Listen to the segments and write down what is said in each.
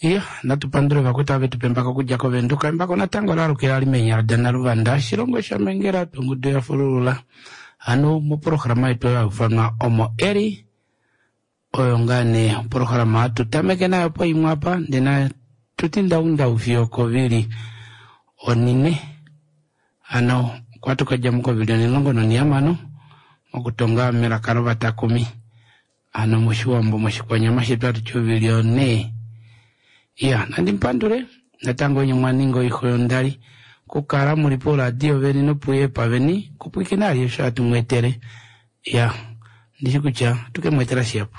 Iya, natu pandule vakwetu ava vetu pa embako okudja kOvenduka. Embako natango ola alukila li meenyala daNaluvanda, shilongo shaMengela, ongudu ya fululula. Hano mopolohalama yetu oyo hai ufanwa Omo Eli, oyo ngaa nee opolohalama hatu tameke nayo poimwe apa, ndee natu ti ndaundau fiyo okovili onine. Hano okwa tu ka dja mo kovili onilongo nonihamano mokutonga melaka lovatakumi. Hano moshiwambo moshikwanyama shetu hatu ti ovili onhee. Iya, nandi mupandule natango nye mwa ninga oixo yondali okukala muli pouradio veni nopuyepa veni kupwiikina ali osho hatu mu etele. Iya, ndishi kutya tuke mu etela shihapu.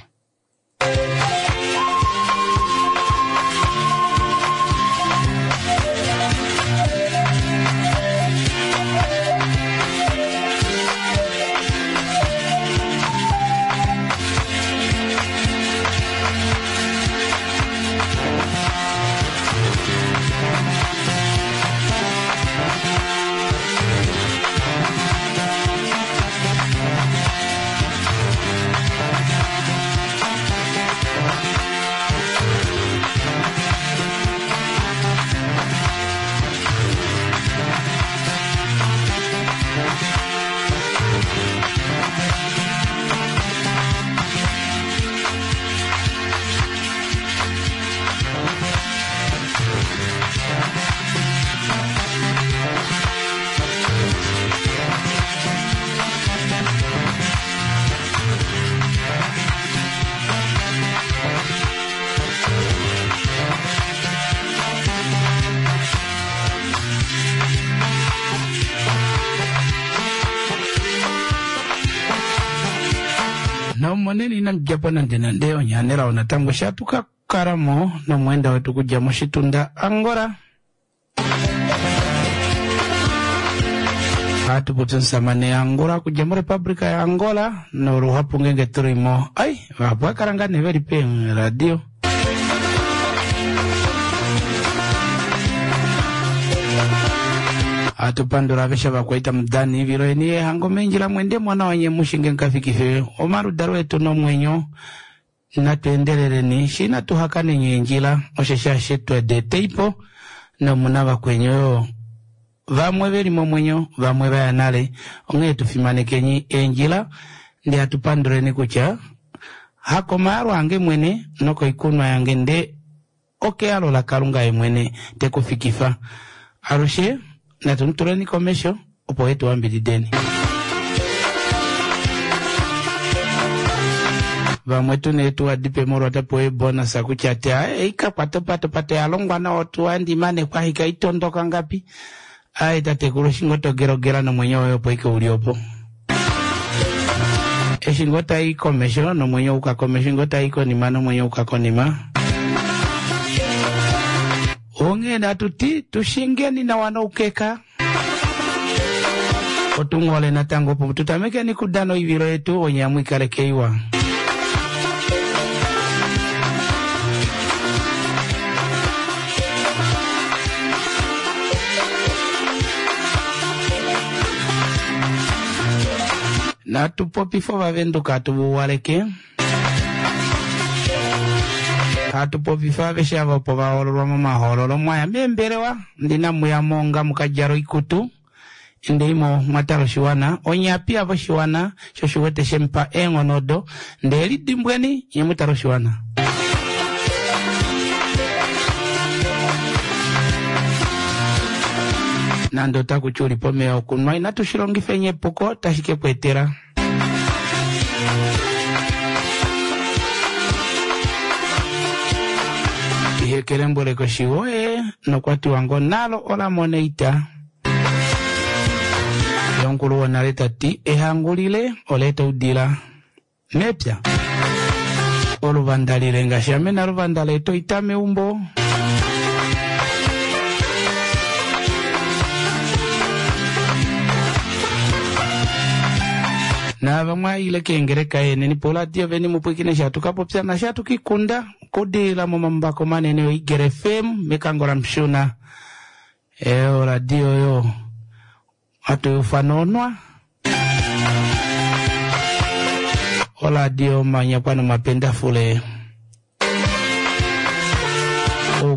Nomonene inamu dja po nande nande onyaanelao natango sha tu ka kala mo nomweenda wetu okudja moshitunda Angola. Ohatu popi omusamane Angola okudja moRepublika yaAngola noluhapu ngeenge tu li mo ai vahapu va kala ngaa nee ve li peeradio. Ohatu pandula aveshe ovakwaita mudani ivilo yeni yehango meendjila mwende mwana wanye mushinge mukafikife omaludalo etu nomwenyo. Natu endeleleni shi inatu hakaneni eendjila, osheshi ashishe twedi eteipo, nomu na vakweni oyo vamwe ve li momwenyo, vamwe va ya nale. Onghee tu fimanekeni eendjila, ndee hatu panduleni kutya hakomayalo ange mwene nokoikunwa yange ndee okeyalo laKalunga ye mwene te ku fikifa. Alushe natu mu tuleni komesho opo e tu ambidideni. Vamwe tu nee tu wadipe molwa ta pewa eebonus kutya te ei ka kwata opate, opate oya longwa nawa otuwa ndi mane kwa hika itondoka ngapi. Ae tatekulu eshi ngoo to gelogela nomwenyo woye opo ike uli opo. Eshi ngoo tai komesho nomwenyo uka komesho, ngoo tai konima nomwenyo uka konima. Onghee natu ti tushingeni nawa noukeka. Otu mu hole natango opo tu tamekeni kudana oivilo yetu onye amu ikaleke iwa. Natu popife ovavenduka hatu va uwaleke. Hatu popifa aveshe ava opo va hoololwa momahoololo mwaya meembelewa ndina muya mo nga mukadjala oikutu ndee mo mwa tala oshiwana onye apiya voshiwana sho shiwete shemupa eenghono odo ndee lidimbweni nye mu tale oshiwana. Nande otaku ti uli pomeya okunwa inatu shi longifeni epuko tashi ke ku etela. Ihe kelembwele koshiwoye nokwa tiwa ngo nalo ola mona oita. Ye omukulu wonale ta ti ehangu lile ola eta oudila mepya. Oluvanda lile ngaashi ame naluvanda la eta oita meumbo. Naava mwa ile keengeleka yeneni poradio veni mupwikine sha tukapopya na sha tukikunda kudila momambako manene oIgere FM mekango la Mshuna. Oradio yo hatu ufana onwa. Oradio manyakwa nomapendafule.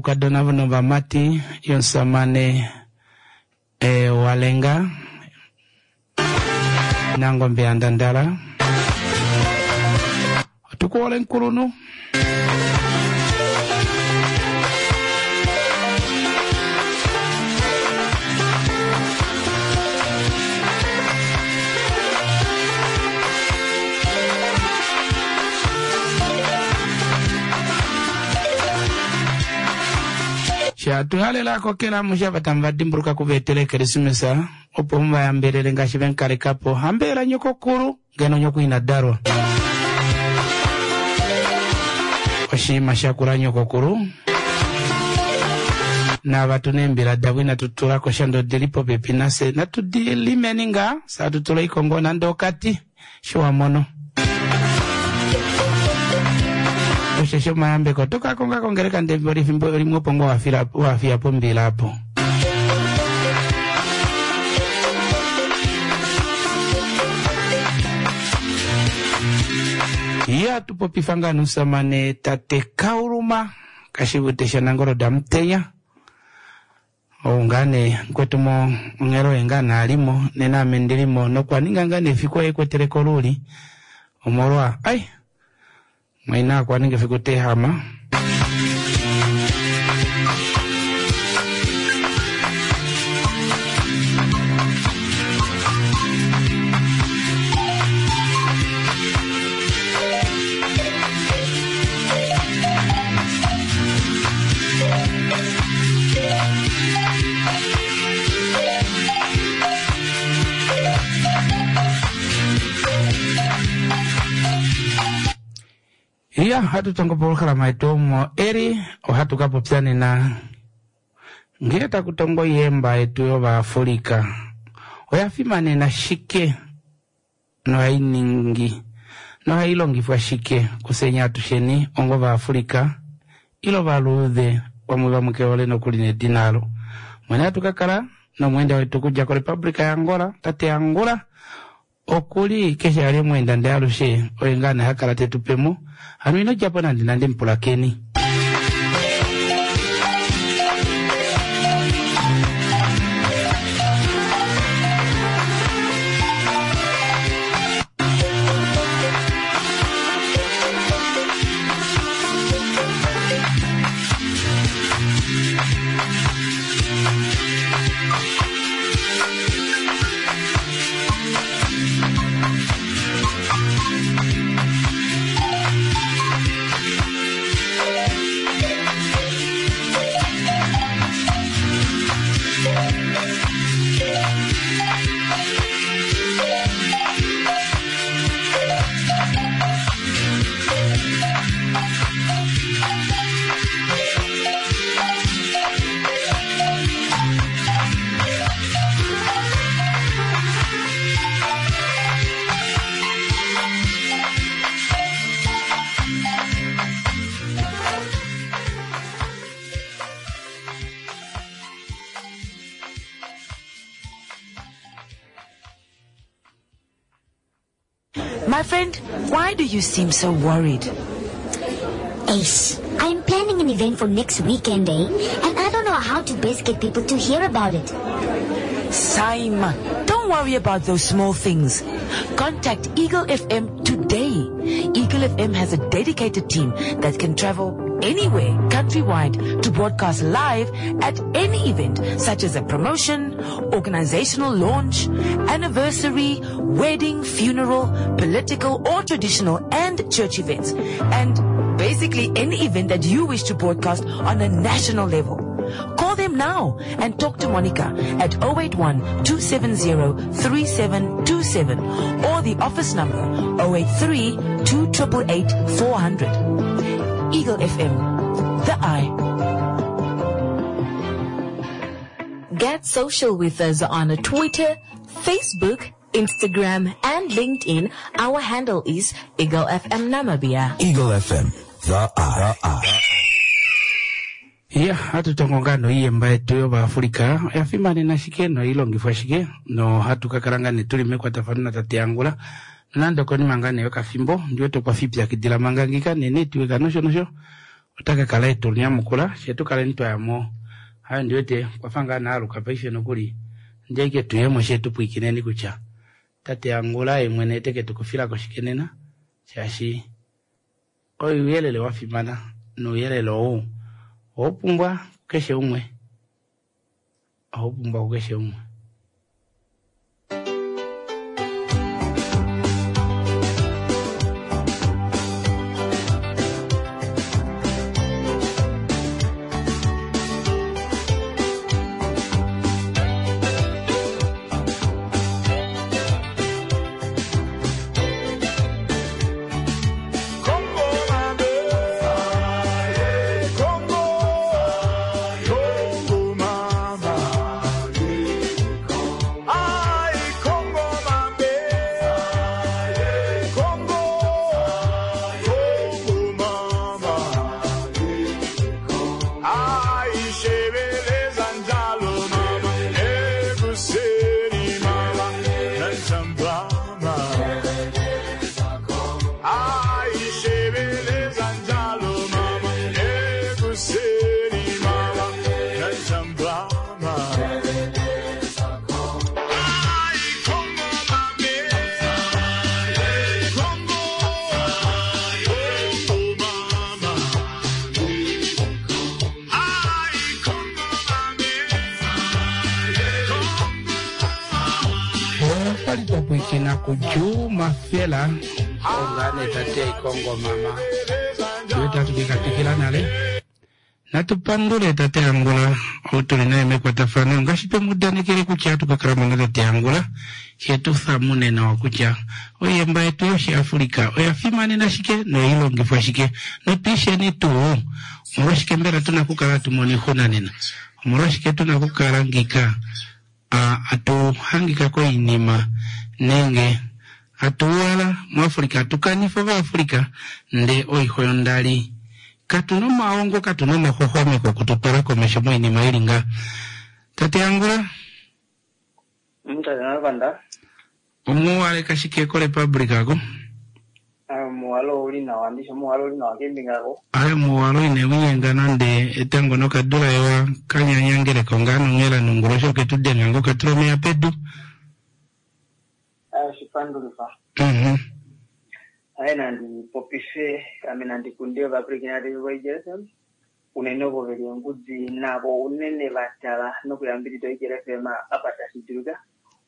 oukadona novamati yomusamane e, Walenga Nangombe yaNdandala. Otukuhole nkulunhu. Shatuhalela kokela mushava tamu va dimbuluka kuva etela ekerisimesa opo mu va yambelele ngaashi vemukaleka po. Hambela nyokokulu ngeno nyoko ina dalwa. Oshinima shakula nyokokulu. Naava tuna eembila davo inatu tula ko sha ndee odili popepi nafye. Natu di limeni ngaa, fye hatu tula oikongo nande okati sho wa mono. Osheshi omayambeko oto ka konga kongeleka ndee efimbo limwe opo ngoo wa fiya pombila apo. Ya tupopifa ngaa nomusamane tate Kauluma Kashivute shaNangolo Damutenya. Ou ngaa nee mukwetu mo onghelo oye ngaa nee alimo nena ame ndilimo nokwa ninga ngaa nee efiku oye ekwetele koluuli omolwa ai mwaina okwa ninga efiku teehama. Iya, hatu tongo polohalama yetu omo eri ohatu ka popya nena ngee taku tongo oiyemba yetu yOvaafrika oya fimanena shike nohai ningi nohai longifwa shike kufyeni atusheni onga Ovaafrika ile Ovaluudhe vamwe vamwe kehole nokuli nedina alo. Mwene hatu ka kala nomweenda wetu okudja koRepublika yaAngola, tate Angula Oku li keshe a li omweenda ndee alushe oye ngaa nee ha kala te tu pe mo. Hano ino dja po nande nande mupulakeni. My friend, why do you seem so worried? Ace, I'm planning an event for next weekend, eh? And I don't know how to best get people to hear about it. Saima, don't worry about those small things. Contact Eagle FM today. Eagle FM has a dedicated team that can travel anywhere countrywide to broadcast live at any event such as a promotion, organizational launch, anniversary, wedding, funeral, political or traditional and church events. And basically any event that you wish to broadcast on a national level. Call them now and talk to Monica at 081 270 3727 or the office number 083 2888 400. Eagle FM, the eye. Get social with us on Twitter, Facebook, Instagram, and LinkedIn. Our handle is Eagle FM Namibia. Eagle FM, the eye. The eye. Ya, hatu tongo ngaa noiyemba yetu yOvaafrika oya fimanena shike nohai longifwa shike nohatu ka kala ngaa nee tuli mekwatafano natate Angula nonande okonima ngaa nee yokafimbo ndi wete okwa fi ipyakidila manga ngika nenetwork nosho nosho. Ota ka kala e tu nyamukula, fye tu kaleni twa ya mo. Hayo ndi wete okwa fa ngaa naaluka paife nokuli. Ndi ashike tu ye mo she tu pwiikineni kutya tate Angula ye mwene ete ke tu kufila ko shike nena, shaashi ouyelele wa fimana nouyelele ou ohau pumbwa kukeshe umwe. Ohau pumbwa kukeshe umwe. Okwali twa pwiikina kuJuma Fela ongane tate Kongo mama iwete hatu ke ka twikila nale. Natu pandule tate Angula ou tuli naye mekwatafano ngaashi twe mu udanekele kutya hatu ka kala mo natate Angula she tu thamune nawa kutya oiyemba yetu yOshiafrika oya fimanena shike noyi longifwa shike notwiisheni tuu omolwashike mbela tuna okukala hatu mono oixuna nena omolwashike tuna okukala ngika atu hangika koinima nenge atu uhala muAfrika atu kanifa Ovaafrika nde oixo yondali. Katu na omaongo, katu na omaxwaxwameko okututwala komesho moinima ili nga. Tate Angula? Tate Naluvanda. Omuwaleka shike koRepublic ako? Omuwalo ouli nawa, ndishi omuwalo ouli nawa keembinga ako? Aye omuwalo ine winyenga nande etango nokadula ewa kanyanyangeleko ngaa nonghela nonguloshi oke tu denga ngoo katula omeya pedu. Aye oshipandulifa. Aye nandi popife ame nandi kunde ovapwilikini aveshe voEagle FM unene ovo veli ongudi navo unene va tala nokuyambidida oEagle FM apa tashi dulika.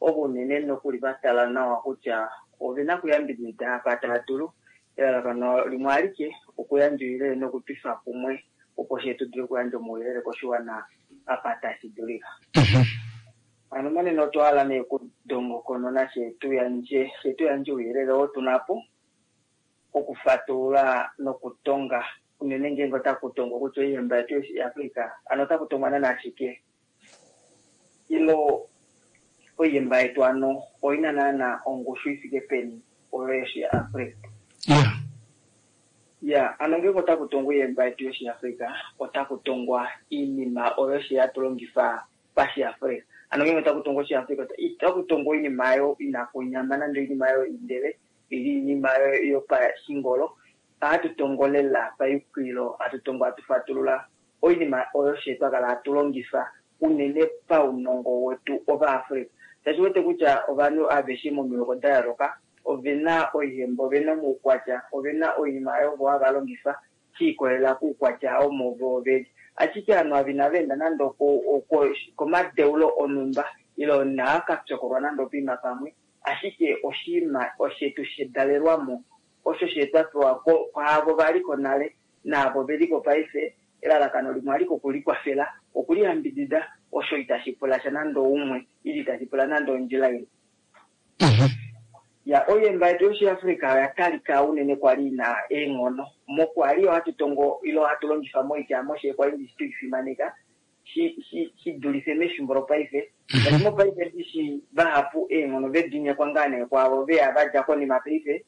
Ovo unene nokuli va tala nawa kutya ove na okuyambidida apa tava dulu. Elalakano limwe alike okuyandja ouyelele nokutwifa kumwe opo fye tu dule okuyandja omauyelele koshiwana apa tashi dulika. Hano monena otwa hala nee okudongokonona fye tu yandje fye tu yandje ouyelele oo tu na po okufatulula nokutonga unene ngeenge otaku tongwa kutya oihemba yetu yOshiafrika hano otaku tongwa naana shike ilo oihemba yetu hano oi na naana ongushu i fike peni oyo yOshiafrika. Ya, ano ngeenge otaku tongwa oihemba yetu yOshiafrika otaku tongwa oinima oyo fye hatu longifa paShiafrika. Ano ngeenge otaku tongwa Oshiafrika itaku tongwa oinima oyo inaku nyama nande oinima oyo indele ili oinima oyo yopashingolo. Ohatu tongo lela payukililo, hatu tongo hatu fatulula oinima oyo fye twa kala hatu longifa unene paunongo wetu Ovaafrika. Shaashi wete kutya ovanhu aveshe momihoko da yooloka ove na oihemba, ove na omaukwatya, ove na oinima oyo vo hava longifa shi ikolelela kuukwatya omo vo veli. Ashike ovanhu ava inava enda nande komadeulo onhumba ile inava ka pyokolwa nande opoima pamwe, ashike oshinima oshetu shedalelwamo osho she twa pewa kwaavo va li ko nale naavo ve li ko paife. Elalakano limwe alike okulikwafela, okuliyambidida, osho itashi pula sha nande oumwe ile itashi pula nande ondjila imwe. Ya, oihemba yetu yOshiafrika oya talika unene kwali i na eenghono. Mokwa li ohatu tongo ile ohatu longifa moitya moshe kwali ndishi tui fimaneka shi, shi, shi dulife mefimbo lopaife. Ngaashi mopaife ndishi vahapu eenghono ve di nyekwa ngaa nee kwaavo ve ya va dja konima paife.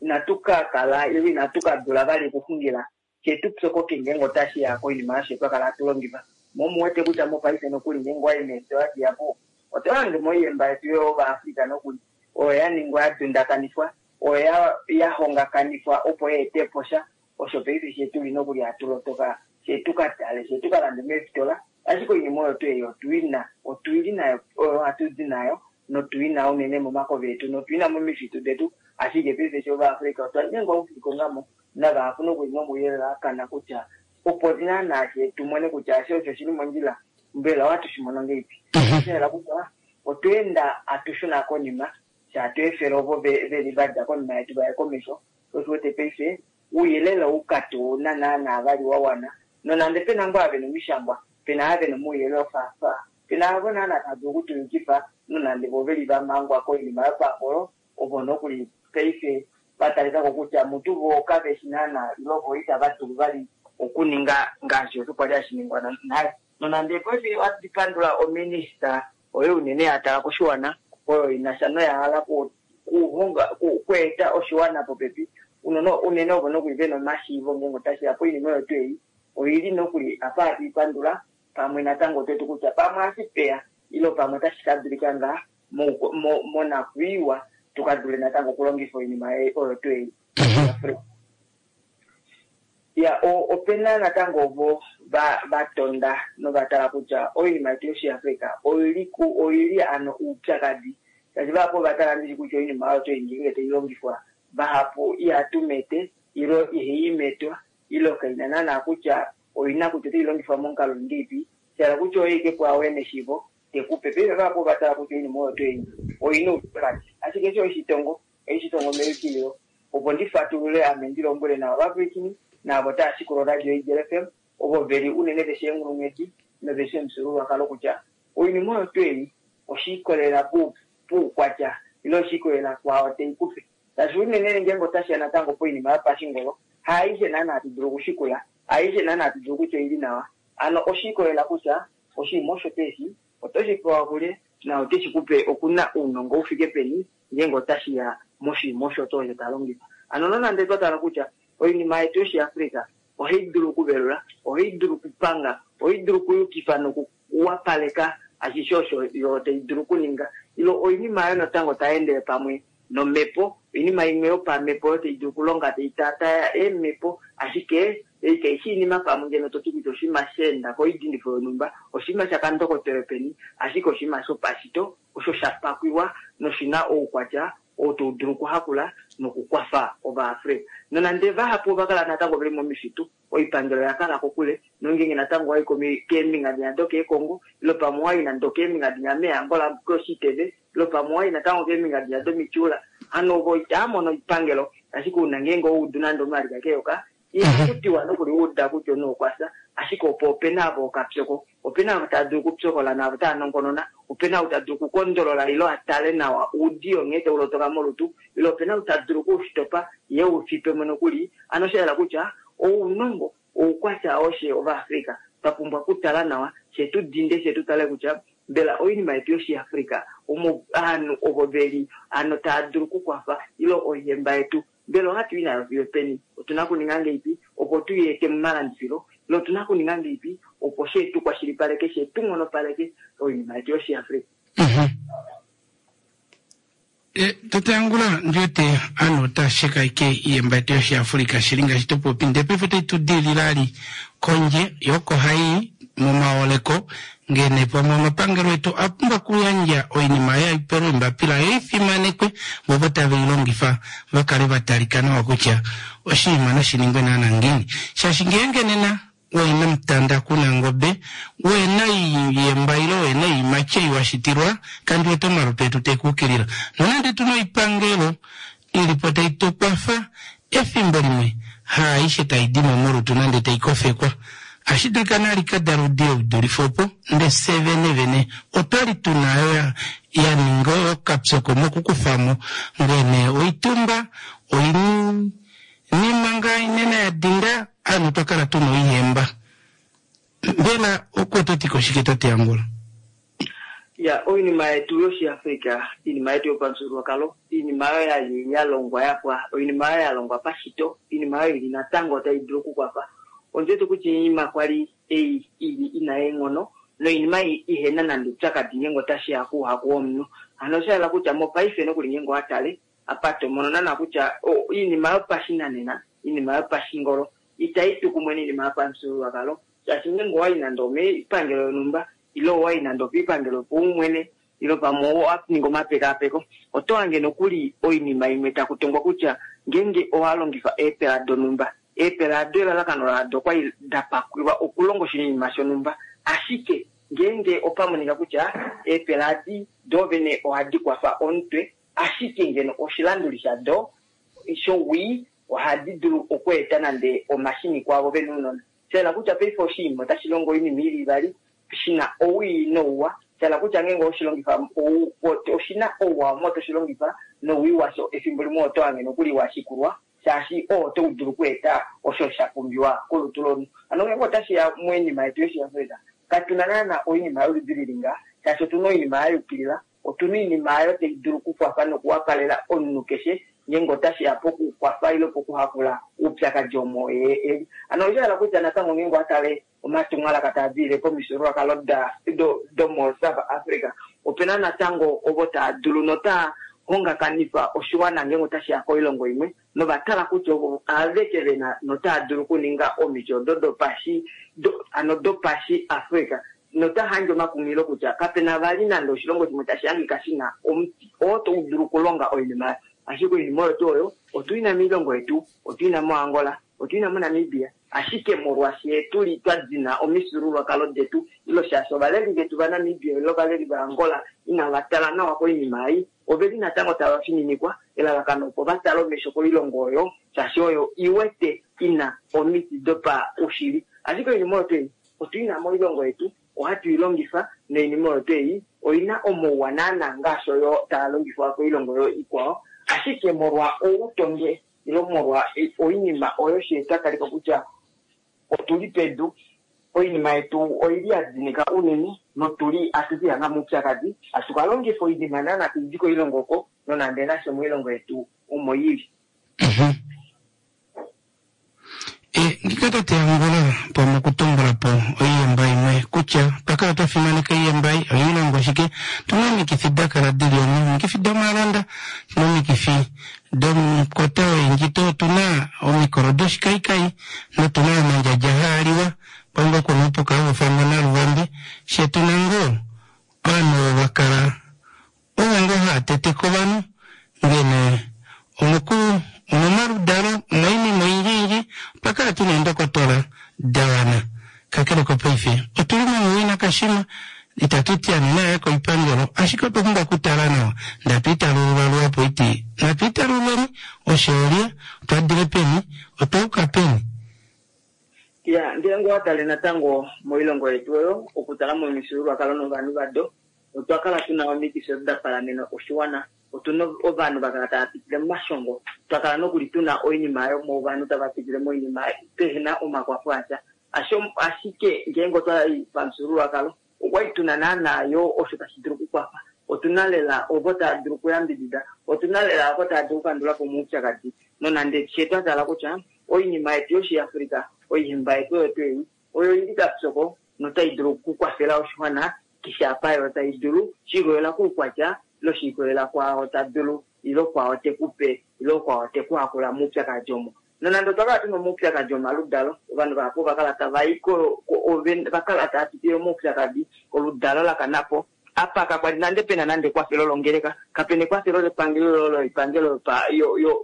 Inatu ka kala ile inatu ka dula vali okuxungila fye tu pyokoke ngeenge otashi ya koinima osho twa kala hatu longifa. Mo omu wete kutya mopaife nokuli ngeenge owa i meesitola dihapu, oto hange mo oihemba yetu yOvaafrika nokuli oyo ya ningwa ya dundakanifwa. oya yahongakanifwa opo yeetepo sha osho paife shetuli nokuli hatulotoka shetukatale shetukalande meefitola ashike oinima oyo tuu ei otuina otuili nayo oyo hatuzi nayo notuina unene momakove etu notuina momifitu detu ashike paife sho ovaAfrika otwa nyengwa okulikongamo navahapu nokuli nomauyelele akana kutya opo naana tumone kutya ashe osho shili mondjila mbela ohatu shimono ngeipi osha kutya otweenda atushuna konima shaatweefela ovo veli vadja konima yetu vaye komesho osho paife uuyelele oukatu naana vali wa wana nonande pena ngoo ave nomishangwa pena ave nomauyelele ofaafa pena avo naana tava dulu okutuyukifa nonande vo veli vamangwa koinima yopangolo ovo nokuli paife vatalikako kutya mutu vo kaveshi naana ilo vo itava dulu vali okuninga ngaashi osho kwali hashi ningwa nale nonande paife ohatu pandula ominista oyo unene ya tala koshiwana oyo inasha noya hala kuhonga kueta oshiwana popepi unene ovo nokuli vena omashiivo ngeenge otashiya poinima oyo tuu ei oili nokuli apa hatu ipandula pamwe natango otetu kutya pamwe ashipeya ilo pamwe otashi ka dulika ngaa monakwiiwa tukadule natango okulongifa oinima oyo tuu ei. Ya opena natango ovo vatonda novatala kutya oinima yetu yoshiAfrika oili ano oupyakadi shaashi vahapu ovatala ndishi kutya oinima oyo tuu ei ngenge tailongifwa vahapu ihatumete ilo ihaimetwa ilo kaina naana kutya oina kutya otailongifwa momukalo ngeipi shala kutya oye ike pwaawe neshivo tekupe paife vahapu ovatala kutya oinima oyo tuu ei oina oupyakadi ashike eshi oishitongo meyukililo opo ndifatulule ame ndilombwele navo vapwilikini naavo tava shikula oradio Eagle FM ovo veli unene veshi eenghulunghedi noveshi omufyuululwakalo kutya oinima oyo tuu ei oshiikolelela poukwatya ile oshiikolelela kwaao teikupe shaashi unene ngeenge otashiya natango poinima yopashingolo haaishe naana hatu dulu okushikula haaishe naana hatu dulu kutya oili nawa ano oshiikolelela kutya oshinima osho tuu eshi otoshi pewa kulye na oteshi kupe okuna ounongo ufike peni ngeenge otashiya moshinima osho tuu osho talongifa ano nonande twatala kutya oinima yetu yoshiAfrika ohai dulu okuvelula ohai dulu okupanga ohai dulu okuyukifa nokuwapaleka ashishe osho yo tai dulu okuninga ilo oinima oyo natango tai endele pamwe nomhepo oinima imwe yopamhepo oyo tai dulu okulonga tai taataya eemhepo ashike ei kaishi iinima pamwe ngeno toti kutya oshinima sheenda koidindifo yonhumba oshinima shakandokotele peni ashike oshinima shopashito osho shapakwiwa noshina oukwatya ou tau dulu okuhakula nokukwafa ovaAfrika nonande vahapu ovakala natango veli momifitu oipangelo oyakala kokule nongenge natango wayi keembinga dinya dokeekongo ilo pamwe wayi nande keembinga dinya meeAngola koshiteve ilo pamwe wayi natango keembinga dinya domityuula hano ovo itaamono oipangelo ashike una ngeenge oudu nande omalika keyoka ihakutiwa nokuli uda kutya omunhu okwafya ashike opo opena avo okapyoko opena avo tava dulu okupyokola naavo tava nongonona opena ou ta dulu okukondolola ilo atale nawa oudiyo nghee taulotoka molutu ilo opena ou ta dulu okuushitopa ye ufipemo nokuli ano osha yela kutya ounongo oukwatya oshe ovaAfrika twa pumbwa okutala nawa shetudinde shetutale kutya mbela oinima yetu yoshiAfrika omo ovanhu ovo veli ano tava dulu okukwafa ilo oihemba yetu mbela ohatu i nayo fiyo peni otuna okuninga ngeipi opo tuyeete momalandifilo ilo otuna okuninga ngeipi opo shetu kwashilipaleke shetu nghonopaleke oinima yetu yoshiAfrika. Tate Angula ndiwete ovanhu otava sheka ashike oihemba yetu yoshiAfrika shili ngaashi topopi ndee paife otai tu diilile ali kondje yoo oko hai momaoleko ngene pamwe omapangelo etu a pumbwa okuyandja oinima oyo aipelwe eembapila yo ifimanekwe vo ovo tave i longifa va kale va talika nawa kutya oshinima nashiningwe naana ngiini shaashi ngeenge nena wena omutanda kuna ngobe wena oiyemba ile wena oiimati ei washitilwa kandi wete omalutu etu tekuukilila nonande tuna oipangelo ilipo tai tukwafa efimbo limwe haaishe taidimo molutu nande taikofekwa ashi dulika nali kadala oudiyo udulife opo nde fye venevene otwali tuna oyo ya ninga okapyoko mokukufamo ngene oitumba oinima ngaa inene ya dinda ovanhu twakala tuna oihemba mbela oko toti koshike tate Angula? Ya oinima yetu yoshiAfrika iinima yetu yopamufyuululwakalo iinima oyo yali yalongwa yapwa oinima oyo yalongwa pashito iinima oyo ili natango tai dulu okukwafa ondiwete kutya oinima kwali ei ili ina eenghono noinima ihena nande oupyakadi ngeenge otashiya kouhaku womunhu hano osha yela kutya mopaife nokuli ngeenge owatale. Apa to mono naana kutya oinima yopashinanena, iinima yopashingolo itayi tu kumwe noinima yopamufyuululwakalo, shaashi ngeenge owayi nande omoipangelo yonhumba ile owayi nande okoipangelo yopaumwene ile pamwe owa ninga omapekaapeko, oto hange nokuli oinima imwe taku tongwa kutya ngeenge owa longifa eepela donhumba, eepela ado elalakano lado okwali da pakwilwa okulonga oshinima shonhumba, ashike ngeenge opa monika kutya eepela adi doovene ohadi kwafa omutwe, ashike ngeno oshilanduli shado showii ohadi dulu okweeta nande omashini kwaavo vena ounona. Shahala kutya paife oshinima otashi longo oinima ili ivali, shina owii nouwa. Shahala kutya ngeenge oshilongifa oshina ouwa omo toshilongifa nowii washo efimbo limwe oto hange nokuli washikulwa, shaashi oo oto dulu okweeta osho sha pumbiwa kolutu lomunhu. Hano ngeenge otashiya moinima yetu yOshiafrika, katuna naana oinima yoludi lili ngaha, shaashi otuna oinima ya yukilila, otuna oinima oyo tai dulu okukwafa nokuwapalela omunhu keshe ngeenge otashiya pokukwafa ile pokuhakula oupyakadi omo ye eli. Hano osha hala kutya natango ngeenge owa tale omatumwalaka taa dilile komifyuululwakalo domo South Africa, opena natango ovo taa dulu notaa hongakanifa oshiwana ngeenge otashiya koilongo imwe, novatala kutya ovo aveke vena notaa dulu okuninga omiti odo dopashi ano dopashi Africa, nota handje omakunghililo kutya kapena vali nande oshilongo shimwe tashi hangika shina omuti oo tau dulu okulonga oinima. Ashike oinima oyo tuu oyo otuina moilongo yetu, otuina moAngola, otuina moNamibia, ashike molwaashi tuli twa dina omifyuululwakalo detu, ilo shaashi ovaleli vetu vaNamibia ile ovaleli vaAngola inava tala nawa koinima ei, oveli natango tava fininikwa elalakano opo va tale omesho koilongo oyo, shaashi oyo iwete ina omiti dopaushili. Ashike oinima oyo tuu ei otuina moilongo yetu, ohatu i longifa, noinima oyo tuu ei oina omauwa naana ngaashi oyo taa longifwa koilongo oyo ikwao, ashike molwa outondwe ile molwa oinima oyo she twa talika kutya otuli pedu, oinima yetu oili ya dinika unene notuli atuki hanga moupyakadi, atuka longifa oinima naana taidi koilongo oko nonande nasho moilongo yetu omo ili. Ngika tate Angola pamwe okutumbula po oiyemba imwe kutya twakala twa fimaneka oiyemba ei oilongo shike, tuna omikifi da kala dili omo, omikifi domalonda, tuna omikifi domukota woendjito, otuna omikolo doshikaikai notuna omandjadja haaliwa pamwe kuna opuka haufamwa naluvambi she tuna ngoo ovanhu ovo vakala ovo ngoo haateteke ovanhu ngene omuku omomaludalo omoinima oyindji otwa kala tuna eendokotola da wana. Kakele kopaife otuli momowina kashima, itatu ti ame naye koipangelo, ashike otwa pumbwa okutala nawa ndatu italulula luhapu iti natu italululeni oshoolya otwa dile peni otwa uka peni. Ya, ngeenge owa tale natango moilongo yetu oyo okutala momifyuululwakalo novanhu vado, otwa kala tuna omikifi odo da palamena oshiwana, otuna ovanhu va kala tava pitile momashongo, twa kala nokuli tuna oinima oyo ovanhu tava pitile moinima pehena omakwafo asha. Ashike ngeenge otwa i pamufyuululwakalo okwali tuna naana yo osho tashi dulu okukwafa, otuna lela ovo tava dulu okuyambidida, otuna lela ovo tava dulu okukandula po omaupyakadi, nonande she twa tala kutya oinima yetu yOshiafrika, oihemba yetu oyo tuu ei oyo ili kapyoko notai dulu okukwafela oshiwana keshe apa yo tai dulu, shiikolelela koukwatya ile shiikolelela kwaao ta dulu ile kwaao tekupe ile kwaao tekuhakula moupyakadi omo. Nonande otwa kala tuna omaupyakadi omaludalo, ovanhu vahapu ova kala tava i va kala tava pitile moupyakadi, oludalo la kana po. Apa kakwali nande pena nande ekwafelo longeleka, kapena ekwafelo lepangelo loipangelo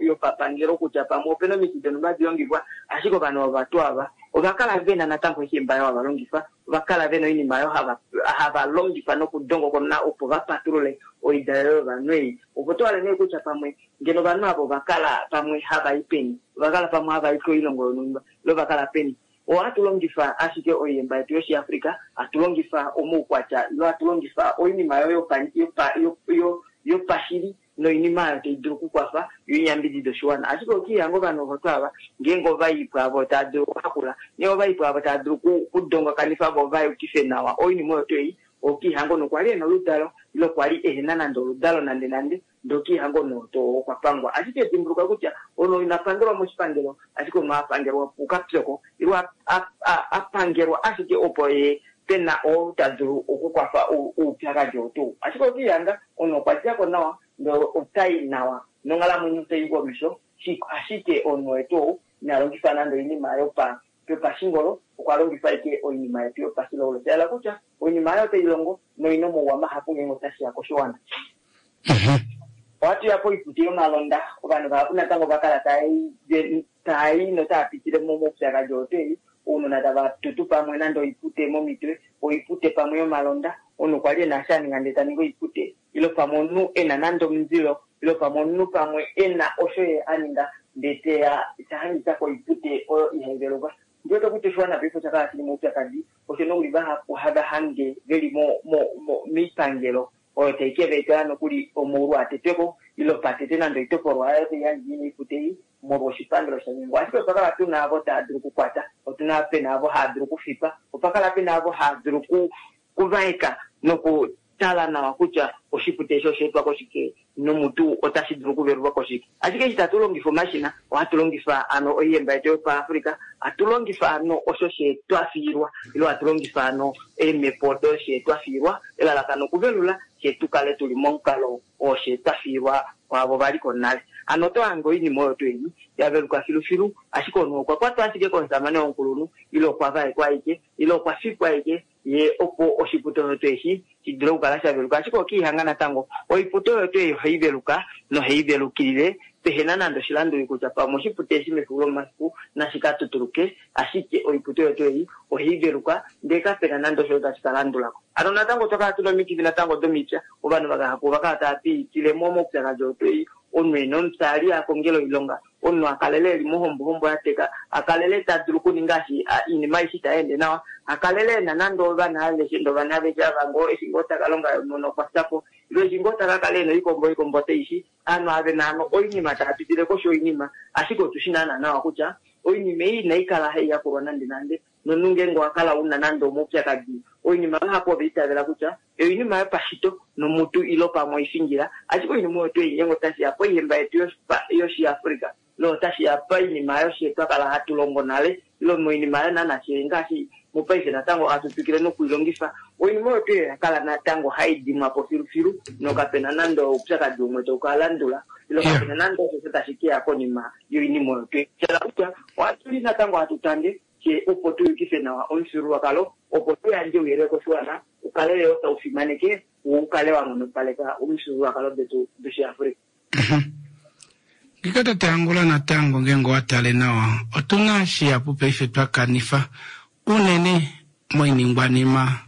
yopapangelo kutya pamwe opena omiti donhumba hadi longifwa, ashike ovanhu ova tuu ava ova kala vena natango oihemba oyo hava longifa, ova kala vena oinima oyo hava longifa nokudongokona opo va patulule oidalelo yovanhu ei. Opo to hale nee kutya pamwe ngeno ovanhu ava ova kala pamwe hava i peni, ova kala pamwe hava i koilongo yonhumba ile ova kala peni. Ohatu longifa ashike oihemba yetu yOshiafrika, hatu longifa omaukwatya ile hatu longifa oinima oyo yopashili noinima oyo tai dulu okukwafa yo iyambidide oshiwana. Ashike okiihanga ovanhu ovo tuu ava ngeenge ova i pwaavo tava dulu okuhakula, ngeenge ova i pwaavo tava dulu okudongakanifa vo va yukife nawa oinima oyo tuu ei, okiihanga omunhu okwa li ena oludalo ile okwa li ehena nande oludalo nande nande, ndee okiihanga omunhu oo okwa pangwa. Ashike dimbuluka kutya omunhu ina pangelwa moshipangelo, ashike omunhu a pangelwa kukapyoko ile a pangelwa ashike opo ye pena oo ta dulu okukwafa oupyakadi oo tuu. Ashike okiihanga omunhu okwa djako nawa. Ndele otai nawa nonghalamwenyo otai i komesho, ashike omunhu wetu ou ina longifa nande oinima yopashingolo, okwa longifa ashike oinima yetu yopashilaulo. Sha yela kutya oinima oyo otai longo noina omauwa mahapu ngeenge otashi ya koshiwana. Ohatu ya poikuti yomalonda, ovanhu vahapu natango ova kala taa i notaa pitile momaupyakadi oo tweli, ounona tava tutu pamwe nande oipute momitwe, oipute pamwe yomalonda, omunhu okwa li e na eshi a ninga ndele ta ningi oipute, ile pamwe omunhu e na nande omundilo, ile pamwe omunhu pamwe e na osho ye a ninga ndele teya ta hangika koipute oyo ihai veluka. Ndi wete kutya oshiwana paife osha kala shili moupyakadi, osho nokuli vahapu hava hange veli moipangelo oyo tai ke va etela nokuli omaulu a tetwe ko, ile pa tetwe nande oitopolwa yayo tai yandje ina oipute ei molwa oshipangelo sha nyengwa. Ashike otwa kala tuna avo tava dulu okukwata, otuna pena avo hava dulu okufipa, opa kala pena avo hava dulu okuvaeka nokutala nawa kutya oshipute eshi osha etwa koshike nomutu otashi dulu okuvelulwa koshike. Ashike eshi tatu longifa omashina, ohatu longifa ano oihemba yetu yopaAfrika, hatu longifa ano osho she twa fiilwa, ile hatu longifa ano eemhepo odo she twa fiilwa, elalakano okuvelula, she tu kale tuli momukalo oo she twa fiilwa kwaavo va li ko nale. Hano oto hange oinima oyo tuu ei ya veluka filufilu, ashike omunhu okwa kwatwa ashike komusamane womukulunhu, ile okwa vaekwa ashike, ile okwa fikwa ashike, ye opo oshipute osho tuu eshi shi dule okukala sha veluka. Ashike okiihanga natango, oipute oyo tuu ei ohai veluka nohai velukilile pehena nande oshilanduli kutya pamwe oshipute eshi mefiku lomomafiku nashi ka tutuluke, ashike oipute oyo tuu ei ohai veluka ndee kapena nande osho tashi ka landula ko. Hano natango otwa kala tuna omikifi natango domipya, ovanhu vahapu ova kala tava piitile mo moupyakadi oo tuu ei, omunhu ena omupya a li a kongela oilonga, omunhu a kalele eli mohombohombo ya teka, a kalele ta dulu okuninga oinima aishe itai ende nawa, a kalele ena nande ovana aveshe, ndee ovana aveshe ava ngoo eshi ngoo taka longa omunhu okwa fya po, ile eshi ngoo taka kala ena oikombo oikombo otei shi, ovanhu ava vena hano oinima tava pitile koshi yoinima, ashike otu shi naana nawa kutya oinima ei inai kala hai yakulwa nande nande, nomunhu ngeenge owa kala una nande omaupyakadi, oinima vahapu ova itavela kutya oinima yopashito nomutu ile pamwe oifingila, ashike oinima oyo tuu ei ngeenge otashi ya poihemba yetu yOshiafrika, ile otashi ya poinima yoshe twa kala hatu longo nale, ile moinima oyo naana fye ngaashi mopaife natango hatu twikile nokuilongifa, oinima oyo tuu ei oya kala natango hai dimwa po filufilu nokapena nande oupyakadi umwe tau ka landula, ile kapena nande osho tashi ke ya konima yoinima oyo tuu ei. Sha kutya ohatu li natango hatu tange fye opo tu yukife nawa omufyuululwakalo, opo tu yandje ouyelele koshiwana u kale yoo tau fimaneke wo u kale wa nghonopaleka omifyuululwakalo detu dOshiafrika. Ngika tate Angula natango ngeenge owa tale nawa otuna shihapu paife twa kanifa unene moiningwanima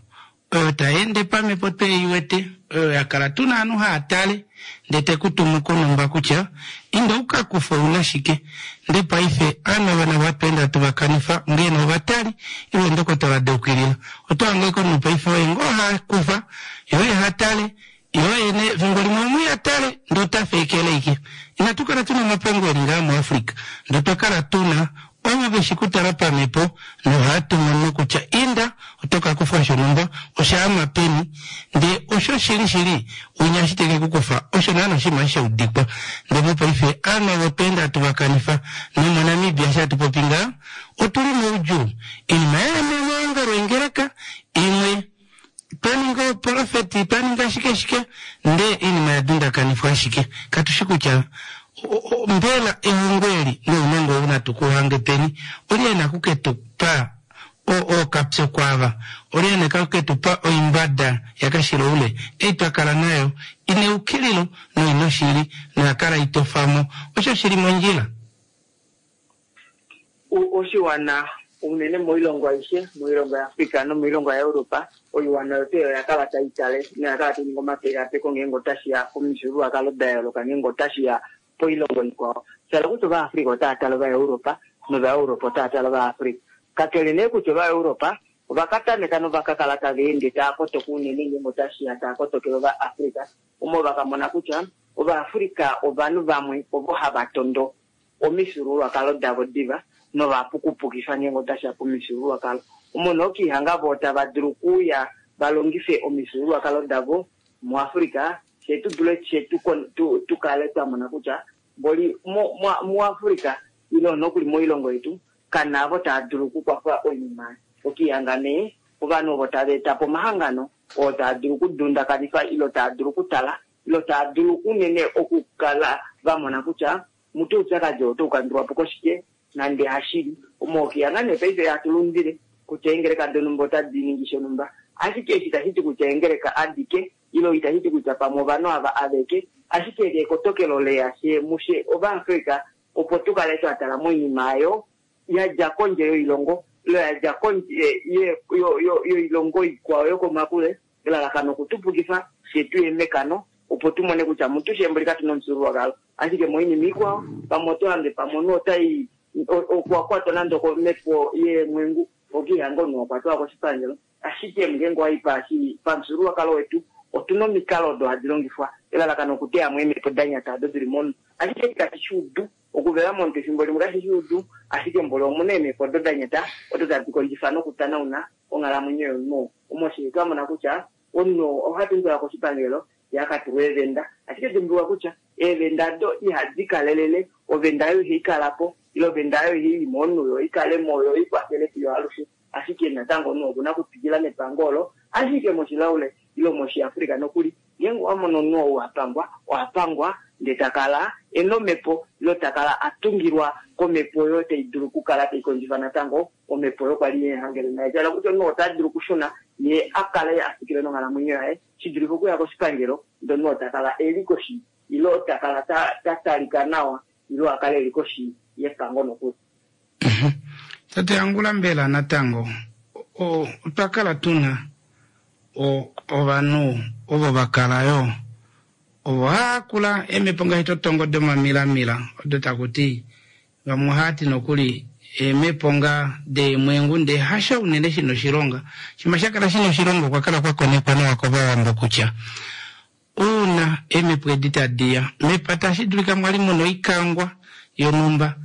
oyo tai ende pamhepo twe i wete, oyo ya kala tuna ovanhu haa tale ndee te ku tumu konhumba kutya inda u ka kufe ouna shike. Ndee paife ovanhu ava navo hatu ende hatu va kanifa ongee nee ovatali ile eendokotola da ukilila. Oto hange ashike omunhu paife oye ngoo ha kufa, ye oye ha tale, ye oye nee efimbo limwe omunhu iha tale ndee ota feekele ashike. Inatu kala tuna omapongo eli ngaha muAfrica ndee otwa kala tuna ovo ve shi kutala pamhepo nohava tu mono kutya inda oto ka kufwa shonhumba osha ama peni ndee osho shili shili winya eshi teke ku kufa osho naana oshinima eshi sha udikwa. Ndee mopaife ovanhu ovo otwa enda hatu va kanifa nomoNamibia eshi hatu popi ngaha otuli moudjuu. Oinima ya ya momaongalo eengeleka imwe twa ninga oprofeti, twa ninga shike shike, ndee oinima ya dundakanifwa ashike. Katu shi kutya mbela ehongo eli nounongo ou natu ku hange peni. Olye ena ku ke tu pa ookapyoko ava? Olye ena ku ke tu pa oimbada yakashiloule ei twa kala nayo ina eukililo noina oshili noya kala itofa mo osho shi li mondjila? Oshiwana, unene moilongo aishe, moilongo yaAfrica nomoilongo yaEuropa, oiwana oyo tuu oya kala tai tale noya kala tai ningi omapekapeko ngeenge otashi ya komifyuululwakalo da yooloka, ngeenge otashi ya poilongo ikwao. Sha hala kutya Ovaafrica otava tale Ovaeuropa nOvaeuropa otava tale Ovaafrica. Kakele nee kutya Ovaeuropa ova ka tameka nova ka kala tava ende tava kotoka unene ngeenge otashi ya tava kotokele Ovaafrica, omo va ka mona kutya Ovaafrica ovanhu vamwe ovo hava tondo omifyuululwakalo davo diva nova pukupukifa ngeenge otashi ya pomifyuululwakalo. Omo nee okiihanga voo tava dulu okuuya va longife omifyuululwakalo davo muAfrica, fye tu dule fye tu, tu, tu kale twa mona kutya mboli mo, mo, muAfrica ile nokuli moilongo yetu kana avo tava dulu okukwafa oinima. Okiihanga nee ovanhu ovo tava eta po omahangano oo taa dulu okudundakanifa ile taa dulu okutala. ilo taa dulu unene okukala va mona kutya mutu oupyakadi oo otau kandulwa po koshike nande hashili omookiya nee paife hatu lundile kutya eengeleka donhumba otadi ningi shonhumba, ashike eshi itashi ti kutya eengeleka adike ilo itashi ti kutya pamwe ovanhu ava aveke, ashike eli ekotokelo leya she mushe Ovaafrika opo tu kale twa tala moinima ayo ya dja kondje yoilongo ilo ya dja kondje yoilongo ikwao yokomakule, elalakano okutupukifa fye tuye mekano opo tu mone kutya mutu shembuli katu na omufyuululwakalo. Ashike moinima ikwao pamwe oto hange pamwe omunhu otai okwa kwatwa nande okomhepo yeemwengu okiihanga omunhu wakwatwa koshipangelo, ashike ngeenge owa i pamufyuululwakalo wetu otuna omikalo odo hadi longifwa elalakano okuteya mo eemhepo da nyata odo dili momunhu. Ashike kashi shi udu okuvela momunhu efimbo limwe kashi shi udu, ashike mboli omuna eemhepo odo da nyata odo tadi kondjifa nokutanauna onghalamwenyo yomunhu. Omo shi twa mona kutya omunhu oha tumbulwa koshipangelo ye a ka tulwa eevenda, ashike dimbuluka kutya eevenda do ihadi kalelele, ovenda oyo ihai kala po ile ovenda oyo ihai i momunhu yo ikale mo yo ikwafele fiyo alushe, ashike natango omunhu okuna okutwikila nepango olo. Ashike moshilaule ile moshiafrika nokuli ngeenge owa mono omunhu ou a pangwa, oha pangwa ndee ta kala ena omhepo ile ta kala a tungilwa komhepo oyo tai dulu okukala tai kondjifa natango omhepo oyo kwali yehangele naye. Sha hala kutya omunhu ota dulu okushuna ye a kale a twikile nonghalamwenyo yaye shi dulife okuya koshipangelo ndee omunhu ota kala eli koshi ile ta kala ta talika nawa ile a kale eli koshi yepango nokuli. Tate Angula, mbela natango otwa kala tuna ovanhu ovo va kala yo ovo haa kula eemhepo ngaashi totongo domamilamila odo taku ti vamwe ohaa ti nokuli eemhepo ngaa deemwengu ndee hasho unene shina oshilonga. Shima sha kala shina oshilonga okwa kala kwa konekwa nawa kovawambo kutya uuna eemhepo edi tadi ya mepata ohashi dulika mwali muna oikangwa yonhumba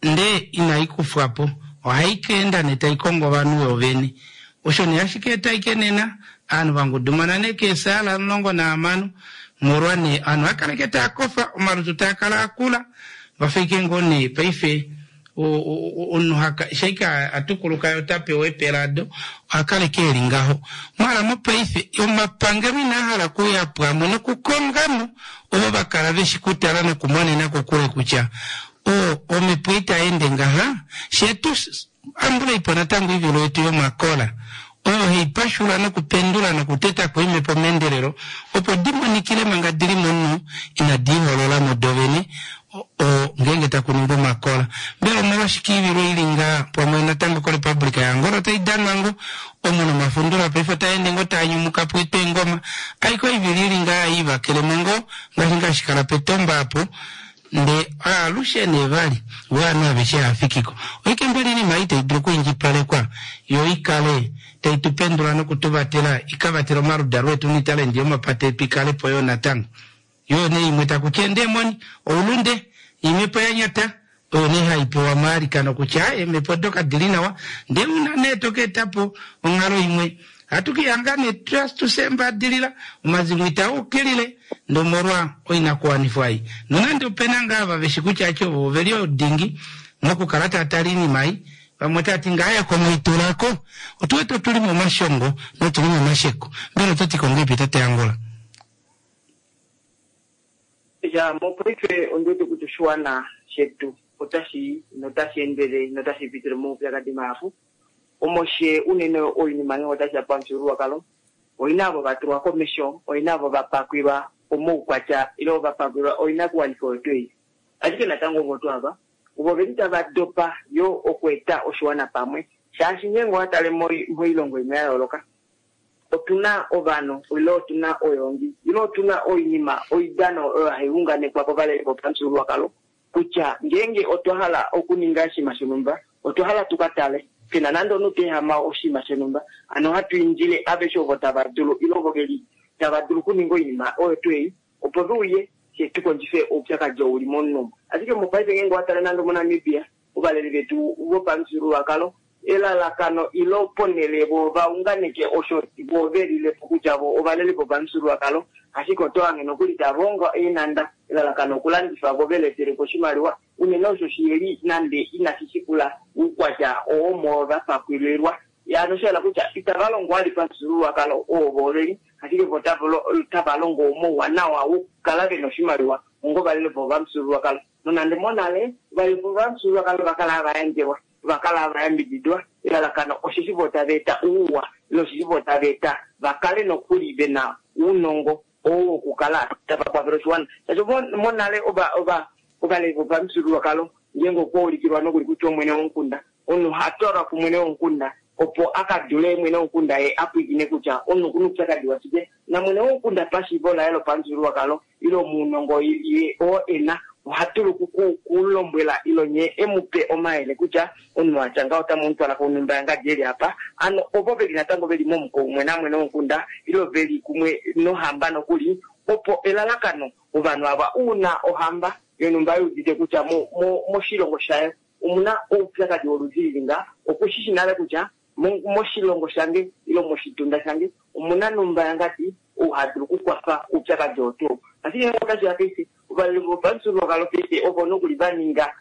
ndee inai kufwa po, ohai ka enda nee tai kongo ovanhu vovene. Osho nee hashi ka eta ashike nena ovanhu va ngudumana nee keesaala 16 molwa nee ovanhu ohava kala ashike taa kofa, omalutu taa kala a kula, vafa ashike ngoo nee paife omunhu shaike a tukuluka ye ota pewa eepela do, oha kala ashike eli ngaho. Maala mopaife omapangelo inaa hala okuuya pamwe nokukonga mo ovo va kala ve shi kutala nokumonena kokule kutya omhepo itai ende ngaha, fye tu ambulei po natango oivilo yetu yomakola oyo hai pashula nokupendula nokuteta ko eemhepo meendelelo opo di monikile manga di li momunhu inadi iholola mo dovene ngeenge taku ningwa omakola. Mbela omolwashike oivilo i li ngaa pamwe natango koRepublika yaAngola otai danwa ngoo omu nomafundula paife otaa ende ngoo taa nyumuka po eengoma aike oivilo i li ngaa i vakele mo ngoo ngaashi ngaa hashi kala petomba apo Ndee aalushe nee vali vo ovanhu aveshe hava fiki ko. Oike mbela oinima ei tai dulu okwiindjipalekwa yo i kale tai tu pendula noku tu vatela i ka vatele omaludalo etu noitalendi yomapata etu i kale po yoo natango. Yoo nee imwe taku ti eendemoni, oulunde, imhepo ya nyata, oyo nee hai pewa omailikano kutya eemhepo odo kadi li nawa ndee una nee to ka eta po onghalo imwe Ohatu ka ihanga nee tu fye ombadilila, omazimo itaa ukilile, ndee omolwa oinakuwanifwa ei. Nonande ope na ngaa ava ve shi kutya ache ovo ove li odingi mokukala tava tale oinima ei, vamwe otava ti ngaa ya komaitula ko. Otu wete otu li momashongo notu li momasheko. Mbela oto ti ko ngahelipi tate Angola? Ya, mopaife ondi wete kutya oshiwana shetu otashi i notashi endele notashi pitile momaupyakadi mahapu. Omo she unene oinima ngee otashi ya pamufyuululwakalo, oina ovo va tulwa komesho, oina ovo va pakwilwa omaukwatya ile va pakwilwa oinakuwanifwa oyo tuu ei. Ashike natango ovo tuu ava ovo veli tava dopa yoo okueta oshiwana pamwe shaashi ngeenge owa tale moilongo imwe ya yooloka otu na ovanhu ile otu na oyoongi ile otu na oinima oidano oyo hai unganekwa kovaleli vopamufyuululwakalo kutya ngeenge otwa hala okuninga oshinima shonhumba, otwa hala tu ka tale pe na nande omunhu ta ehama oshinima shonhumba, hano ohatu indile aveshe ovo tava dulu ile ovo ve li tava dulu okuninga oinima oyo tuu ei opo ve uye fye tu kondjife oupyakadi oo u li momunhu omu. Ashike mopaife ngeenge owa tale nande omoNamibia, ovaleli vetu vopamufyuululwakalo elalakano ile ponhele vo va unganeke osho vo ve lile po kutya vo ovaleli vopamufyuululwakalo, ashike oto hange nokuli tava ongo eenhanda elalakano okulandifa vo ve letele po oshimaliwa, unene osho shiheli nande inashi shikula oukwatya oo omo va pakwililwa. Ano osha yela kutya itava longo vali pamufyuululwakalo oo vo veli, ashike vo otava longo mouwanawa wokukala ve na oshimaliwa onga ovaleli vopamufyuululwakalo. Nonande monale ovaleli vopamufyuululwakalo ova kala hava yandjelwa, ova kala hava yambididwa, elalakano osheshi vo tava eta ouwa ile osheshi vo tava eta va kale nokuli ve na ounongo oo wokukala tava kwafele oshiwana. Shaashi monale ovaleli vopamufyuululwakalo ngeenge okwa ulikilwa nokuli kutya omwene womukunda, omunhu oha twalwa kumwene womukunda opo a ka dule mwene womukunda ye a pwilikine kutya omunhu okuna oupyakadi washike. Namwene womukunda pashiivo laye lopamufyuululwakalo ile omuunongo ye oo e na, oha dulu kulombwela ile nye e mu pe omayele kutya omunhu atya ngaho otamu mu twala konhumba yangadi eli apa. Ano ovo ve li natango ve li momuko umwe namwene womukunda ile ve li kumwe nohamba nokuli, opo elalakano ovanhu ava uuna ohamba yonhumba i udite kutya moshilongo shayo omuna oupyakadi woludi lili nga, oku shi shi nale kutya moshilongo shange ile moshitunda shange omuna nhumba yangadi ou ha dulu okukwafa oupyakadi oo tuu. Ashike ngeenge otashi ya paife, ovaleli vopamufyuululwakalo paife ovo nokuli va ninga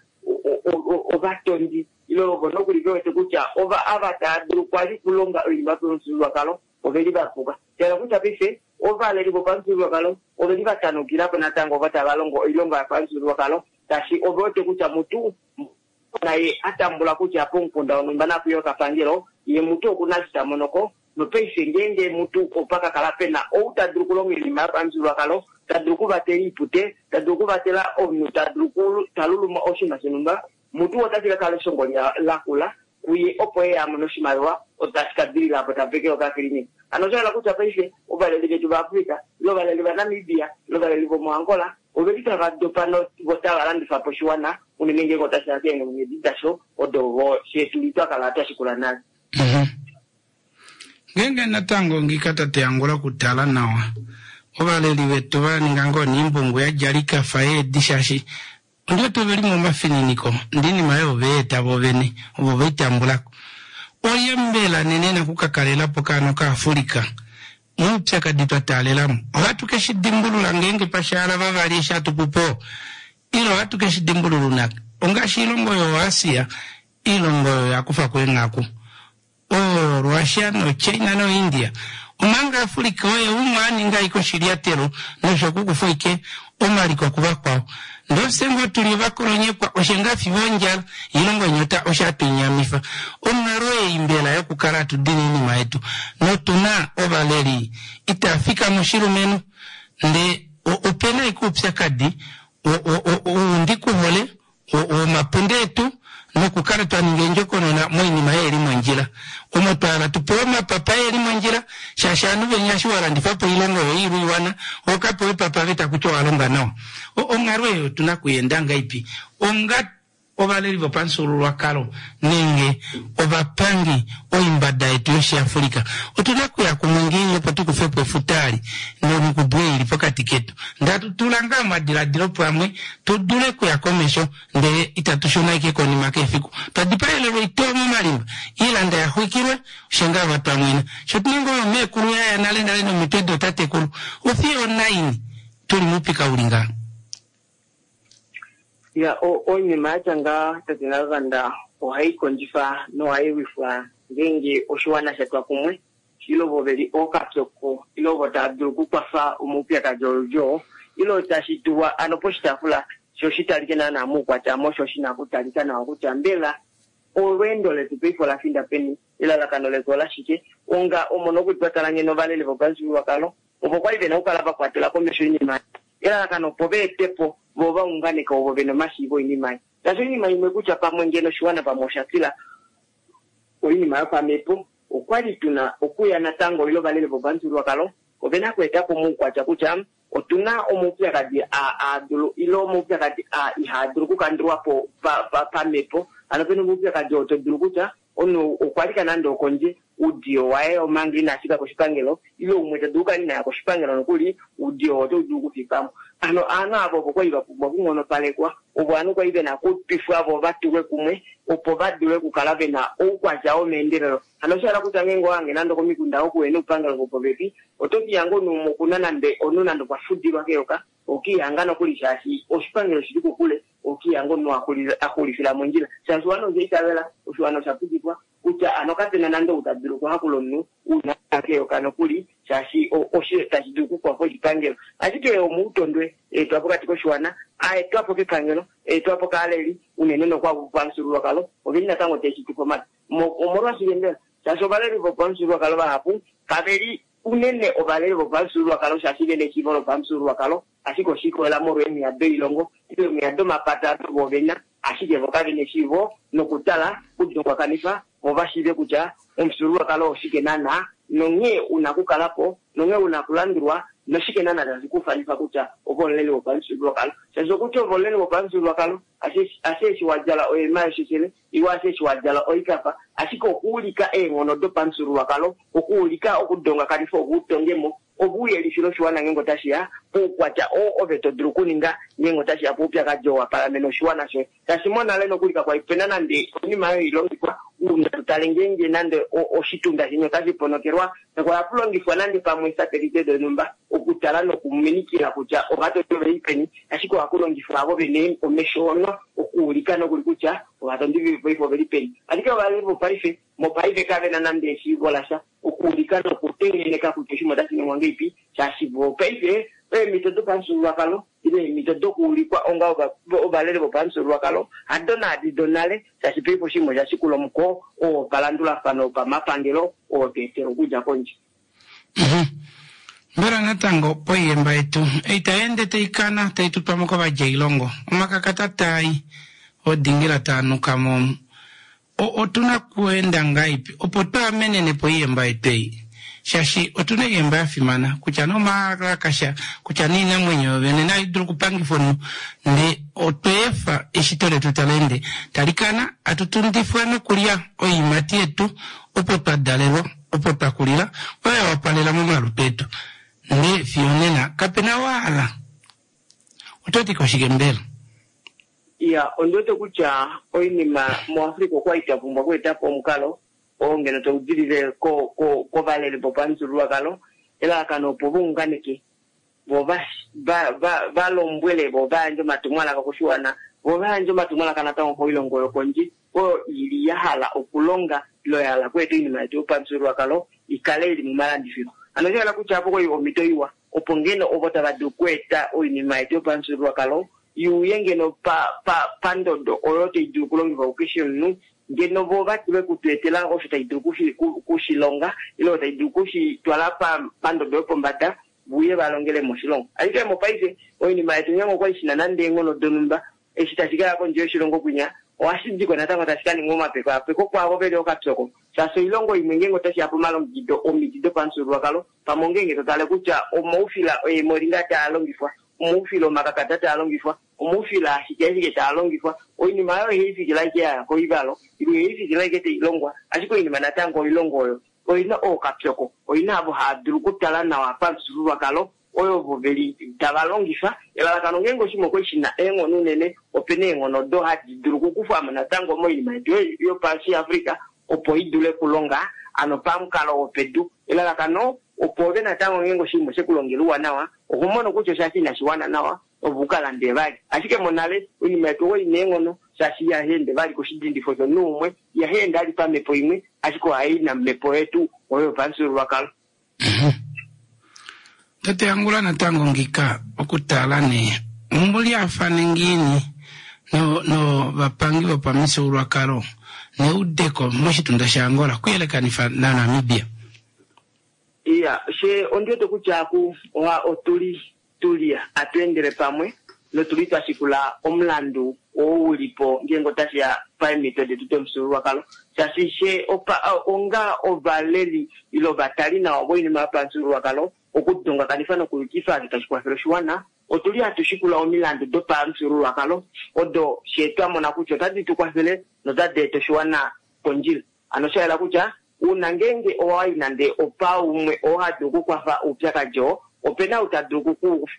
ovatondi ile ovo nokuli ve wete kutya ova ava tava dulu kwali okulonga oinima yopamufyuululwakalo oveli va puka. Sha hala kutya paife ovaleli vopamufyuululwakalo oveli va tanukila po natango ovo tava longo oilonga yopamufyuululwakalo, shaashi ove wete kutya mutu naye a tambula kutya pomukunda wonhumba nakuye okapangelo, ye mutu oku na eshi ta mono ko. Nopaife ngeenge mutu opa ka kala pe na ou ta dulu okulonga oinima yopamufyuululwakalo, ta dulu okuvatela oipute, ta dulu okuvatela omunhu ta dulu okutaluluma oshinima shonhumba, mutu otashi ka kala eshongo lakula kuye opo ye a mone oshimaliwa otashi ka dilila apo ta pekele okakilinika. Hano osha yela kutya paife ovaleli vetu vaAfrica ile ovaleli vaNamibia ile ovaleli vomoAngola oveli tava dopa vo tava landifa po oshiwana unene ngeenge otashi ya keenghulunghedi dasho odo vo fye tuli twa kala twa shikula nale. Ngeenge natango ngika tate Angula okutala nawa ovaleli vetu va ninga ngoo niimbungu ya dja likafa yeedi shaashi ondi wete oveli momafininiko ndee oinima oyo ove yeeta vovene ovo vei tambulako. Olye mbela nena ena okukakalelapo kaano kaAfrica moupyakadi twa taalelamo? Ohatu ke shi dimbulula ngeenge pashaala vavali eshi hatu pupo ile ohatu ke shi dimbulula unake? Ongaashi oilongo yoAsia, oilongo oyo ya kufa ko eenghaku oRussia noChina noIndia, omanga Africa oye umwe a ninga ashike oshilyatelo noshokukufa ashike omaliko kuvakwao. Ndee ofye ngoo tu li ovakolonyekwa, oshe ngaa fiyo ondjala ilongo onyota osho hatu inyamifa. Onghalo ei mbela yokukala hatu dini oinima yetu notu na ovaleli itaa fika moshilumenhu ndee ope na ashike oupyakadi ou ndi kuhole womapunde etu nokukala twa ninga endjokonona moinima ei li mondjila omo twa hala tu pewe omapapa e li mondjila shaashi ovanhu venya eshi wa landifa po oilongo yoye ile oiwana oho ka pewa epapa veta kutya owa longa nawa. Onghalo ei otu na okuyeenda ngahelipi onga ovaleli vopamufyuululwakalo nenge ovapangi oimbada yetu yOshiafrika? Otu na okuya kumwe ngiini opo tu kufe po efuta eli nongudu ei ili pokati ketu? Ndee hatu tula ngaa omadiladilo pamwe tu dule okuya komesho ndele itatu shuna ashike konima kefiku. Twa dipaelelwa oitoo momalimba, oilanda ya xwikilwe, osho ngaa va twa mwena. Sho tu na ngoo omeekulu ya ya nale nale nomitwe dootatekulu, ofiyo onaini tu li moupika u li ngaha? Ya, oinima ya tya ngaha, tate Naluvanda, ohai kondjifa nohai lwifwa ngeenge oshiwana sha twa kumwe, ile ovo ve li ookapyoko, ile ovo tava dulu okukwafa omaupyakadi oludi oo, ile tashi tulwa ano poshitaafula sho shi talike naanaa moukwatya mo sho shi na okutalika nawa kutya mbela olweendo letu paife ola finda peni, elalakano letu olashike, onga omo nokuli twa tala nghene ovaleli vopamufyuululwakalo ovo kwali ve na okukala va kwatela komesho oinima elalakano opo va ete po vo va unganeke ovo ve na omashiivo oinima ei. Shaashi oinima imwe kutya pamwe ngeno oshiwana pamwe osha tila oinima yopamhepo, okwa li tu na okuya natango ile ovaleli vopamufyuululwakalo ove na okweeta po moukwatya kutya otu na omaupyakadi aa aa dulu ile omaupyakadi aa ihaa dulu okukandulwa po pamhepo. Hano pe na omaupyakadi oo to dulu kutya omunhu okwa lika nande okondje oudiyo waye omanga ina fika koshipangelo ile umwe ta dulu okukala ina ya koshipangelo nokuli oudiyo oo otau dulu okufikamo. Hano ovanhu ava ovo kwali va pumbwa okunghonopalekwa, ovo ovanhu kwali ve na okutwifwa vo va tulwe kumwe opo va dule okukala ve na oukwatya womeendelelo. Hano osha hala kutya ngeenge owa hange nande okomikunda oko uhe na oupangelo vopopepi, oto kihanga omunhu umwe okuna nande omunhu nande okwa fudilwa keyoka, okihanga nokuli shaashi oshipangelo oshili kokule, okihanga omunhu a xulifila mondjila. Shaashi oshiwana osha itavela, oshiwana osha pukifwa. Kutya ano kapena nande ou ta dulu okuhakula omunhu una keyoka nokuli, shaashi osho tashi dulu okukwafa oshipangelo. Ashike omautondwe eetwa pokati koshiwana, a etwapo kepangelo, eetwapo kaaleli, unene nokwavo vopamufyuululwakalo, oveli natango teshi tufa omate. Omolwashike mbela? Shaashi ovaleli vopamufyuululwakalo vahapu kave li unene ovaleli vopamufyuululwakalo, shaashi vena eshiivo lopamufyuululwakalo, ashike oshikolela molwa eemwiya doilongo ile eemwiya domapata vo vena, ashike vo kave na eshiivo nokutala kudongwakanifa vo vashiive kutya omufyuululwakalo oshike naana, nonghee una okukalapo, nonghee una okulandulwa, noshike naana tashi kufanifa kutya ove omuleli wopamufyuululwakalo. Shaashi okutya ove omuleli wopamufyuululwakalo ashe eshi wadjala oema yosheshele ile ashe eshi wadjala oikapa, ashike okuulika eenghono dopamufyuululwakalo, okuulika okudongakanifa ove utongemo, ove uyelifile oshiwana ngeenge otashiya poukwatya oo ove to dulu okuninga ngeenge otashiya poupyakadi oo wa palamena oshiwana shoye. Shaashi monale nokuli kakwali pena nande oinima oyo ilongifwa uuna to tale ngeenge nande oshitunda sheni otashi ponokelwa, kakwali hapu longifwa nande pamwe esatelite donhumba okutala nokuminikila kutya ovatondi oveli peni, ashike ohaku longifwa avo vene omesho ono okuulika nokuli kutya ovatondi vopaife oveli peni. Ashike ovaleli vopaife mopaife kavena nande eshiivo lasha okuulika nokutengeneka kutya oshinima otashi ningwa ngeipi, shaashi vopaife eemhito dopamufyuululwakalo ile eemhito dokuulikwa onga ovaleli vopamufyuululwakalo hado naadi donale, shaashi paife oshinima osha shikula omuko oo wopalandulafano wopamapangelo oo twa etelwa okudja kondje. Mbela natango poiyemba yetu ei tai ende tai kana tai tutwa mo kovadjailongo, omakakata taai odingila taa nuka mo, otuna kuenda ngaipi opo twaamenene po oiyemba yetu ei? Shaashi otuna oiyemba ya fimana kutya nomalakasha, kutya noinamwenyo yovene nayo dulu okupangifa omunhu, ndee otwa efa eshito letu tali ende tali kana, hatu tundifwa nokulya oiimati yetu opo twa dalelwa, opo twa kulila, oyo ya wapalela momalutu etu, ndee fiyo nena kapena waala. Oto ti koshike mbela? Iya, ondi wete kutya oinima muAfrika okwali twa pumbwa okweeta po omukalo oo ngeno tau dilile kovaleli vopamufyuululwakalo, elalakano opo vaunganeke, vo va lombwele, vo va yandje omatumwalaka koshiwana, vo va yandje omatumwalaka natango koilongo yokondje oyo ili ya hala okulonga ile ya hala okweeta oinima yetu yopamufyuululwakalo ikale ili momalandifilo. Hano osha hala kutya apo kwali omhito iwa opo ngeno ovo tava dulu okweeta oinima yetu yopamufyuululwakalo iuye ngeno pandodo oyo tai dulu okulongifwa kukeshe omunhu, ngeno vo va dule okutu etela osho tai dulu kushilonga ile tai dulu kushitwala pandodo yopombada, vuye va longele moshilongo. Ashike mopaife oinima yetu ngeenge okwali shina nande eenghono donhumba, eshi tashi kaya kondje yoshilongo kwinya ohashi diko natango tashi ka ningwa omapekapeko kwaavo veli okapyoko, shaashi oilongo imwe ngeenge otashi ya pomalongekido omiti dopamufyuululwakalo, pamwe ongeenge to tale kutya omaufila eemoringa taa longifwa, omaufila omakakata taa longifwa, omaufila ashike ashike taa longifwa, oinima oyo ihai fikile ashike yaya koivalo ile ihai fikile ashike tai longwa, ashike oinima natango oilongo oyo oina ookapyoko, oina avo hava dulu okutala nawa pamufyuululwakalo oyo vo veli tava longifa. Elalakano ngeenge oshinima okwali shina eenghono unene, opena eenghono odo hadi dulu okukufwamo natango moinima yetu yopashi Africa opo i dule okulonga ano pamukalo wopedu. Elalakano opo ove natango ngeenge oshinima oshekulongela ouwanawa, oho mono kutya oshashi inashi wana nawa ove uka lande vali. Ashike monale oinima yetu okwali ina eenghono, shaashi ihashi ende vali koshidindifo shomunhu umwe, ihashi ende vali pamhepo imwe, ashike ohai namhepo yetu oyo yopamufyuululwakalo. Tate Angula natango ngika okutala ne omulyafane ngiini no vapangi vopamifyuululwakalo neudeko moshitunda shaAngola kuyelekanifa naNamibia? Iya, she ondi wete kutya ku oha otuli tuli atu endele pamwe notuli twa shikula omulandu oo ulipo ngeenge otashi ya paemhito detu domufyuululwakalo, shaashi she onga ovaleli ile ovatali nawa voinima yopamufyuululwakalo okudongakanifa nokuyukifa osho tashi kwafele oshiwana, otuli hatu shikula omilandu dopamufyuululwakalo odo she twa mona kutya otadi tu kwafele notadi eta oshiwana kondjila. Hano osha yela kutya uuna ngeenge owayi nande opaumwe oo ha dulu okukwafa oupyakadi oo, opena ou ta dulu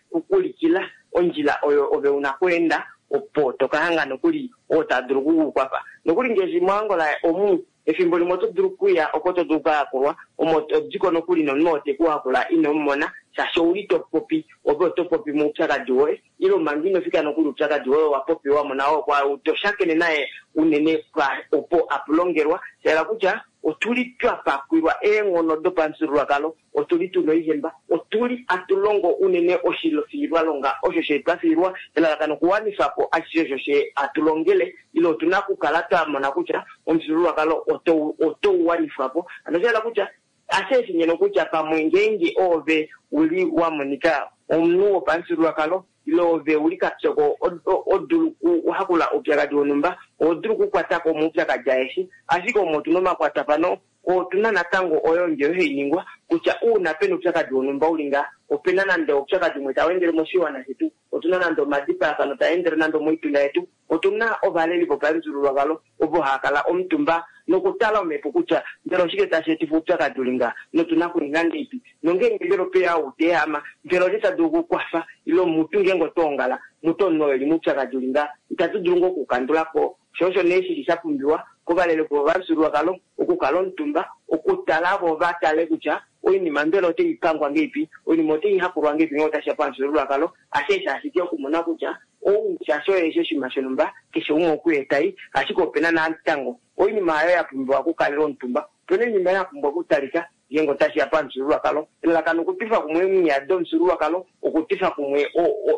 kukulikila ondjila oyo ove una okweenda opo toka hanga nokuli oo ta dulu okukukwafa. Nokuli ngaashi moAngola omu Efimbo limwe oto dulu okuya oko to dulu okukayakulwa, omo to diko nokuli nomunhu oo te ku hakula ino mu mona, shaashi ouli to popi, ove oto popi moupyakadi woye, ile manga ino fika nokuli oupyakadi woye owa popiwa mo nao kwa ou to shakene naye unene pwa opo apu longelwa. Sha yela kutya otu li twa pakwilwa eenghono dopamufyuululwakalo, otu li tu na oihemba, otu li hatu longo unene oshifiilwalonga osho she twa fiilwa, elalakano okuwanifa po ashishe osho she hatu longele, ile otu na okukala twa mona kutya omufyuululwakalo oto oto wanifwa po. Hano osha yela kutya ashe eshi ngeno kutya pamwe ngeenge oove u li wa monika omunhu wopamufyuululwakalo ile ove u li kapyoko o dulu okuhakula oupyakadi wonhumba, oho dulu okukwata ko omaupyakadi aeshe. Ashike omo otu na omakwatafano, otu na natango oyo ndje hai ningwa kutya uuna pena oupyakadi wonhumba uli ngaa, opena nande oupyakadi umwe tau endele moshiwana shetu, otu na nande omadipayafano taa endele nande omoitunda yetu, otu na ovaleli vopamufyuululwakalo ovo haa kala omutumba nokutala omhepo kutya mbela oshike tashi etifa oupyakadi uli ngaa, notu na okuninga ngeipi, nongeenge mbela ope ya ou ta ehama, mbela olye ta dulu okukwafa, ile mutu ngeenge otwa ongala mutu omunhu oo e li moupyakadi uli ngaa, itatu dulu ngoo okuukandula po? Sho osho nee shi li sha pumbiwa kovaleli vopamufyuululwakalo okukala omutumba, okutala vo va tale kutya oinima mbela otai pangwa ngeipi, oinima otai hakulwa ngeipi ngee otashi ya pamufyuululwakalo, hasheesho ashike okumona kutya ou shaashi oye eshi oshinima shonhumba, keshe umwe okuye tai, ashike opena natango oinima oyo ya pumbiwa okukalelwa omutumba, opena oinima ya pumbwa okutalika ngeenge otashi ya pamufyuululwakalo. Elalakano okutwifa kumwe omiya domufyuululwakalo, okutwifa kumwe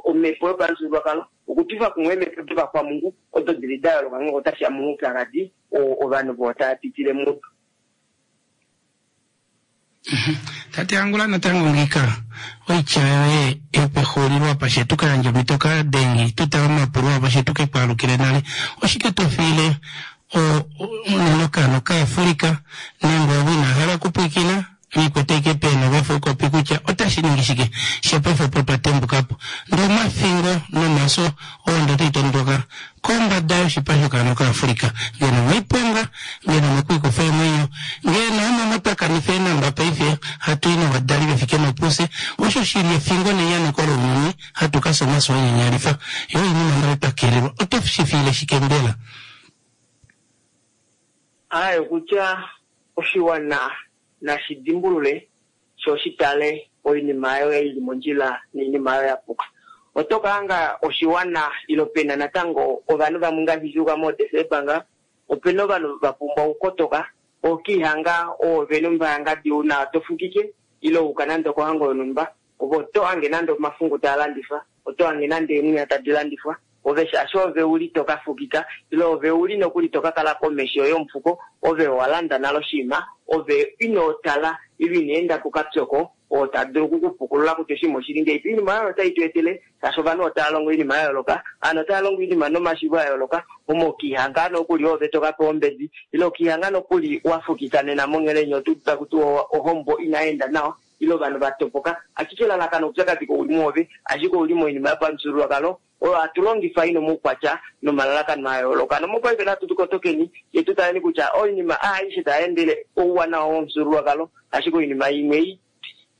omhepo yopamufyuululwakalo, okutwifa kumwe eemhepo dovakwamungu odo di li da yooloka ngeenge otashi ya momaupyakadi oo ovanhu voo tava pitile mudo. Tate Angula natango ngiika oitya yoye yopexulilo apa she tu ka yandje omhito kadengi tu tale omapulo apa she tu ke ku alukile nale. Oshike to fiile unene okaana okaAfrika nenge ovo inaa hala okupwiikina likwete ike peena ovafukopi kutya otashi ningi shike she paife opo twa tembuka po ndee omafingo nomaso oo ndo tai tondoka kombada yoshipa shokaana okaAfrika ngeno omoiponga ngeno omokwiikufa eemwenyo ngeno omo twa kanifa eenamba paife hatu i novadali ve fike nopufye osho shi li efingo nenyaneko lounyuni hatu ka fya omafyo anyanyalifa yo oinima nale twa kelelwa oto shi fiile shike mbela? Aaye kutya oshiwana nashi dimbulule sho shi tale oinima oyo i li mondjila noinima oyo ya puka. Oto ka hanga oshiwana ile pe na natango ovanhu vamwe ngaashi sha yuka mooDesemba nga, ope na ovanhu va pumbwa okukotoka, okiihanga oove nombaangadi una to fukike ile wa uka nande okohango yonhumba, ove oto hange nande omafungu taa landifwa, oto hange nande eemwiya tadi landifwa, ove shaashi ove u li to ka fukika, ile ove u li nokuli to ka kala komesho yomufuko, ove owa landa nale oshinima, ove ino tala ile ino enda kukapyoko oo ta dulu oku ku pukulula kutya oshinima oshi li ngahelipi. Oinima oyo otai tu etele shaashi ovanhu otava longo oinima ya yooloka, ovanhu otava longo oinima nomashiivo a yooloka, omo okiihanga nokuli oove to ka pewa ombedi, ile okiihanga nokuli wa fukika nena monghele yeni oto udu taku tiwa ohombo inai enda nawa, ile ovanhu va topoka. Ashike elalakano oupyakadi kau li mwoove, ashike ou li moinima yopamufyuululwakalo oyo hatu longifa i na omaukwatya nomalalakano a yooloka. Nomopaife natu tu kotokeni, fye tu taleni kutya oinima aishe tai endele ouwanawa womufyuululwakalo, ashike oinima imwe ei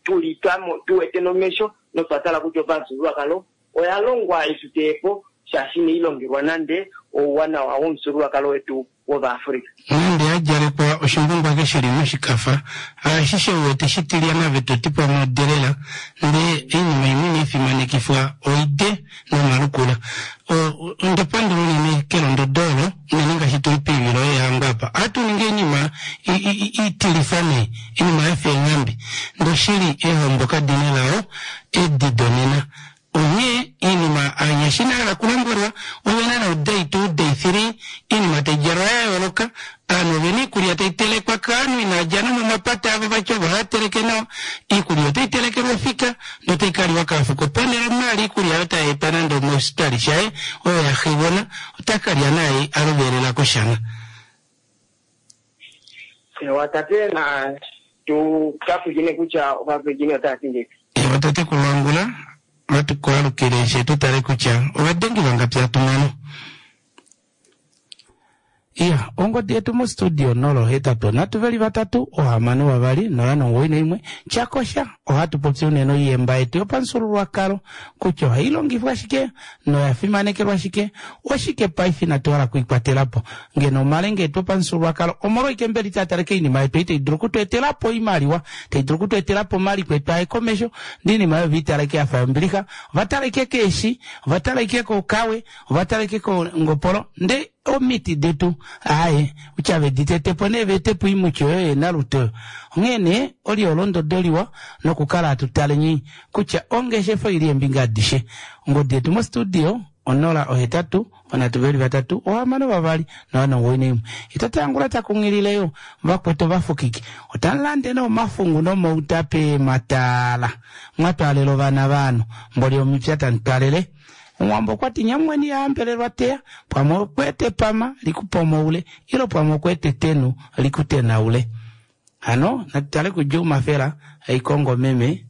tu li tu wete nomesho notwa tala kutya opamufyuululwakalo oya longwa i tu teye po, shaashi inai longelwa nande ouwanawa womufyuululwakalo wetu wOvaafrika. Nande ya djalekwa oshimbungwake shi li moshikafa, haashishe u wete shitilyana ve to ti pamwe odelela, ndee oinima imwe inai fimanekifwa oide nomalukula. O, onda pandula unene kelondodo olo, unene ngaashi tu li poivilo yeehango apa. Ohatu ningi oinima i, i, i, itilifa nee, oinima ya fa eenghambe. Ndee oshili, eehombo kadi na elao, edi donena. Onghee iinima aanyasha inaya hala okulombwelwa, ove na no day 2, day 3, iinima tayi djalwa ya yooloka, aantu ovena iikulya tayi telekwa kaanhu inaya dja nomomapata avo vati ovo haya teleke nawa, iikulya otayi telekelwa ofika notayi ka liwa kaafuko ponhele omunhu a lye iikulya oyo tayi etwa nande omositali shaye oyo ya xigona ota ka lya naai a lovelela koshana. Ewa tate na tu ka pwilikine kutya ovapwilikini otava ti ngeipi. Ewa tatekulu Angula, natu ku alukile she tu tale kutya ovadengi vangapi hatu mono. Iya, ongodi yetu mostudio 083 362 091. Tyakosha, ohatu popi unene oiyemba yetu yopamufyuululwakalo kutya ohai longifwa shike noya fimanekelwa shike, oshike paife inatu hala okuikwatela po. Ngeno omalenga etu opamufyuululwakalo omolwaike mbela itaa taleke oinima yetu ei tai dulu okutu etela po oimaliwa, tai dulu okutu etela po omaliko etu aye komesho, ndee oinima oyo oveitaleke ya fa yombilixa, ova tala ashike keeshi, ova tala ashike kokawe, ova tala ashike kongopolo, ndee omiti detu aaye kutya vedi tete po nee veete po oimuti oyo yeenaluti oyo. Onghee nee oli olondodo liwa nokukala hatu taleni kutya ongeshefa oili eembinga adishe. Ongodi yetu mostudio 0 8 3 3 6 2 0 91. Tate Angula ta kunghilile yo vakwetu ovafukiki otamu lande nee omafungu nomauta peematala mwa twaalela ovana vaanhu mboli omipya tamu twalele. Omuwambo okwa ti nyamweni ya hambelelwa teya, pwamwe okuete epama li ku pomoule, ilo pwamwe okuete etenu li ku tenaule. Hano natu tale kuJuma Fela Haikongo meme.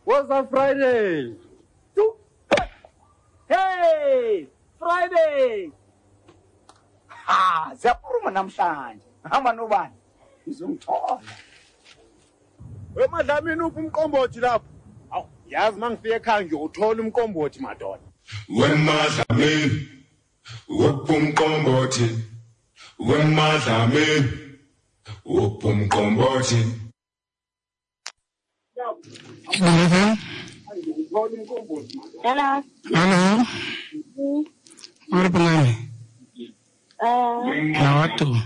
Woza Friday. 2, Hey, Friday. Ha, ziyaphuma namhlanje. Hamba nobani? Ngizongithola. Wemadlamini uphi umqombothi lapho? Awu, yazi mangifika ekhaya ngiyothola umqombothi madoda. Wemadlamini uphi umqombothi? Wemadlamini uphi umqombothi? Eagle FM. Hello. Hallo. Uri pangani? Na watu.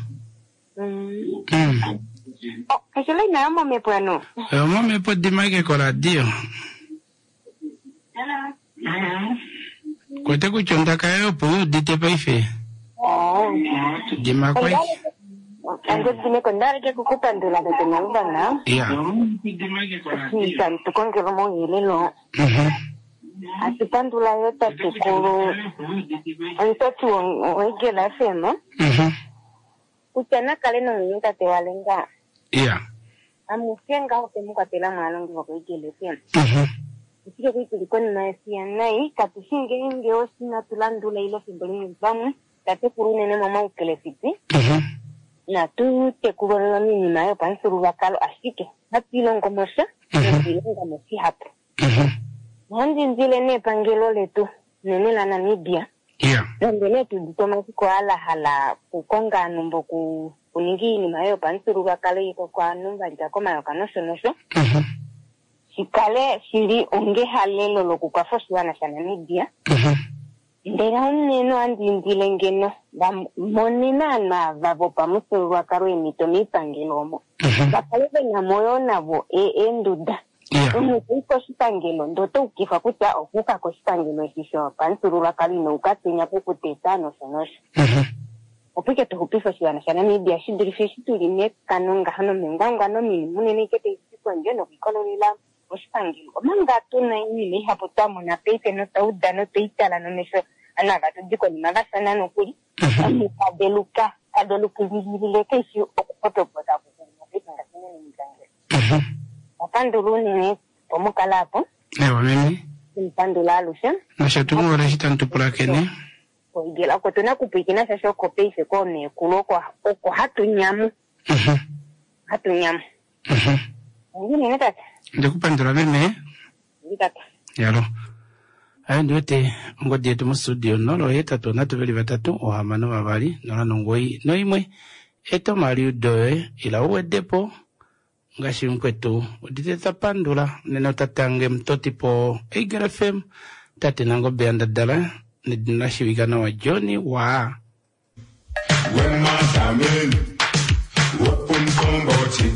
Oh, kashila inayo momhepo yano. Omomhepo dimake koradio. Hello. Kwete kutya ondaka yoye opo u udite paife. Oh. Dima kwai. Andidimeko ndaleke kukupandula tete naluvana. Ya. Eshi tukongela omauyelelo. Atupandula yo tatekulu omutoti woEagle FM. Kutya nakale nomwenyo tate walenga. Ya. Amushe ngaho temu kwatela mwaalongi vokoEagle FM. Ashike kuli tuli konima yefiya nai katushi ngeenge oshi tulandula ile efimbo limwe pamwe tatekulu unene momaukelefiti natu tekulwa miinima yopamufyuululwakalo ashike hatu ilongo mo sha nokuilonga mo shihapu. Ohandi indile nee epangelo letu unene laNamibia nande nee tuudite omafiko aa hala okukonga ovanhu mboku kuninga iinima yopamufyuululwakalo ovanhu va lika komayoka nosho nosho shikale shili onga ehalelo lokukwafa oshiwana shaNamibia. Ndele unene ohandi indile ngeno va monene ovanhu ava vopamufyuululwakalo eemhito miipangelo omo va kale ve na mo yoo navo eenduda. Omunhu toyi koshipangelo ndee oto ukifwa kutya okuuka koshipangelo eshi shopamufyuululwakalo ino uka penya pokuteta nosho nosho. Opo ike tuxupife oshiwana shaNamibia shi dulife eshi tuli mekano ngaho nomengwangwano ominima unene ike taidi kondje nokwiikololela moshipangelo. Omanga tuna oinima ihapu twa mona paife notwa uda notweitala nomesho ovanhu ava tudi konima vafana nokuli. Omunhu taveluka tavelukilile keishi okupotopota paife ngaashi unene moipangelo. Opandula unene opo mukale apo. Ewa meme. Tumupandula alushe. Nosho tuu eshi tamu tu pulakene. Koigela oko tuna okupwiikina shaashi oko paife koomeekulu oko oko hatu nyamu. Hatu nyamu. Unene tate. Ndikupandula meme. Ndi tate. Yalo. Ayo ndiwete ongodi yetu mostudio 083 3 6 2 0 9 1 eta omaliudo yoye ila uwedepo ngaashi mukwetu udite tapandula unene otatange mutotipo Eagle FM tate Nangombe yandadala nedina la shiivika nawa John wa Wemadlamini uphi umqombothi?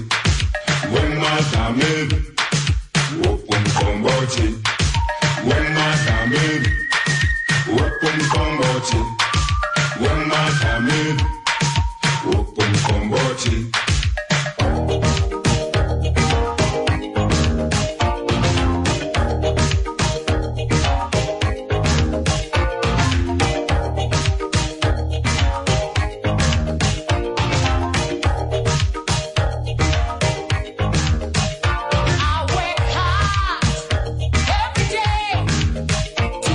Wemadlamini uphi umqombothi? Wemadlamini uphi umqombothi? Wemadlamini uphi umqombothi? I work hard every day to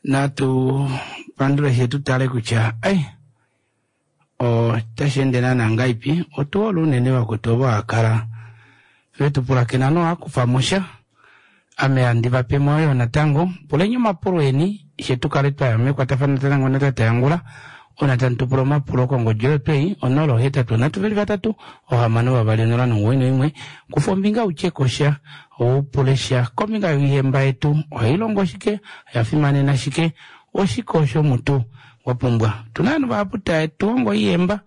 Natu pandule she tu tale kutya ai otashi ende naana ngaipi. Otu hole unene vakwetu ovo hakala vetu pulakena nohakufa mo sha. Ame handi va pe mo yo natango. Puleni omapulo eni she tu kale twaya mekwatafano natango natate Angula. Uuna tamu tu pula omapulo kongodi oyo twei 0 8 3 3 6 2 0 9 1. Kufa ombinga u tye ko sha, u pule sha kombinga yoihemba yetu. Ohai longo shike? Oya fimanena shike? Oshike osho mutu wa pumbwa? Otu na ovanhu vahapu tae tu hongo oihemba.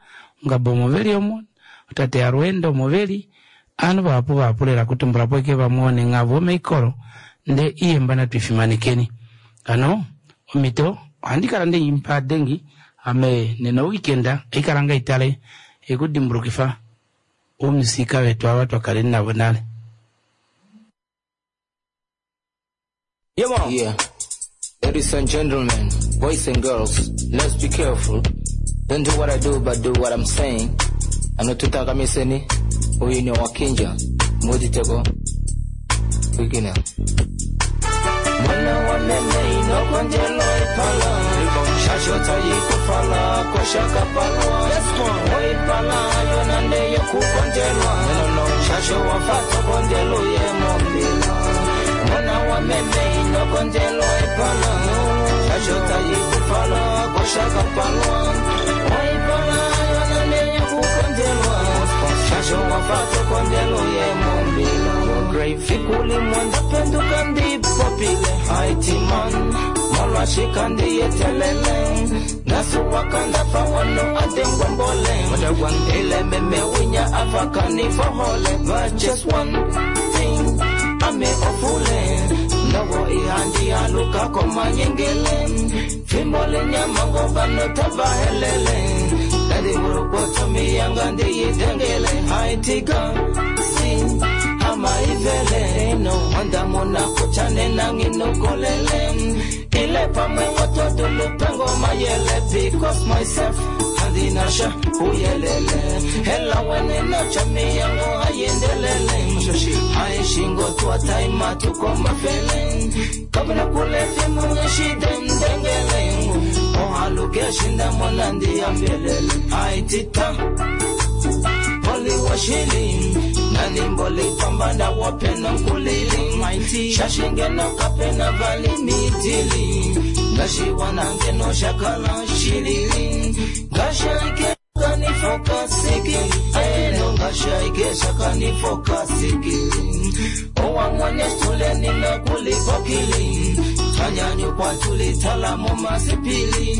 Ongaba omo ve li omo, tate Alweendo omo ve li. Ovanhu vahapu vahapu lela kutumbula po ashike vamwe onenga vomeikolo, ndee oihemba natu i fimanekeni. Hano omhito ohandi kala nde i pa dengi ame nena oweekend ohai kala ngai tale ikudimbulukifa oumusika vetu ava twa kaleni navo nale. Yeah. Ladies and gentlemen, boys and girls, let's be careful. Don't do what I do, but do what I'm saying. Anotutakamiseni, uyu ni wakinja, muditego, wigina. Mwana wa meme inokonjelo ipala, shashota yikufala, koshaka palwa. Oipala, yonande yokukonjelwa, shasho wafato konjelo ye mombila. Mwana wa meme inokonjelo ipala, shashota yikufala, koshaka palwa. Oipala, yonande yokukonjelwa, shasho wafato konjelo ye mombila. Fikuli mwanda penduka ndipopile haitiman molwashika ndiyetelele nasuwakanda fawano adengwambole ile meme winya afakanifohole but just one thing ame ofule nogo ihandi haluka komanyengele fimbo lenyamango vanotabahelele nadiwurukotomiyanga ndiyidengele haitika si amaivele no wandamona kuchane nanginokolele ile pamwe wotodulupengo mayele because myself andinasha uyelele hela wene nachamiyango ayendelele aishingo twataima tukomafele kabla kule fimu eshidendengele ohaluke shindamona ndiyambelele aitita poliwashili nanimboli pambana wapena nkulili shashingeno kapena valimitili ngashiwanangeno shakala shilili ngashaike kanifokasiki eno ngashaike shakanifokasiki owamwene stuleni nakulipokili tanyanyukwa tulitala masipili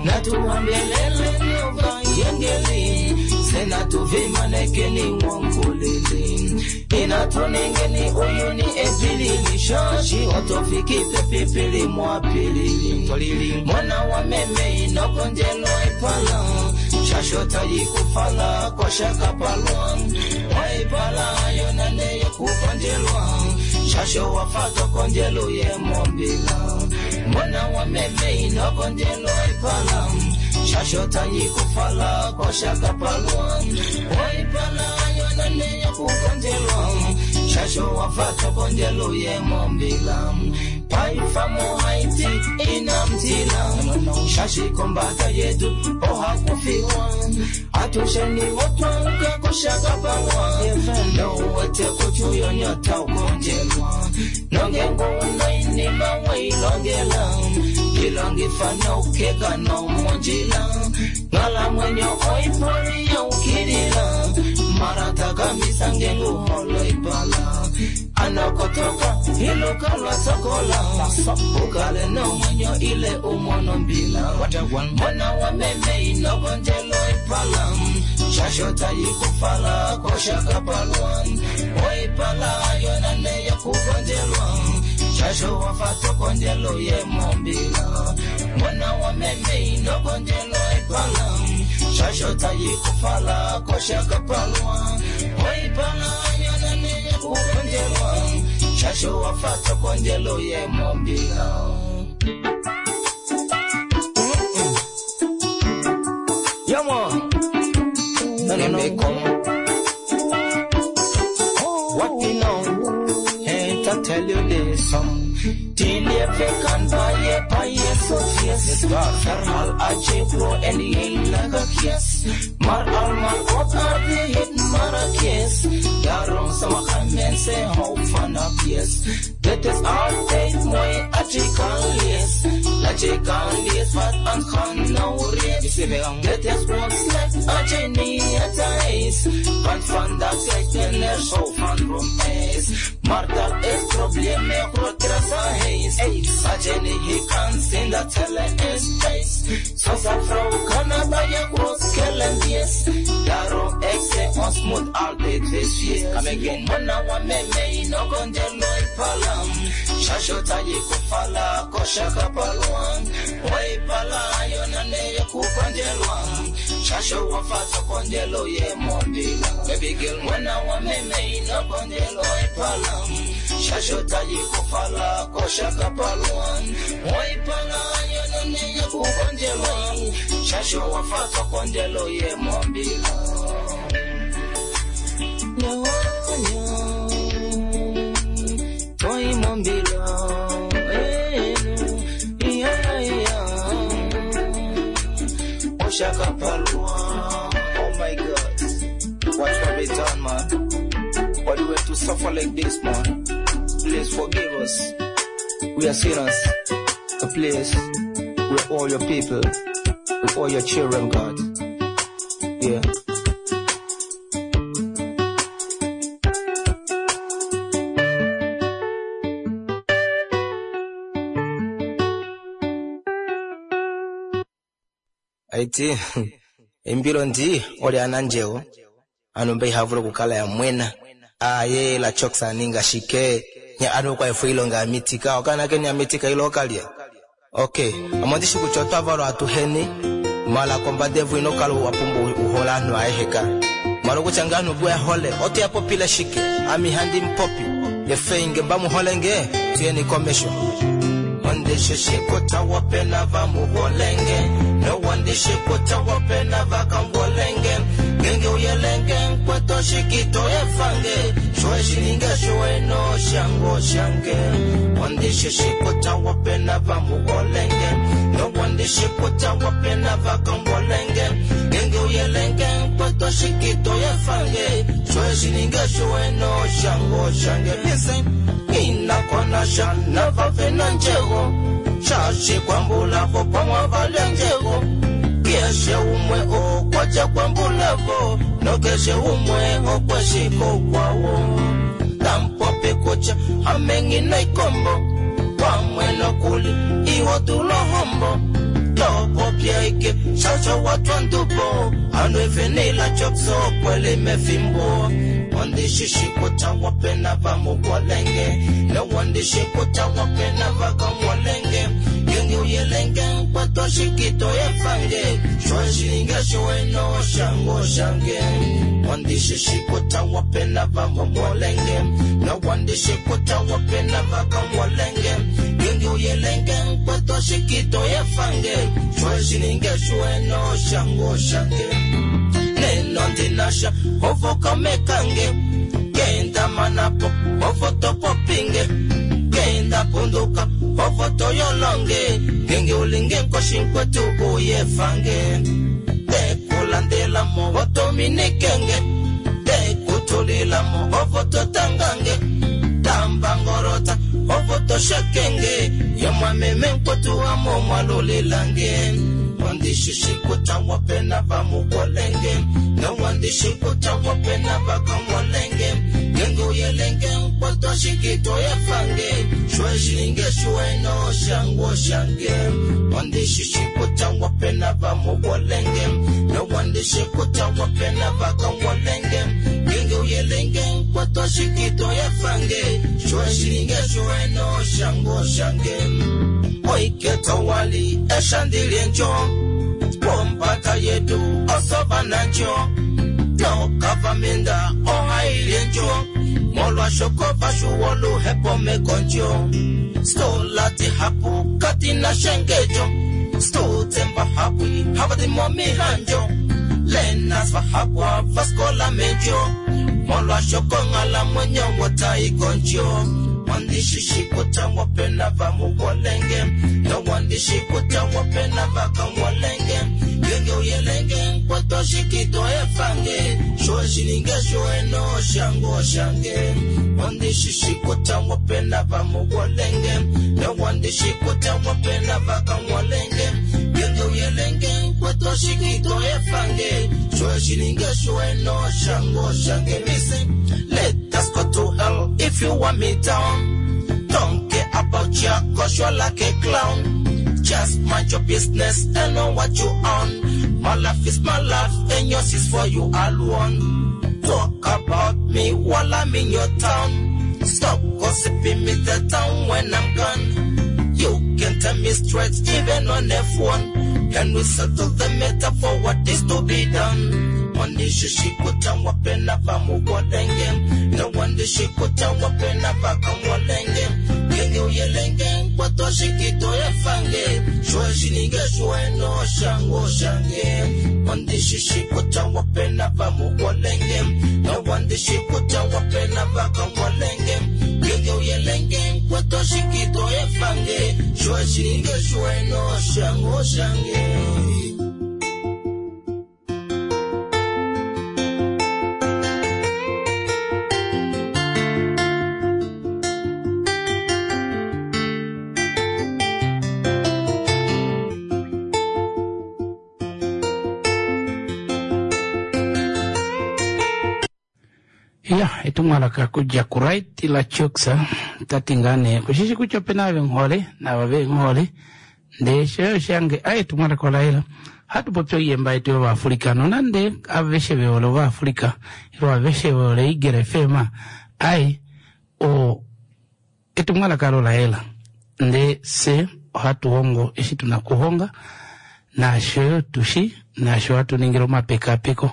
natuhambelele nyova yengeli senatuvimanekeni wankulili inatuningeni uyuni epilili shashi otofikipe pipili mwapilili mwana wa meme inokonjelo ipala shashota yikufala koshakapalwa waipala yonane yokukonjelwa shasho wafato konjelo yemombila mwana wa meme inokonjelo ipala shashota yikufala koshakapalwa waipala yonane yokukonjelwa shasho wafato konjelo yemombila paifamo haiti inamtila shashikombata yetu ohakufiwa atusheni wotwanka koshakapalwa nowete kuchuyonyota ukonjelwa nongengunainima wailongela ilongifana ukeka nomonjila ngala mwenyo oipori yaukilila marataka ngenguholo ipala anakotoka ilukalwa sokola ukale nomwenyo ile umono mbila mwana wa meme inokonjelo ipala shashota yikufala koshakapalwa oipala yonane yokukonjelwa shasho wafato konjelo yemombila mwana wa meme inokonjelo ipala shashota yikufala koshakapalwa oipala yonane yokukonjelwa shasho wafato konjelo yemombila. Yeah, man. No, no, no. Come. What you know? Ain't I tell you this song? Till you can buy a pie. tot fees. Verhaal as jy glo in die Heilige Gees. Maar almal op aarde het maar 'n keus. Daarom sommige mense hou van 'n fees. Dit is altyd mooi as jy kan lees. Laat jy kan lees wat aangaan nou reeds. Dit is ook sleg as jy nie het huis. Want vandag sê kinders hou van room is. Maar daar is probleme groter as 'n huis. As jy nie hier kan sien dat hulle is thuis. Soos 'n vrou kan 'n baie groot skelm wees. Daarom ek sê ons moet altyd wees fees. Come again. Mwana wa meme inokondelo ipalam. Shashota yikufala kosha kapalwa. Waipala yona neye kukonjelwa. Shasho wafato kondelo ye mombila. Baby girl mwana wa meme inokondelo ipala. Shashota yikufala kosha kapalwa. Waipala yona neye kukonjelwa. Shasho wafato kondelo ye mombila. No, no. Toi mombila. Eh, no. Yeah, yeah. Oshakapalwa. Oh my God. What have we done, man? Why do we have to suffer like this, man? Please forgive us. We are sinners. But please, we're all your people. We're all your children, God. Yeah. Aiti, impilo ndi oli ananjewo anombe ihavula okukala yamwena aye la choksa ninga shike nya anu kwa efu ilonga amitika okana keni amitika ilo okalya okay amondishi kutya otwavalwa atuheni mala kombadevu inokala wapumba uhola anu aeheka mala okutya nga anu bwe hole otuyapopile shike ami handi mpopi yefeinge mbamuholenge tuyeni komesho ondishishikuta wapena vamuholenge nowandishikuta wapena vakambolenge ngenge uyelenge nkweto shikito efange shweshininge shweno shango shange ondishishikuta wapena vamuholenge nowandishikuta wapena vakambolenge ngenge uyelenge nkweto shikito efange shweshininge shweno shango shange listen inakonasha navavena njego shashikwambulavo pamwavalenjego keshe umwe okwaca kwambulavo nokeshe umwe okweshiko kwawo tampopi kuca amengina ikombo pamwe nokuli iwo tulohombo topopyaike shasho watwandupo anu efenila chokso kwelimefimbo ondishishikuta wapena vamukwalenge nowandishikuta wapena vakamwalenge yenge uyelenge nkwetoshikito yefange shweshinge shweno shango shange ondishishikuta wapena vamumwalenge nowandishikuta wapena vakamwalenge yenge uyelenge nkwetoshikito yefange shweshininge shweno shango shange neno ndinasha ovokamekange kenda manapo ovotopopinge kenda punduka ovotoyolonge ngenge ulinge nkoshinkwetu uyefange tekulandelamo otominikenge tekutulilamo ovototangange tambangorota ovotoshekenge yomwameme nkwetu amo mwalulilange wandishishikuta wapena vamukolenge nowandishikuta wapena vakamolenge ngenge uyelenge nkwetoshikito yefange shweshinge shweno shango shange wandishishikuta wapena vamukolenge nowandishikuta wapena vakamolenge ngenge uyelenge nkwetoshikito yefange shweshinge shweno shango shange oiketowali eshandilie njo wompata yetu osovananjo nokavaminda ohailie njo molwashokova shuwoluhepomekonjo stolati hapu katina shengejo stotsemba hapwi havatimomihanjo lenas vahapwa vaskola mejo molwashokong'ala mwenyo wotaikonjo. Ondishi kutya wopena vamugolenge. Nowandishi kutya wopena vakangolenge. Genge uyelenge kwetoshikito efange. Shoshininge shoeno shango shange. Ondishi kutya wopena vamugolenge. Nowandishi kutya wopena vakangolenge. Genge uyelenge kwetoshikito efange. Shoshininge shoeno shango shange. Missing. Let us go to hell if you want me down. Don't care about ya, cause you're like a clown. Just mind your business and know what you own. My life is my life and yours is for you alone. Talk about me while I'm in your town. Stop gossiping me the town when I'm gone. You can tell me straight even on F1. Can we settle the matter for what is to be done? Ondishi kutya wapena vamugolenge. Nowandishi kutya wapena vakangolenge. Genge uyelenge kwatoshikito efange. Shweshininge shweno shango shange. Ondishi kutya wapena vamugolenge. Nowandishi kutya wapena vakangolenge. Genge uyelenge kwatoshikito efange. Shweshininge shweno shango shange. Ya, etumwalaka kudja kuRight la Choksa tati ngaa nee kushishi kutya opena ava venghole naava venghole ndee shoyo shange aye etumwalaka olayela hatu popi oiyemba yetu yovaafrika nonande aveshe vehole ovaafrika ilo aveshe vehole Eagle FM aye o etumwalaka alo layela ndee se ohatu hongo eshi tuna okuhonga naasho tushi naasho hatu ningile omapekapeko.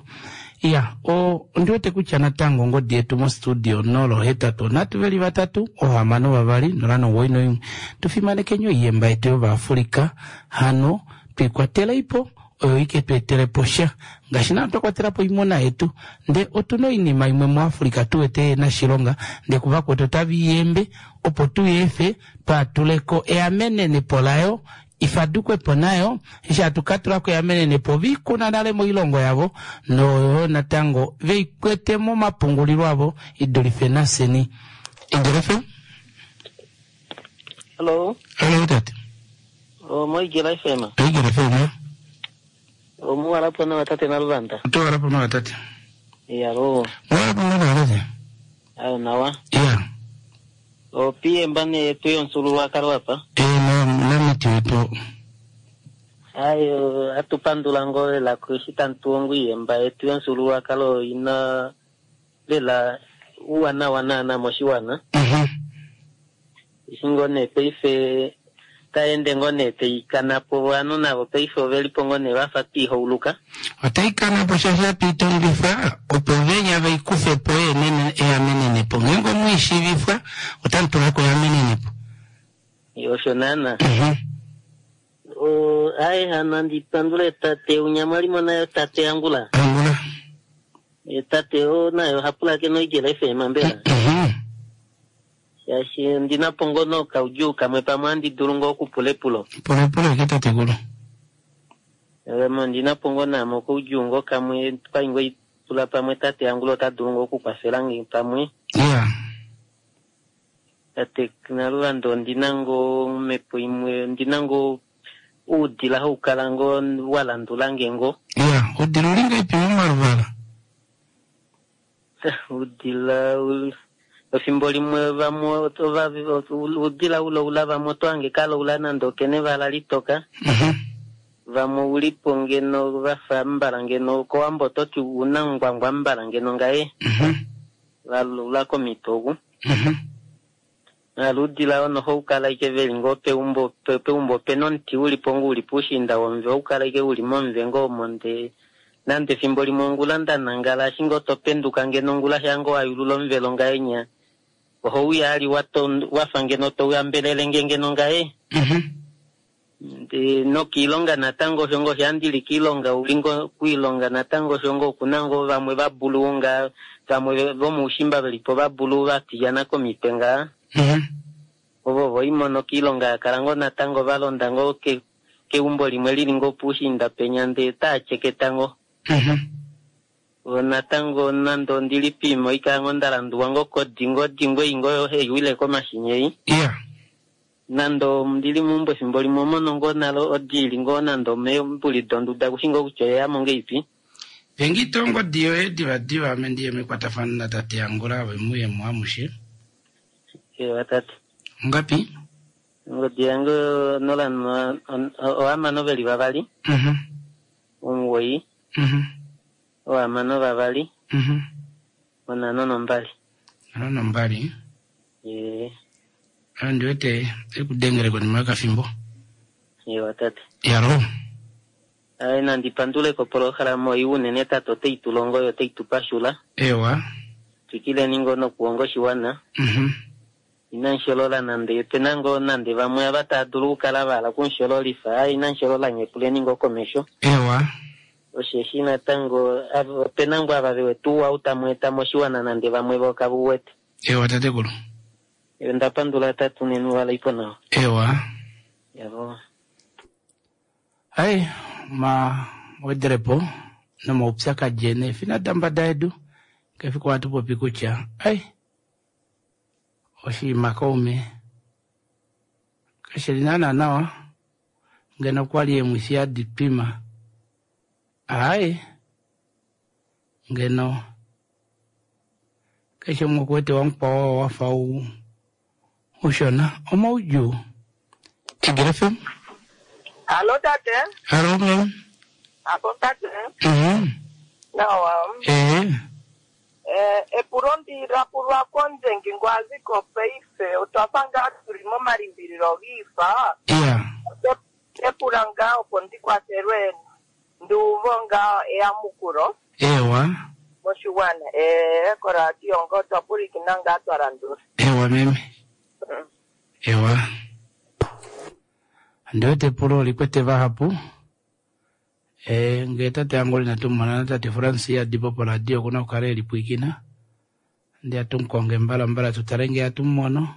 Ya, o ondiwete kutya natango ongodi yetu mostudio 083 3 6 2 091. Tufimanekeni oiyemba yetu yovaafrika hano tuikwateleipo oyo ike tu etelepo sha ngaashi naa twa kwatelapo oimuna yetu nde otuna oinima imwe muAfrika tuwete yena shilonga nde kuvakwetu otaviyembe opo tuyeefe twaatuleko eamenenepo layo ifadukwepo nayo eshi hatu katulako eamenenepo vikuna nale moilongo yavo noyo natango veikwete momapungulilo avo idulife naseni. Eagle FM. Hello. Hello tate. O mo Eagle FM. Eagle FM. O mo wala po na tate Naluvanda. To wala po na tate. Ya ro. Wala po na tate. Ayo nawa. Ya. O pie mbane yetu yomufyuululwakalo apa. Eh namiti wetu. Ayo atupandula ngo lela eshi tantu iyemba yetu yomufyuululwakalo ina lela uuwanawa naana moshiwana. Eshi ngoo nee paife taende ngoo nee taikana po ovanhu navo paife ovelipo ngoo nee vafa twiihauluka. Otaikana po shaashi hatu opo venya veikufe po eamenenepo. Ngeenge omwiishivifwa otamu tulako eamenenepo. Osho naana. Aye hano andi pandule tate unyamwalimo nayo tate Angula. Angula. Tate o nayo hapulakene oEagle FM mbela. Shaashi ndina po ngono kaudjuu kamwe pamwe andi dulu ngoo okupula epulo. Pulepule ke tatekulu. Ndina po ngoo namo kaudjuu ngoo kamwe kwai ngoo ipula pamwe tate Angula ota dulu ngoo okukwafela nge pamwe. Yeah. Tate Naluvanda ondina ngoo omhepo imwe ndina ngoo uudila haukala ngoo walandula nge ngoo. Yeah, udila uli ngaipi momaluvala? Udila efimbo limwe vamwe udila uloula vamwe otwange kaloula nande okene vala litoka. Vamwe ulipo ngeno vafa mbala ngeno kowambo ototi una ngwangwa mbala ngeno ngaye. Valula komitogu. Naludila ono houkala ike veli ngoo peumbo peumbo pena omuti ulipo ngoo uli puushinda womve oukala ike uli momve ngoo omo nde nande efimbo limwe ongula ndanangala ashi ngoo topenduka ngeno ongula shango wayulula omuvelo ngaye nya ohouya ali wafa ngeno touyambelele nge ngeno ngaye. Ndee nokiilonga natango osho ngoo shaa ndili kiilonga uli ngoo kuilonga natango osho ngoo okuna ngoo vamwe vabulu ngaa vamwe vomoushimba velipo vabulu vatilyana komitwe ngaa. Ovo voimono kiilonga yakala ngoo natango valonda ngoo keumbo limwe lili ngoo puushiinda penya ndee taatyeketa ngoo. Vo natango nande ondili piima oikala ngoo ndalanduwa ngoo kodi ngoo odingo ei ngoo haiwile komashini ei. Nande ondili meumbo efimbo limwe omono ngoo nale odi ili ngoo nande omeembuli donduda kushi ngoo kutya oyeyamo ngeipi. Pengito ongodi yoye divadiva ame ndiye mekwatafano natate Angula ove muye mo amushe. Ewa tate. Ongapi? Ongodi yange 06 2 9 6 2 52. 52. Ee. Andi wete ekudengele konima yokafimbo. Ewa tate. Yalo. Ai nandi pandule kopolohalama oyi unene tate otai tu longo yo otai tu pashula. Ewa. Twikileni ngoo nokuhonga oshiwana. Inamu nande opena ngoo nande vamwe ava tava dulu okukala va hala okumushololifa. Ai inamu nye puleni ngoo komesho. Ewa. Osheshi natango opena ngoo ava ve wete ouwa ou tamu eta moshiwana nande vamwe vo kave wete. Ewa tatekulu. Onda pandula tate unene walaipo nawa. Ewa. Yavo. Ai ma wederepo nomaupyakadi ene efina dambada yedu kefiku hatu popi kutya ai oshinima kaume kashili naana nawa ngeno kwali emwifi yadipima ai ngeno keshe umwe okuwete wamukwao wafa ushona omaudjuu. Eagle FM. Hallo tate. Hallo ma'am. Apo tate. Nawa. Epulo ndilapulwa kondjengi ngwaziko paife otwafa ngaa tuli momalimbililo giifa. Epula ngaa opo ndikwafelwe nduuvo ngaa eyamukulo. Ewa. Moshiwana. Koradio ngo twapulikina ngaa twalandula. Ewa meme. Ewa. Ndiwete epulo olikwete vahapu. Ngee tate Angula inatumona tate Francis adipo poradio okuna okukala elipwikina. Ndi atumukonge mbalambala tutale ngee atumumono.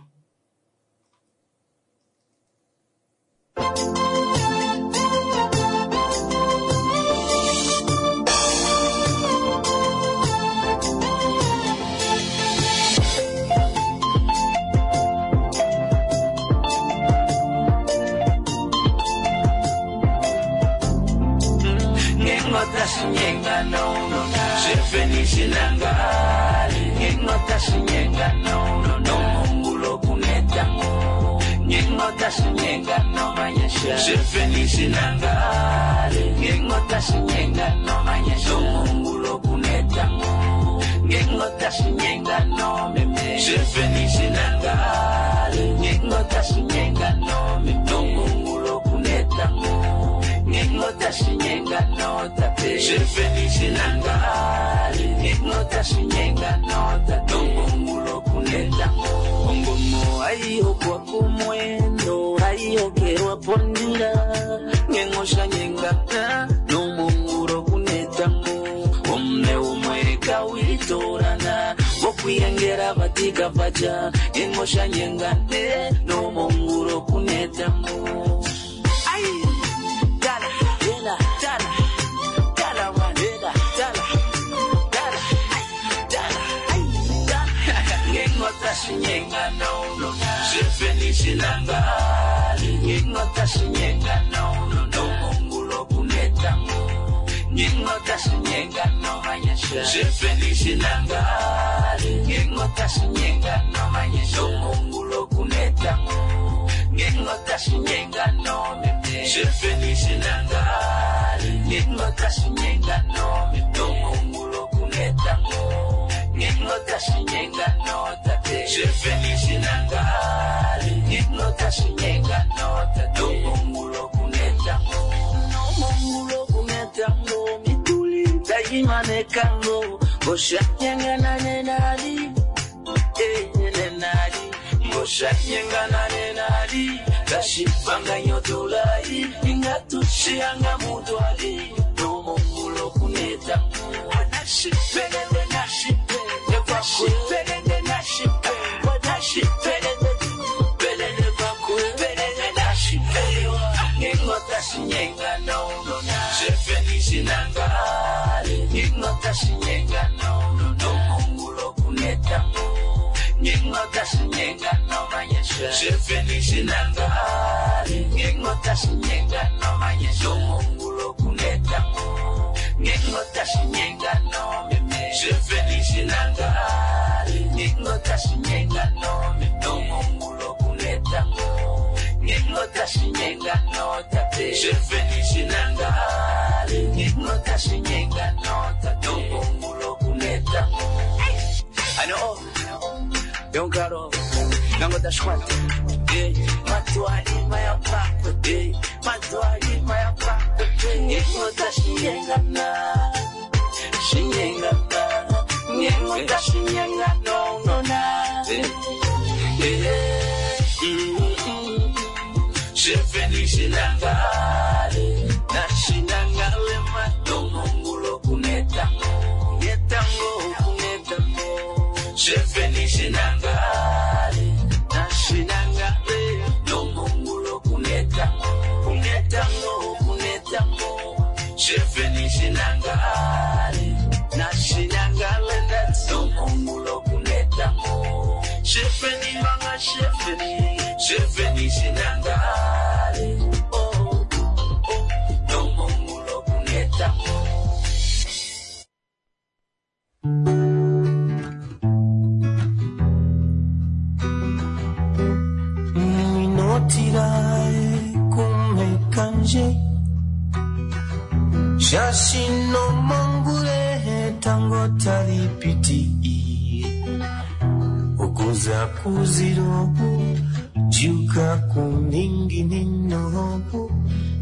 Ngingashipanganyotolai Ngingatushianga mutwali Nomongulo kuneta Wanashipelele nashipele Kwashipelele nashipele Wanashipelele Pelele kwakupelele nashipelewa Ngingotashinyenga no no na Shefenishinangale Ngingotashinyenga no no Nomongulo kuneta Ngingotashinyenga no manyesha Shefenishinangale Ngingotashinyenga no manyesha Nomongulo kuneta Ngingotashinyenga no meme Shefenishinangale Ngingotashinyenga no meme Nomongulo kuneta Ngingotashinyenga no tate Shefenishinangale Ngingotashinyenga no tate Nomongulo kuneta Ano Yonkaro Nangotashwate Matwali mayapakwe Matwali mayapakwe Ngingotashinyenga na Shinyenga na Ngingotashinyenga no no na Shefenishinangale Nashinangale matongongulo kuneta Kunetango kunetango Shefenishinangale Nashinangale Nomongulo kuneta Kunetango kunetango Shefenishinangale Nashinangale Nomongulo kunetango Shefeni manga shefeni Shefenishinangale Oh oh Nomongulo kunetango Minotirae kumekanje Shashino mongure tango talipiti Okuza kuzirobu Juka kuningininobu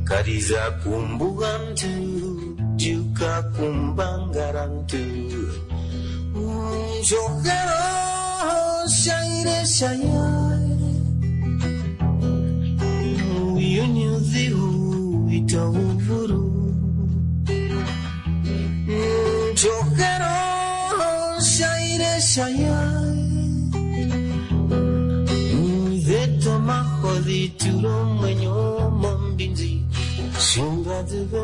Kariza kumbugantu Juka kumbangarantu Jokero shaire shayai Uyunyuzihu itauvuru Jokero shaire shayai Zeto mahodhi turo mwenyo mombinzi Shimbaduga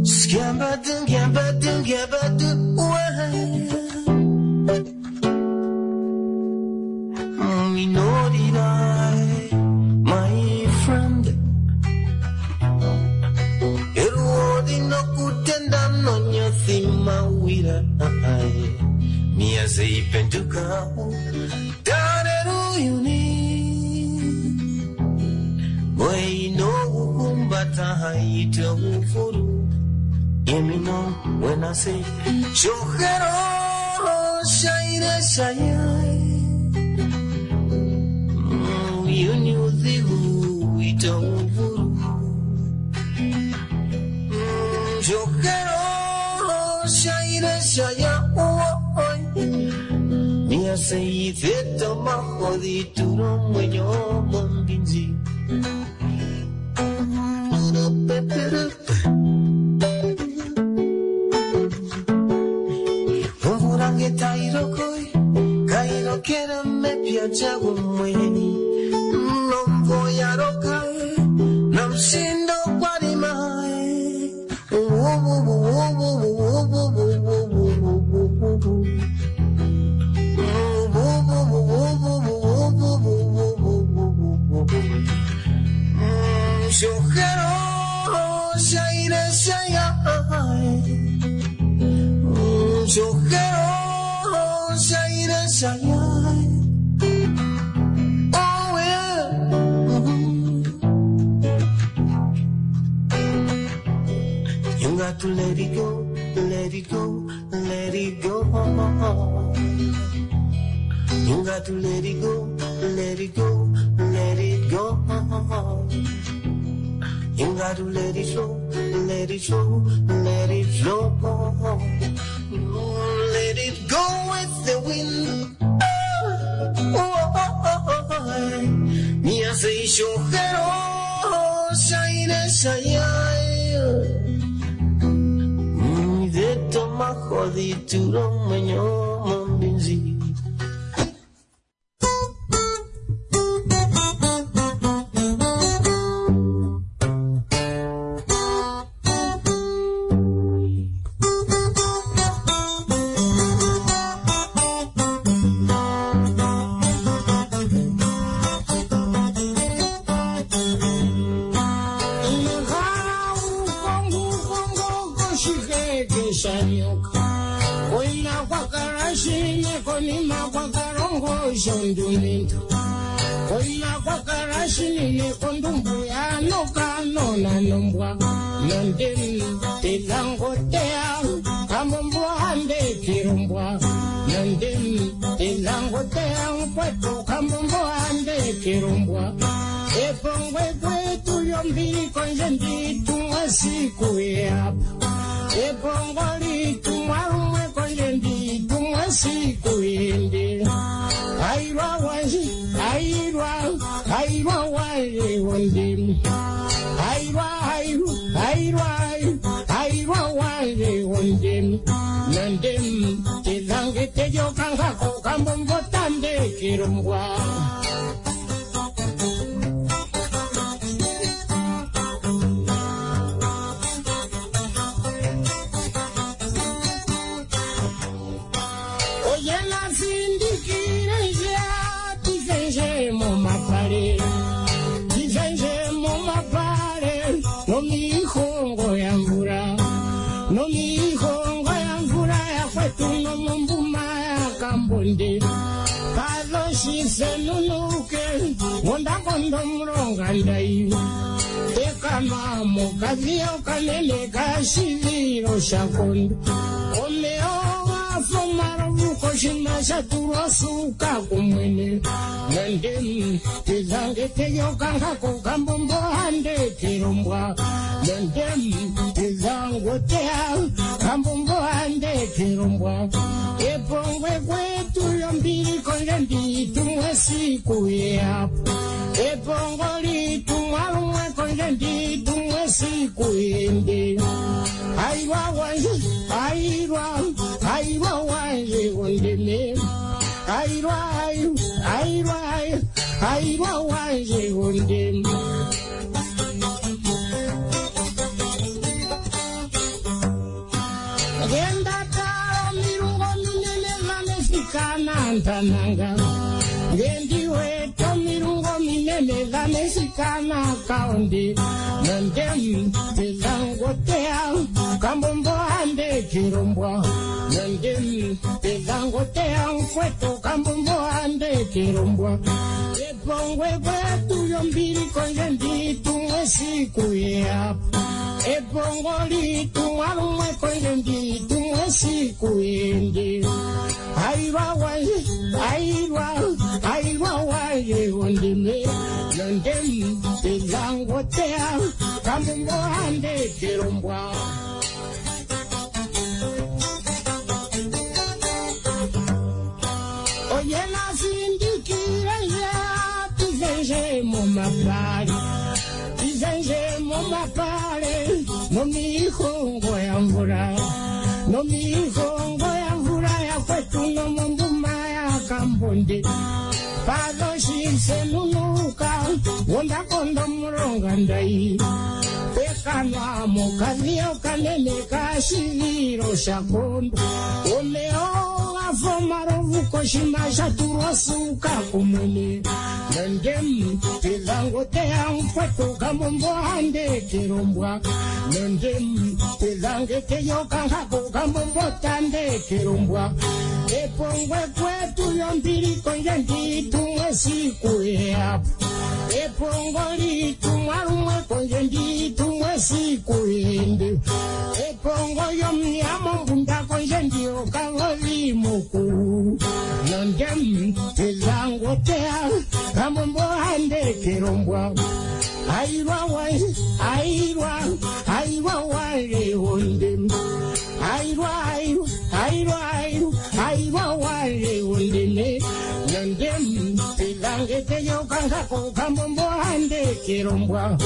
Skambadu, gambadu, gambadu, Minorirai, my friend. Eruodi no kutenda no nyothima wira Miaze ipenduka Dareru yuni Boy no ukumbata haita ufuru Hear me know when I say Shojero shaire shayai Uyunyuzihu itauvuru Shojero shaire shayai Miaze itheto mahodhi turo mwenyo mombinzi Omvurange tairokoi kairokera mepya jagumweni Nomvo yarokai namshindo kwarimai Shojero shaire shayai Shojero shaire shayai Oh yeah. You got to let it go, let it go, let it go. You got to let it go, let it go, let it go. You got to let it flow, let it flow, let it flow. Let it go with the wind. Oh, oh, oh, oh. Me I say, "Shogero, shaire, shaire." Deto mahodi turo menyo mambinzi. Airwa, airwa, airwa, airwa, kangako kambombo andekelombwa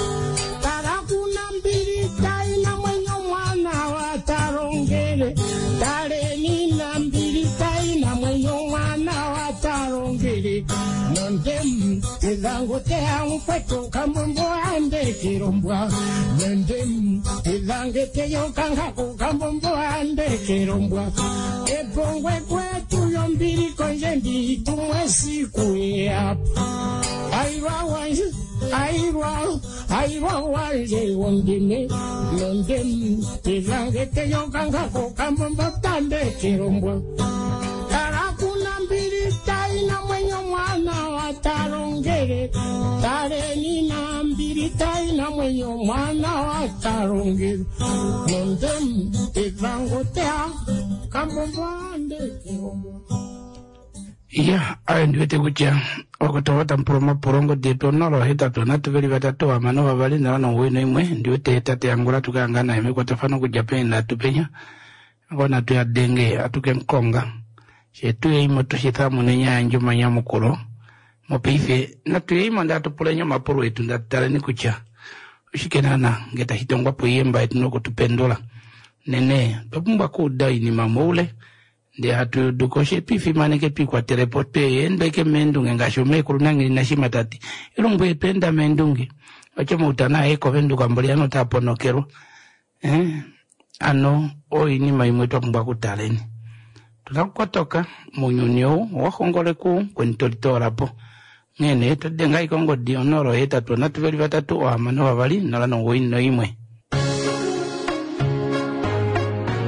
tala kuna mbili taina mwenyo mwana watalongele taleni na mbili taina mwenyo mwana watalongele nondem ezangotea mkweto kambombo andekelombwa nondem ezangeteyo kangako kambombo andekelombwa epongwe kwetu yombili konje nditumwe siku yapo airwa wanje airwa airwa wanje wondime nondem ezangeteyo kangako kambombo tandekelombwa tarakuna mbili taina mwenyo mwana watalongele taleni na mbili taina mwenyo mwana watalongele nondem ezangotea kambombo andekelombwa ya ayo ndiwete kutya okutova tampula omapulo ngodi yetu 081 3 6 2 091 ndiwete tate yangula tukayanga naye mekwatafano kudja peni penya ngona tuyadenge atuke nkonga shetuyeimo tushithamune yandje omanyamukulo mopaife natuyeimo ndatupuleni omapulo etu ndatutaleni kutya oshike naana nge tashi tongwapo iyemba yetu nokutupendula nene twapumbwa kuuda oinima moule ndee hatu dukoshe twifimaneke twikwatelepo tweendeke meendunge ngaashi omeekulu nangeli nashima tati elumbu yetu enda meendunge otyo moutana aye kovenduka mboli ano taponokelwa ano oinima imwe twapumbwa kutaleni tunakukotoka mounyuni ou owahongoleku kweni tolitoolapo nghene todenga ikongodi 083 3 6 2 091.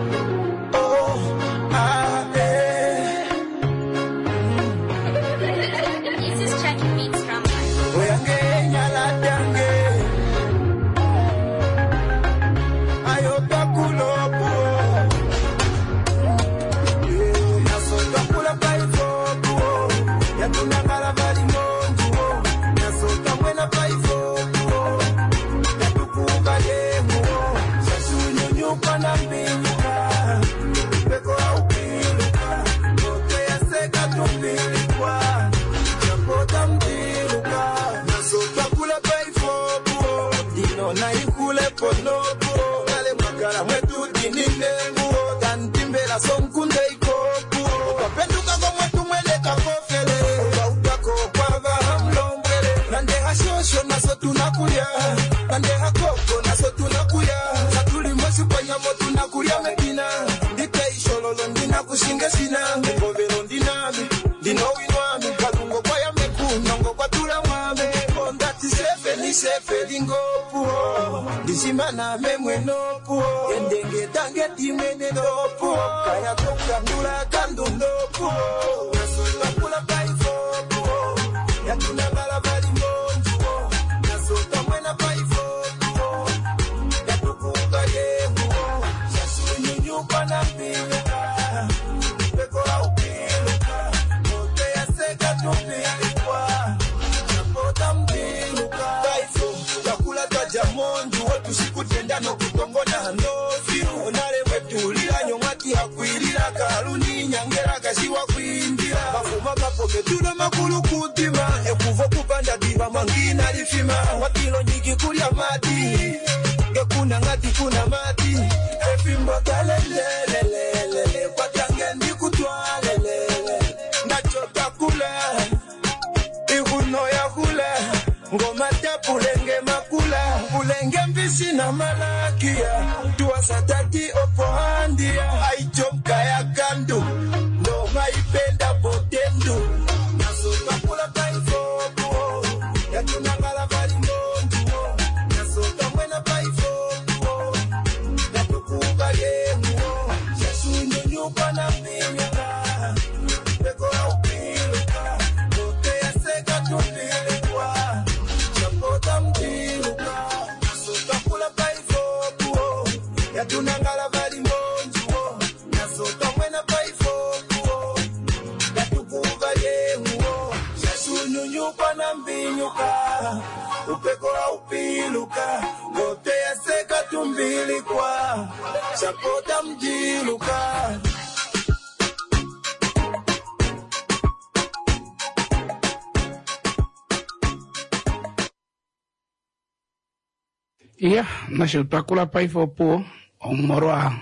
Iya, nasho twa kula paife opuwo omolwa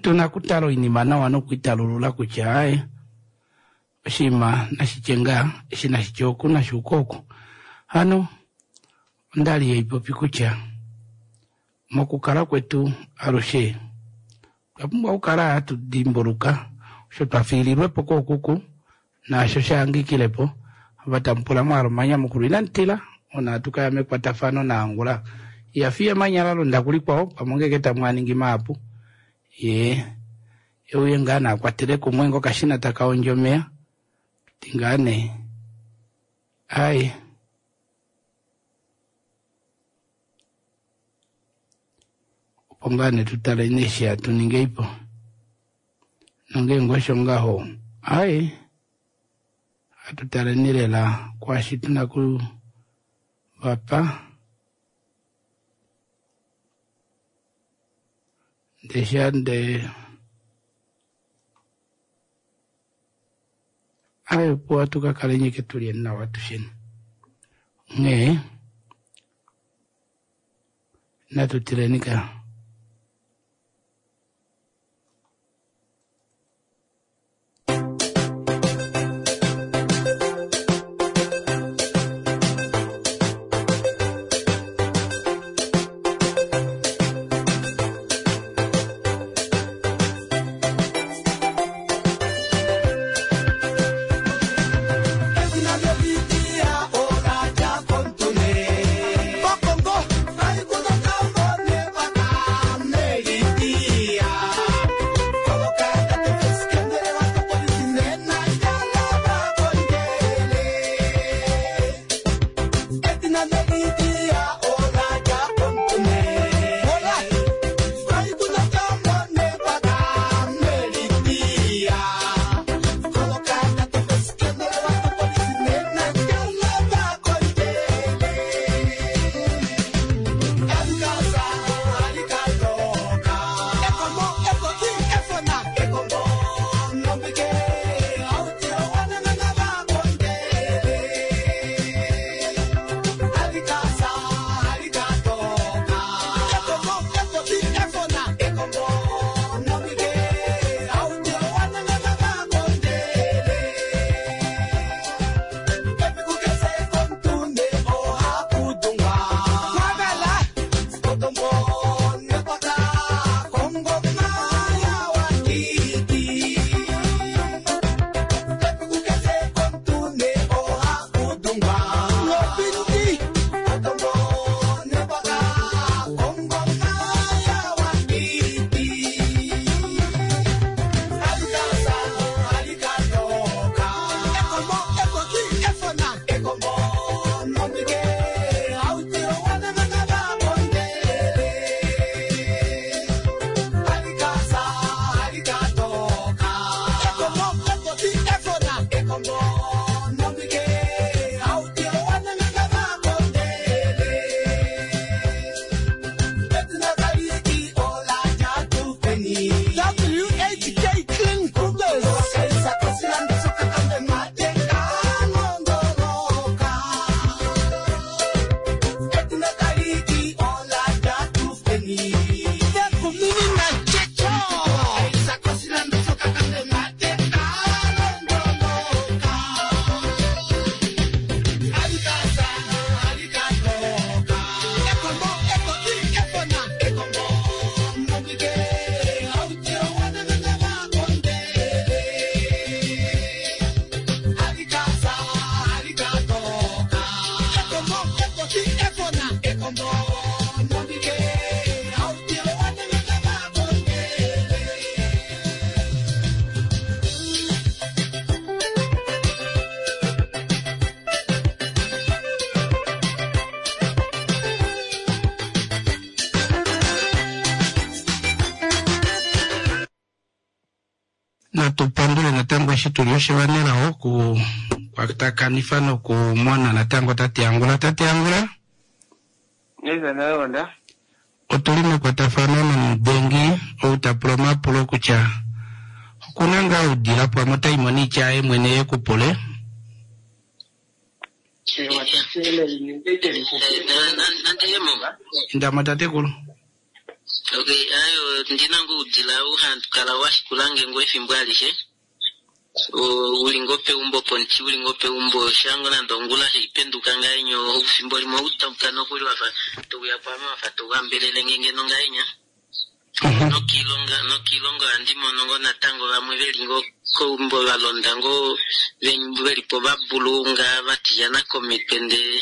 tuna okutala oinima nawa nokuitalulula kutya aye oshinima nashi tye ngaa eshi nashi tye oku nashi uke oku. Hano onda li haipopi kutya mokukala kwetu alushe otwa pumbwa okukala hatu dimbuluka osho twa fiililwe po kookuku naasho sha hangikile po. Ava tamu pula mwa hala omanyamukulo inamu tila, ona hatu ka ya mekwatafano naAngula. Iha fiye emanya la londa kulikwao, pamwe ongeke tamu a ningi mahapu. Ye e uye ngaa naa kwatele kumwe ngokashina taka hondjo omeya. Ti ngaa nee aye. Opo ngaa nee tu taleni eshi hatu ningi po. Nongeenge osho ngaho, aye, hatu taleni lela kwaashi tu na ku va pa. Ndee sha nde aye, opo hatu ka kaleni ashike tu lyeni nawa atusheni. Onghee natu tileni ka. Natu pandule natango eshi tuli oshivanelao okukwatakanifa nokumona natango tate Angula. Tate Angula? Otuli mekwatafano nomudengi ou ta pula omapulo kutya okuna ngaa oudila pamwe otai mo niitya yaye mwene ye ku pule. Ewa tate lelinenge lixupi. Indamo tatekulu. Okay, ayo ndina ngoo oudila ou hakala washikulange ngoo efimbo alishe. Uli ngoo peumbo pomuti, uli ngoo peumbo shango nande ongula sheipenduka ngahenya efimbo limwe outauka nokuli wafa touya kwaame wafa touhambelele nge ngeno ngahenya. Nokiilonga nokiilonga ohandi mono ngoo natango vamwe veli ngoo keumbo valonda ngoo velipo vabulunga vatilyana komitwe ndee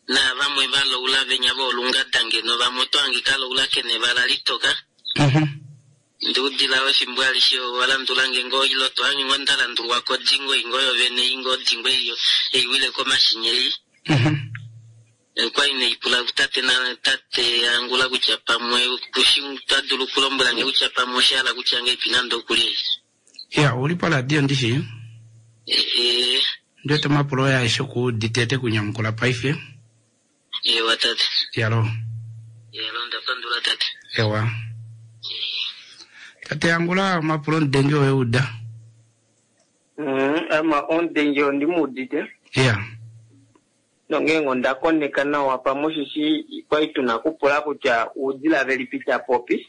naavamwe valoula venya voolungada ngeno vamwe oto hange kaloula kena evala litoka. Ndee oudila oo efimbo alishe owa landulange ngoo ile to hange ngoo ndalandulwa kodingo ei ngoo yovene ei ngoo odingo ei eiwile komashinya ei. Okwali neipula kutate na tate Angula kutya pamwe kushi ota dulu okulombwela nge kutya pamwe osha hala kutya ngeipi nande okuli ei. Ya, ouli poradio ndishi? Ee. Ndi wete omapulo oye aeshe okuudite ete kunyamukula paife. Ewa tate. Yalo. Yalo, ndapandula tate. Ewa. Tate Angula, omapulo omudengi owe uda. Ama omudengi ondi mu udite. Ya. Nongeenge onda koneka nawa pamwe osheshi kwali tuna okupula kutya uudila velipi ta popi.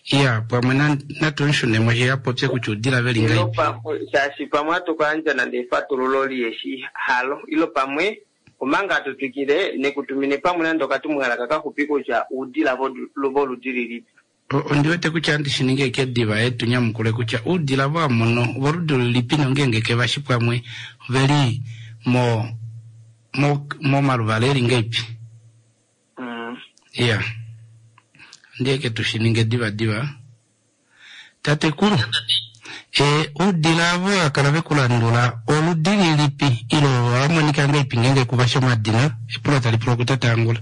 Iya, pamwe na, natu mu shunemo she a popye kutya uudila veli Ilo ngahelipi. pamwe, shaashi pamwe hatu ka yandja nande efatululo liheshi halo, ilo pamwe omanga hatu twikile nekutumine pamwe nande okatumwalaka kaxupi kutya uudila voludi lilipi. Ondi wete kutya andi shi ningi eke diva ye tu nyamukule kutya uudila vo amono ovoludi lilipi nongeenge ke vashi pwamwe oveli mo mo momaluvala eli ngeipi. Iya. Andi eke tu shi ninge diva diva. Tatekulu, e uudila avo va kala ve ku landula oludi lilipi ile ova monika ngeipi ngeenge ku vashi omadina? Epulo tali pulwa kutate Angula.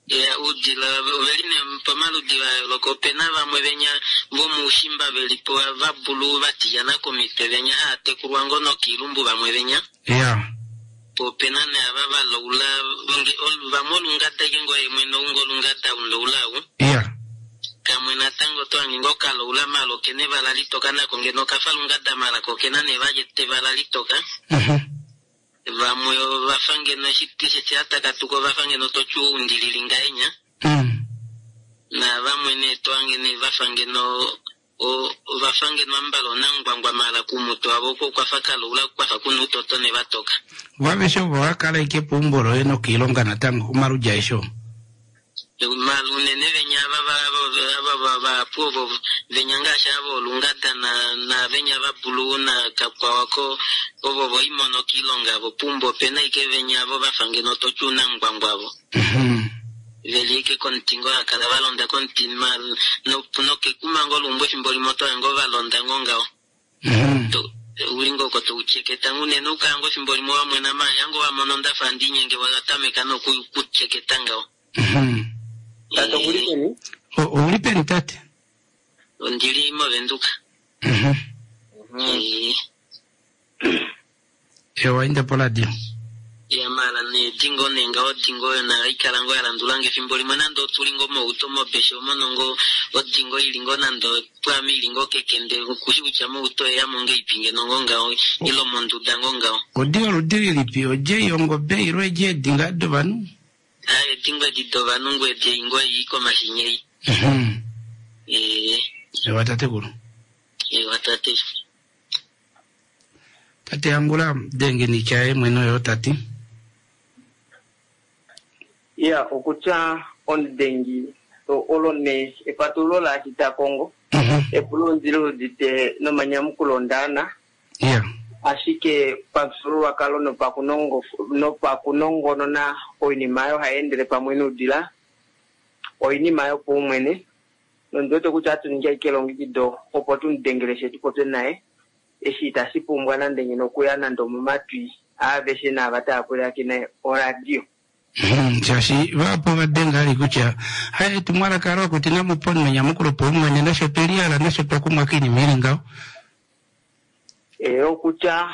Iya, oudila oveli nee pamaludi va yooloka. Opena vamwe venya vomuushimba veli po va blue va tilyana komitwe venya haa tekulwa ngoo nokiilumbu vamwe venya. Iya. Po opena nee ava va laula nge vamwe olungada ike ngoo ye mwene ou ngoo olungada ou ndaula ou. Iya. Kamwe natango oto hange ngoo ka laula maala okena evala litoka nako ngeno okafa lungada maala ko okena nee vali evala litoka. Vamwe ova fa ngeno eshi eshi a takatuka ova fa ngeno to tyuwa oundilili ngahenya. Navamwe nee to hange nee va fa ngeno ova fa ngeno ambala onangwangwa maala kuumutwe wavo oko okwa fa kalaula kwa fa kuna uutoto ne va toka. Vo aveshe ovo ova kala ashike peumbo loye nokoilonga natango, omaludi aeshe oo. Maala unene venya ava ava vahapu ovo venya ngaashi ava voolungada na naavenya va blue na kakwao oko ovo voimono kiilonga avo puumbo opena ashike venya avo vafa ngeno toti uunangwangwa avo veli ashike komuti ngoo hakala valonda komuti nokekuma ngoo luumbo efimbo limwe oto hange valonda ngoo ngaho. Uli ngoo oko tou tyeketa ngoo unene oukala ngoo efimbo limwe wa mwena maaya ngoo wa mono ndafa handi inyenge wa tameka noku ku tyeketa ngaho. Tate okuli peni? Ouli peni tate? Ondili moVenduka. Ewa inda poradio. Ya maala nee dingo nee ngaho odingo oyo nayo ohaikala ngoo ya landulange efimbo limwe nande otuli ngoo mouto mobeshe omono ngoo odingo ili ngoo nande pwaame ili ngoo kekende kushi kutya mouto oyeyamo ngeipi ngeno ngoo ngaho ile omonduda ngoo ngaho. Odi yoludi lilipi? Odje yongobe ile eedje edi ngaa dovanhu? Aaye edingo edi dovanhu ngoo edi ei ngoo ei komashinya ei. Ee. Ewa tatekulu. Ewa tate. Tate Angula denge niitya yaye mwene oyo ta ti. Iya, okutya omudengi olo nee efatululo laashi ta kongo. Epulo ondi li udite nomanyamukulo ondaana. Iya. Ashike pamufyuululwakalo nopakunongonona oinima oyo hai endele pamwe noudila oinima yopaumwene. Nondi wete kutya ohatu ningi ashike elongekido opo tu mu dengele fye tu popye naye. Eshi itashi pumbwa nande ngeno okuya nande omomatwi aaveshe naava tava pwilikine oradio. Shaashi vahapu ova denga ali kutya, Haye etumwalaka olo okuti namu pe omunhu enyamukulo paumwene, nafye otwe lihala, nafye otwa kumwa koinima ili ngaho. Ee, okutya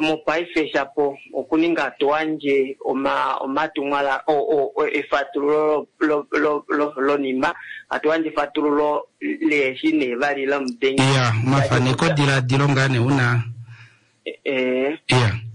mopaife shapo okuninga to yandje omatumwala, efatululo lonima, hatu yandje efatululo leeshi nee vali lomudengi. Iya, omafanekodiladilo ngaa nee una. Eh,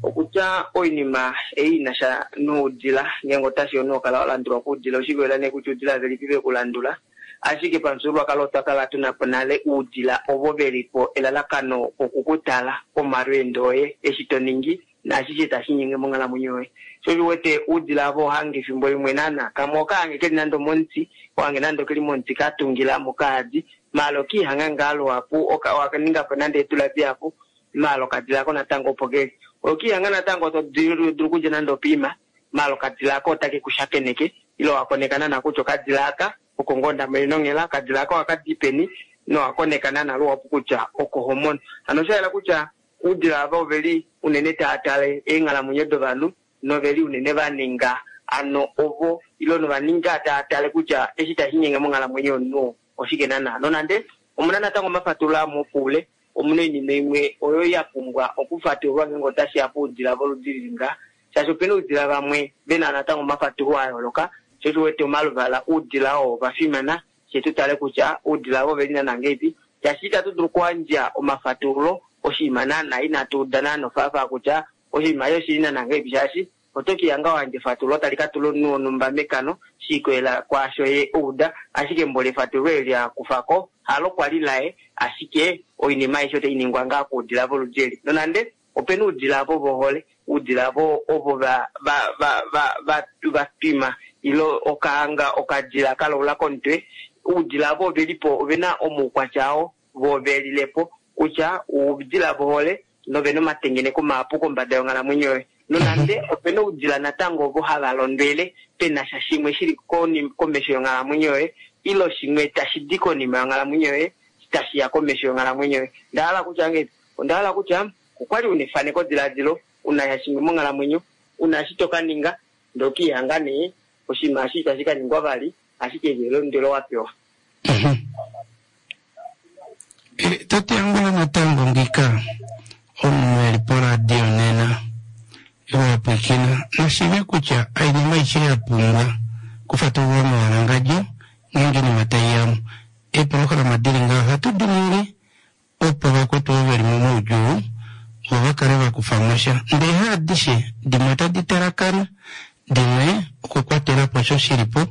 okutya oinima ei ina sha noudila ngeenge otashi yo nokala wa landulwa koudila oshikolela nee kutya oudila velipi ve ku landula ashike pamufyuululwakalo otwa kala tuna po nale oudila ovo ve li po elalakano oku ku tala komalweendo oye eshi to ningi naashishe tashi nyenge monghalamwenyo yoye. Sho osho u wete oudila ava ohange efimbo limwe naana kamwe okahange keli nande omomuti, ohange nande okeli momuti ka tungila mo kaadi, maala okiihanga ngaa luhapu oka owa ninga po nande eedula dihapu maala okadila ako natango opo keli. Okiihanga natango to dulu okudja nande opiima maala okadila ako otake ku shakeneke ile owa koneka naana kutya okadila aka oko ngoo nda monene onghela, okadila aka ohaka di peni nowa koneka naana luhapu kutya oko ho mono. Hano osha yela kutya Oudila ava ove li unene tava tale eenghalamwenyo dovanhu nove li unene va ninga ano ovo ile nova ninga tava tale kutya eshi tashi nyenge monghalamwenyo yomunhu oo oshike naana. Nonande omuna natango omafatululo amwe opoule, omuna oinima imwe oyo ya pumbwa okufatululwa ngeenge otashi ya poudila voludi lili ngaha shaashi opena oudila vamwe vena natango omafatululo a yooloka, sho osho u wete omaluvala oudila oo ova fimana fye tu tale kutya oudila ovo oveli naana ngeipi, shaashi itatu dulu okuyandja omafatululo oshinima naana inatu uda naana ofaafaa kutya oshinima eshi oshili naana ngeipi, shaashi oto ke lihanga wa yandja efatululo tali ka tula omunhu wonhumba mekano shi ikolela kwaasho ye a uda, ashike mboli efatululo eli a kufa ko halo kwali laye, ashike oinima aishe otai ningwa ngaa koudila voludi eli, nonande opena oudila ovo vohole, oudila vo ovo va va va va va va twima ile okahanga okadila ka laula komutwe, oudila avo ove li po ove na omaukwatya ao vo ve lile po kutya oudila vohole nove na omatengeneko mahapu kombada yonghalamwenyo yoye. Nonande ope na oudila natango ovo hava londwele pe na sha shimwe shi li komesho yonghalamwenyo yoye ile shimwe tashi di konima yonghalamwenyo yoye tashi ya komesho yonghalamwenyo yoye. Onda hala kutya ngahelipi? Onda hala kutya okwali una efanekodiladilo, una sha shimwe monghalamwenyo, una eshi to ka ninga, ndee okiihanga nee oshinima eshi itashi ka ningwa vali, ashike eli elondwelo wa pewa. Eh, tate Angula natango ngika omunhu eli poradio nena iwa pwiikina nashive kutya oinima aishe ya pumbwa kufatululwa mewalangandjo ngeenge oinima tai yamo eeprograma dili ngaho ohatu di ningi opo vakwetu ovo veli momaudjuu vo va kale va kufa mo sha ndee haadishe dimwe otadi talakana dimwe okukwatela po osho shi li po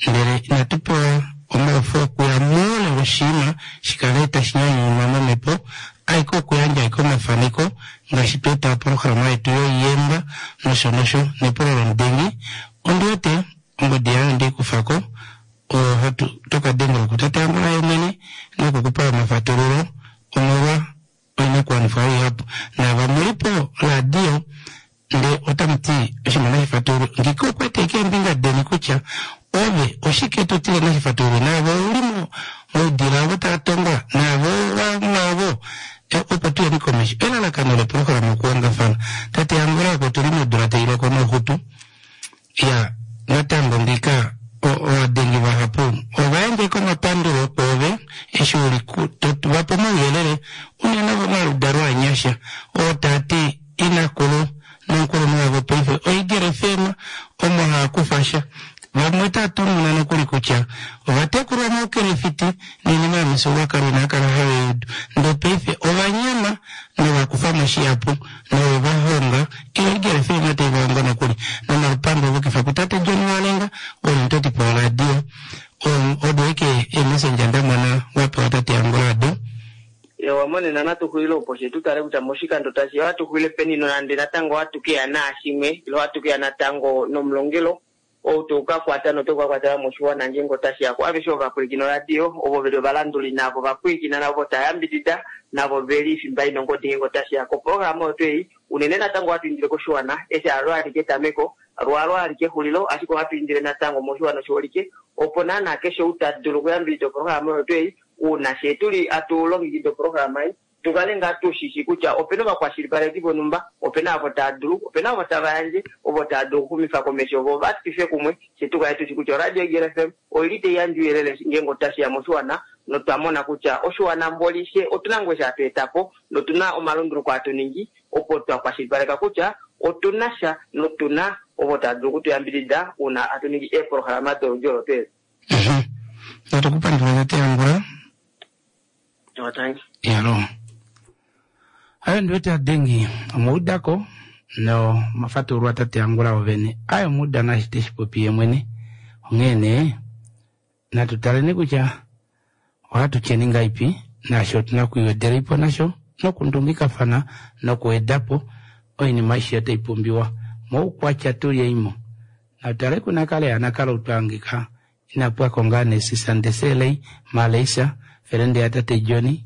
ndele inatu pewa omaufo okuya moule woshinima shi kale tashi nyanyunwa momhepo aike okuyandja aike omafaneko ngaashi twa eta opolohalama yetu yoiyemba nosho nosho nepulo lomudengi ondi wete ongodi yaye onde i kufa ko oo hatu to ka dengela kutate Angula ye mwene noku ku pa omafatululo omolwa oinakuwanifwa ihapu. Naava mu li poradio ndee otamu ti oshinima nashi fatululwe, ngika okwa ete keembinga deni kutya ove oshike to tile nashi fatululwe. Naave ou li moudila ovo tava tongwa, naave mwaavo opo tu yeni komesho. Elalakano leprograma okuhongafana. Tate Angula oko tu li modula tai loko nouxutu. Ya, natango ngiika ovadengi vahapu ova yandja komapandulo kwoove eshi u li to va pe omauyelele, unene vomaludalo anyasha, oo taa ti inakulu nomukulunhu wavo paife oEagle FM omo haa kufa sha. Vamwe otaa tumuna nokuli kutya ova tekulwa moukelefiti noinima yomifyuululwakalo inaa kala have i udu, ndee paife ova nyama nova kufa mo shihapu nove va honga Eagle FM otai va hongo nokuli nomalupandu ovukifa kutate John Walenga oo omutotipo woradio. Odo ashike eemessenger nda mona wa pewa tate Angula ado. Ewa monena natu xulile opo fye tu tale kutya moshikando tashi ya ohatu xulile peni nonande natango ohatu ke ya naashimwe ile ohatu ke ya natango nomulongelo ou tau ka kwata notau ka kwatela moshiwana ngeenge otashi ya kuaveshe ovapwilikini oradio, ovo ve li ovalanduli naavo va pwilikina navo tava yambidida navo ve li fimba ina ongodi ngeenge otashi ya koprograma oyo tuu ei. Unene natango ohatu indile koshiwana eshi halo alike etameko, lo halo alike exulilo, ashike ohatu indile natango moshiwana oshiholike opo naana keshe ou ta dulu okuyambidida oprograma oyo tuu ei, uuna fyee tu li hatu longekida oprograma ei, tu kale ngaa tu shi shi kutya ope na ovakwashilipaleki vonhumba, ope na ovo tava dulu, ope na ovo tava yandje, ovo tava dulu okuxumifa komesho vo va twife kumwe, fye tu kale tu shi kutya oRadio Eagle FM oi li tai yandje ouyelele ngeenge otashi ya moshiwana notwa mona kutya oshiwana mboli fye otu na ngoo eshi hatu eta po notu na omalunduluko hatu ningi opo twa kwashilipaleka kutya otu na sha notu na ovo tava dulu okutu yambidida uuna hatu ningi eepolohalama doludi olo tuu eli. Natu ku pandula tate Angula. Yalo. Ayo ndiwete adengi omuudako no mafatululwa tate Angula ovene. Ayo omuuda naashi te shi popi ye mwene. Onghee nee natu taleni kutya ohatu tyeni ngaipi naashi otu na okuiwedeleipo nasho nokundungikafana nokuwedapo oinima aishe otai pumbiwa moukwatya tulyeimo. Natu tale kunakale yanakale ou twa hangika ina pwako ngaa nesisa ndeselei Malaysia felende yatate Johnny.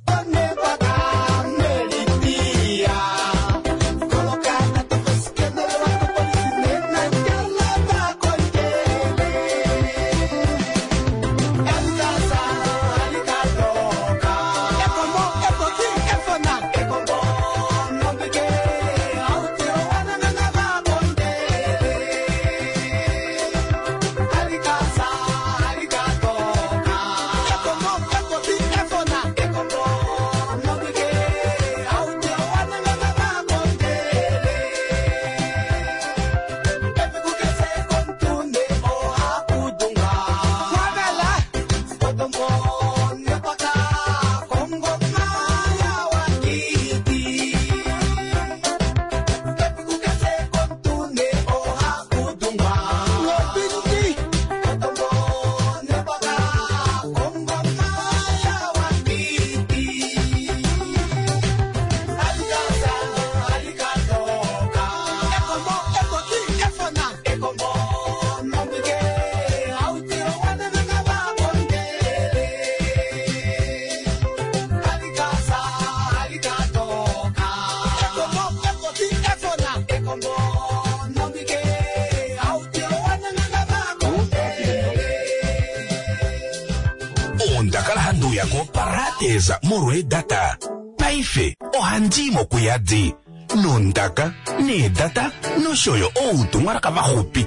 Onda kala handi uya koParadesa molweedata. Paife ohandi i mo kuyadi nondaka, needata nosho yo outumwalaka vaxupi.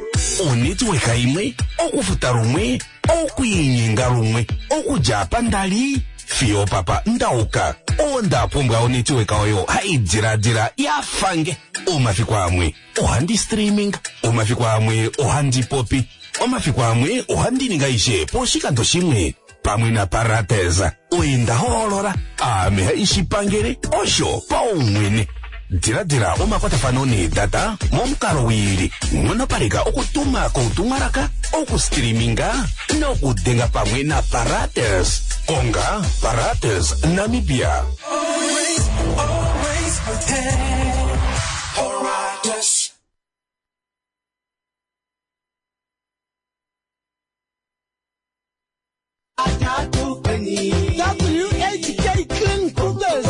Onetiweka imwe, okufuta lumwe, okwiinyenga lumwe, okudja apa nda li fiyo opapa nda uka. Onda pumbwa onetiweka oyo hai diladila ya fa nge. Omafiku amwe ohandi streaming, omafiku amwe ohandi popi, omafiku amwe ohandi ningi aishe poshikando shimwe. Pamwe naParates, oye nda hoolola, aame hai shi pangele osho paumwene. Diladila omakwatafano needata momukalo wiili, nghonopaleka okutuma koutumwalaka, okustreaminga nokudenga pamwe naParates. Konga Parates Namibia. Always, always prepared. Paratus. WHK Clean Cookers.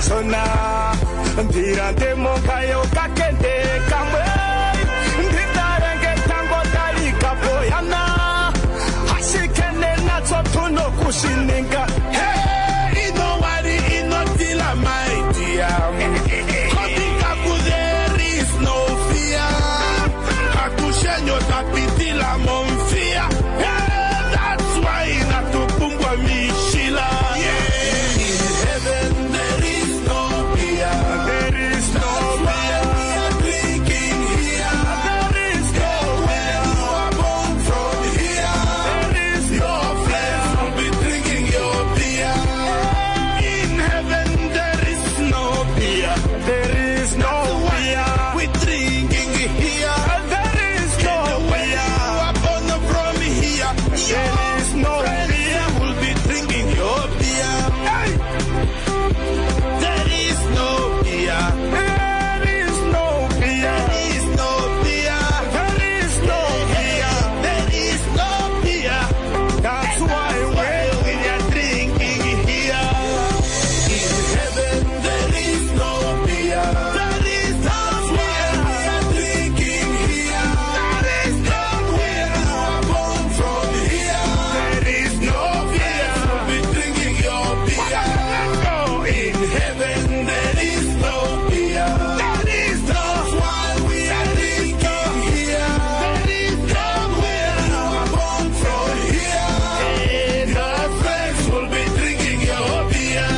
kashona ndilande monkayo kakende kamwe nditalenge tango talikapoyana ashike nenatso tunokushininga. Hey, ino worry, ino tila, my dear. Kotikaku, there is no fear. Atushenyo tapitila momfia. Hey, that's why natupumbwa mishila. Yeah. In heaven there is no beer. There is no That's why we are drinking here. There is no When you are born from here, There is no your friends will be drinking your beer. In heaven there is no beer. There is no beer. We drinking here. There is no When beer. you are born from here, There is no friends beer. will be drinking your beer. Hey! There is no beer. There is no beer. There is no beer. There is no beer. There is no beer. That's why Why we are drinking here. In heaven there is no beer. There is no beer. We are drinking here. There is no beer. You are born from here. there is no beer. We'll be drinking your beer. Let's go. In heaven there is no beer. There is no That's why we are drinking here. There is no Where you are born from here. Your friends will be drinking your beer.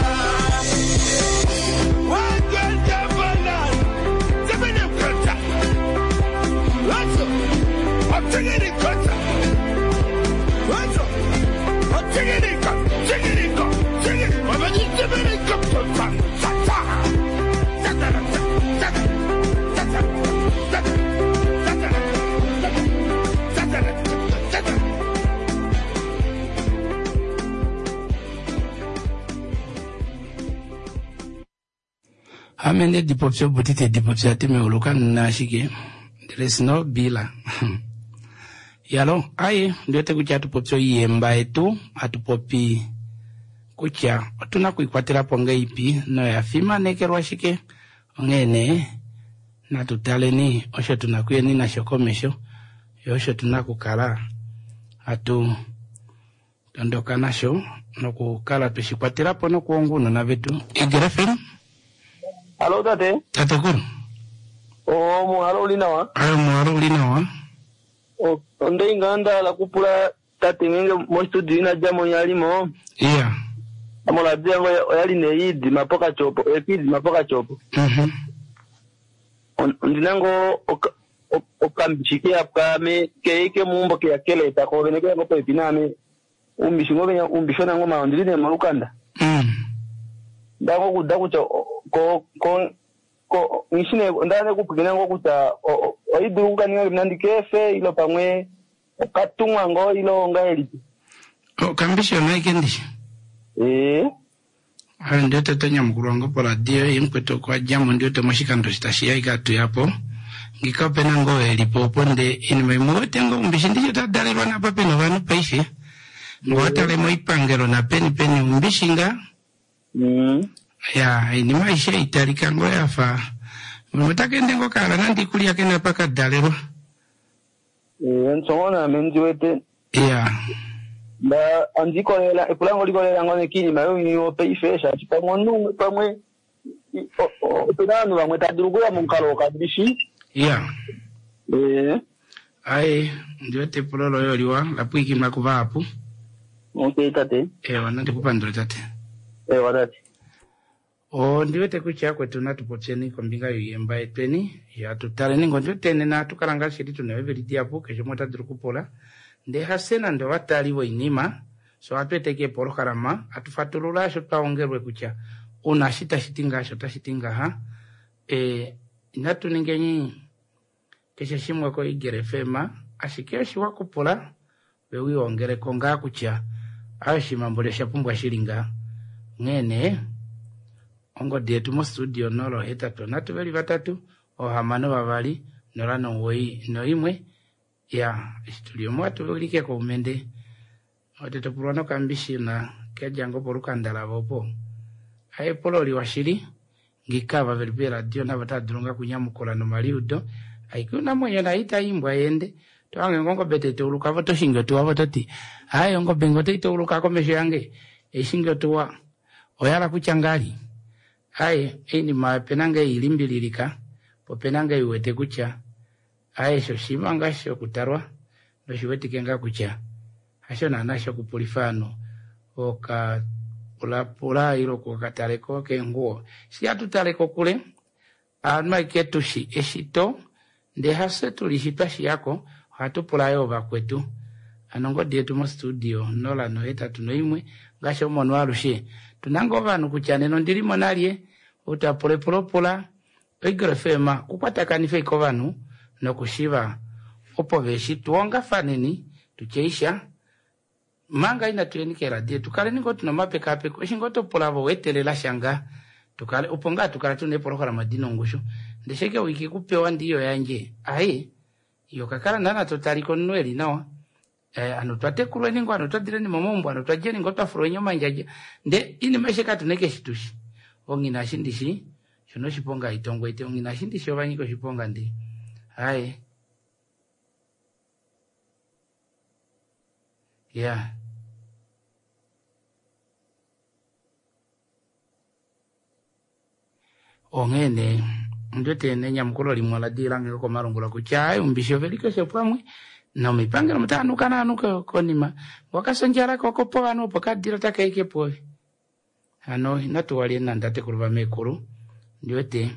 Ame nde dipopya opo tite dipopya ti meuluka nina ashike ndele sino bila yalo aye ndiwete kutya atupopi oiyemba yetu atupopi kutya otuna okuikwatelapo ngeipi noya fimanekelwa shike onghee nee natu taleni osho tuna kuyeni nasho komesho yo osho tuna okukala hatu tondoka nasho nokukala tweshikwatelapo nokuonga ounona vetu. Eagle FM. Halo tate. Tatekulu. O muhalo uli nawa. Ayo muhalo uli nawa. Onde inga ndahala kupula tate ngenge mostudio ina djamo yalimo. Iya. Amoladio yango oyali neyiidima pokachopo, ekiidima pokachopo. Ondina ngo okambishi keya pwaame keike muumbo keya keleta ko vene keya ngo popepi naame uumbishi ngo venya uumbishona ngo ma ondili nee molukanda. Ndango kuda kutya ko ko ko ngishi nee onda nee kupwikina ngo kutya oidulu okukaninga nandi kefe ilo pamwe okatumwa ngo ilo ongahelipi. Okambishi onaike ndishi. Ee. Ayo ndiwete tonyamukulwa ngo poradio ye mukwetu okwa djamo ndiwete moshikando shi tashiya ike atuyapo ngika opena ngo elipo opo nde inima imwe wete ngo umbishi ndishi otadalelwa napa pena ovanhu paife ngo watale moipangelo napeni peni umbishi nga ya inima aishe italika ngo yafa otakende ngo kala nandi ikulya kena pakadalelwa. Ee, nsongo naame ndiwete. Ya. Nda andikolela epulango likolela ngo nekiinima younyuni wopaife shaashi pamwe omunhu pamwe opena ovanhu vamwe tadulu okuya momukalo wokambishi. Ya. Ee. Aye ndiwete epulo loye oliwa lapwiikinwa kuvahapu. Okay tate. Ewa nandikupandule tate. Ewa tate. Ondiwete kutya kwetu natupopyeni kombinga yoiyemba yetweni yatutaleni ngo ndiwete nena atukala ngaashi shili tuna eveli dihapu keshe umwe ota dulu okupula ndee hafye nande ovatali voinima so atu eteke epolohalama atufatulula asho twaongelwe kutya una eshi tashi ti ngaha osho tashi ti ngaha inatu ningeni keshe shimwe ko Eagle FM ashike oshiwa kupula we wiongeleko ngaa kutya ayo shimambuli osha pumbwa shili ngaa onghee nee ongodi yetu mostudio 083 3 6 2 0 9 1 ya eshi tuli omo atuulike koumende ote topulwa nokambishi na kedjango polukanda lavo opo. Epulo liwa shili ngika ava veli peeradio navo otava dulu ngaa okunyamukula nomaliudo aike unamwenyo naye itaimbwa yeende tohange ngo ongobe tai tauluka vo toshingi otuwa vo toti aye ongobe nge otai tauluka komesho yange eishingi otuwa oyala kutya ngali aye oinima opena nge ilimbililika po opena nge iwete kutya aye osho oshinima ngaa shokutalwa noshiwetike ngaa kutya hasho naana shokupulifa ovanhu okapulapula ile okukataleko keenguwo shi hatu tale kokule aanhu aike tushi eshito ndee hafye tulishi twashiyako ohatu pula yoo vakwetu hano ongodi yetu mostudio 081 ngaashi omono alushe tuna ngoo ovanhu kutya nena ondilimo nalye ou tapula epulo pula Eagle FM kukwatakanifa ike ovanhu nokushiva opo veshi tuongafaneni tutyeisha manga inatu yeni keeradio tukaleni ngoo tuna omapekapeko eshi ngoo topula vo weetelela sha ngaa tukale opo ngaa tukala tuna eepolohalama dina ongushu ndee sheke wiki kupewa ndiyo yandje ai iyo kakala naana totalika omunhu eli nawa eh, ano twatekulweni ngoo ano twadileni momaumbo ano twadjeni ngoo twafulweni omandjadja ndee inima aishe katuna eke shitushi ongina eshi ndishi shona oshiponga haitongwa ite ongina eshi ndishi ovanyika oshiponga ndi haye ya onghee nee ondiwete nenyamukulo limwe ola dila nge komalungula kutya ai umbishi oveli keshe pamwe nomipangelo mutaanuka naanuka konima wakasondjala kokopo ovanhu opo kadila takaike pwoove hano inatu walye nande tatekulu vamekulu ndiwete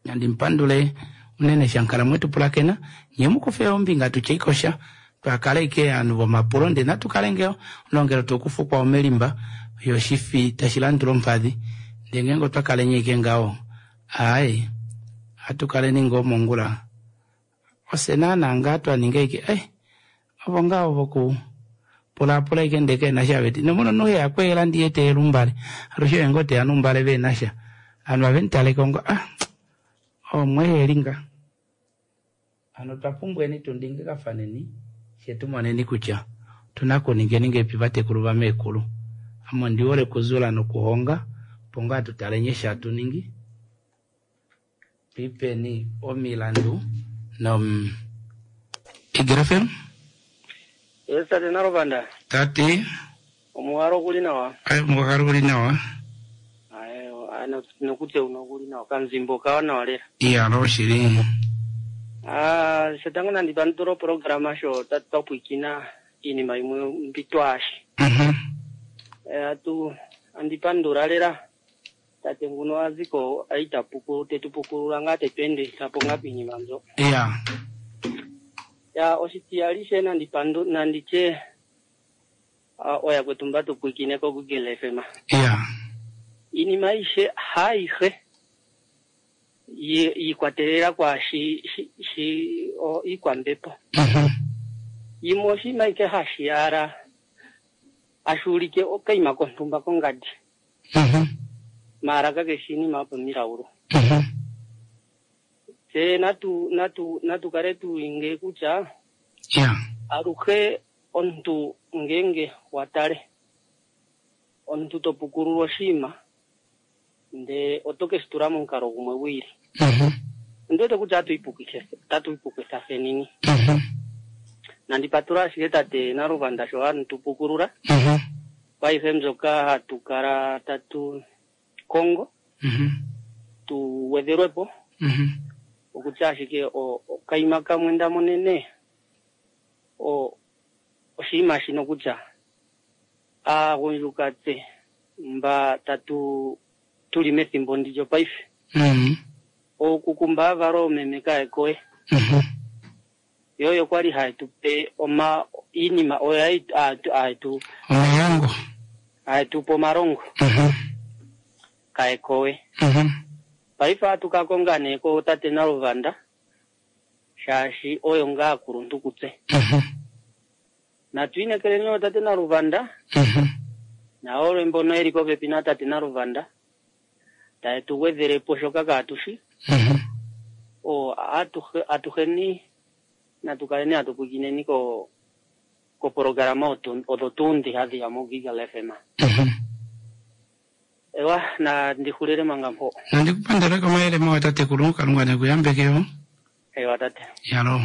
nandi mupandule unene shankala mwetu pulakena nye mukufe ombinga tutye ikosha twakala ike ovanhu vomapulo ndee natu kale nge onongelo tukufukwa omelimba yoshifi tashi landula ompadhi ndee ngeenge otwa kaleni ike ngaho aaye ohatu kaleni ngoo mongula ofye naana ngaa twaninga ike eh ovo ngaa voku pulaapula ike ndee kena sha veti nomuno nohe yakweela ndiye teelumbale alushe oye ngoo teya numbale venasha ovanhu avemutaleko ngo ah omweheli nga hano otwa pumbweni tu ndingikafaneni fye tumoneni kutya otuna kuningeni ngeipi vatekulu vamekulu ame ondihole okuzula nokuhonga opo ngaa tutaleni eshi hatu ningi twipeni omilandu nom Eagle FM Yes, tate Naluvanda. Tati Omuhalo okuli nawa. Ai omuhalo okuli nawa. Aye, nokutse uno okuli nawa. Kanzimbo kawa nawa lela. Iya, lo shili. Ah, shotango nandi pandula oprograma sho tatu twapwikina iinima yimwe mbi twaashi. Eh, atu andi pandula lela tate nguno aziko aita puku tetu pukulula ngaa tetu endithapo ngaa piinima mbyo. Iya. Ya oshitiyali she nandi pandu nanditye ah, oyakwetu mba tu pwikine ko Google FM. Iya. Iinima ayihe haayihe yiikwatelela kwaashi shi, shi o, iikwambepo. Yimwe oshinima ike hashi yala hashi ulike okaima kontumba kongadi. Maala kakeshi iinima yopomilaulu. Tse natu natu natu kale tuinge kutya aluhe omuntu ngenge watale omuntu to pukulula oshinima ndee oto keshi tula momukalo gumwe gwiili. Ondi wete kutya otatu ipukitha fenini. Nandi patula ashike tate Naluvanda sho hatu pukulula kwaayihe mbyoka hatu kala tatu kongo tu gwedhelwepo okutya ashike okaima kamwe nda monene oshinima shino kutya aagundjuka tse mba tatu tuli methimbo ndi lyopaife okukumba aavalo oomeme kaye kowe yo oyo kwali haye tu pe oma iinima oyo haye tu omalongo haye tu pe omalongo kaye kowe paife ohatu ka konga nee ko tate Naluvanda shaashi oyo ngaa akuluntu kutse. Natu inekeleni ootate Naluvanda naolwe mbono yeli popepi natate Naluvanda taye tu gwedhelepo shoka kaatushi. O atuheni natu kaleni hatu pwikineni ko kopologalama odho tuu ndhi hadhi ya moGigal FM. Ewa, nandi xulile manga mpo. Nandi ku pandule komayele mawa tatekulu, Kalunga ne ku yambeke yo. Ewa tate. Yalo.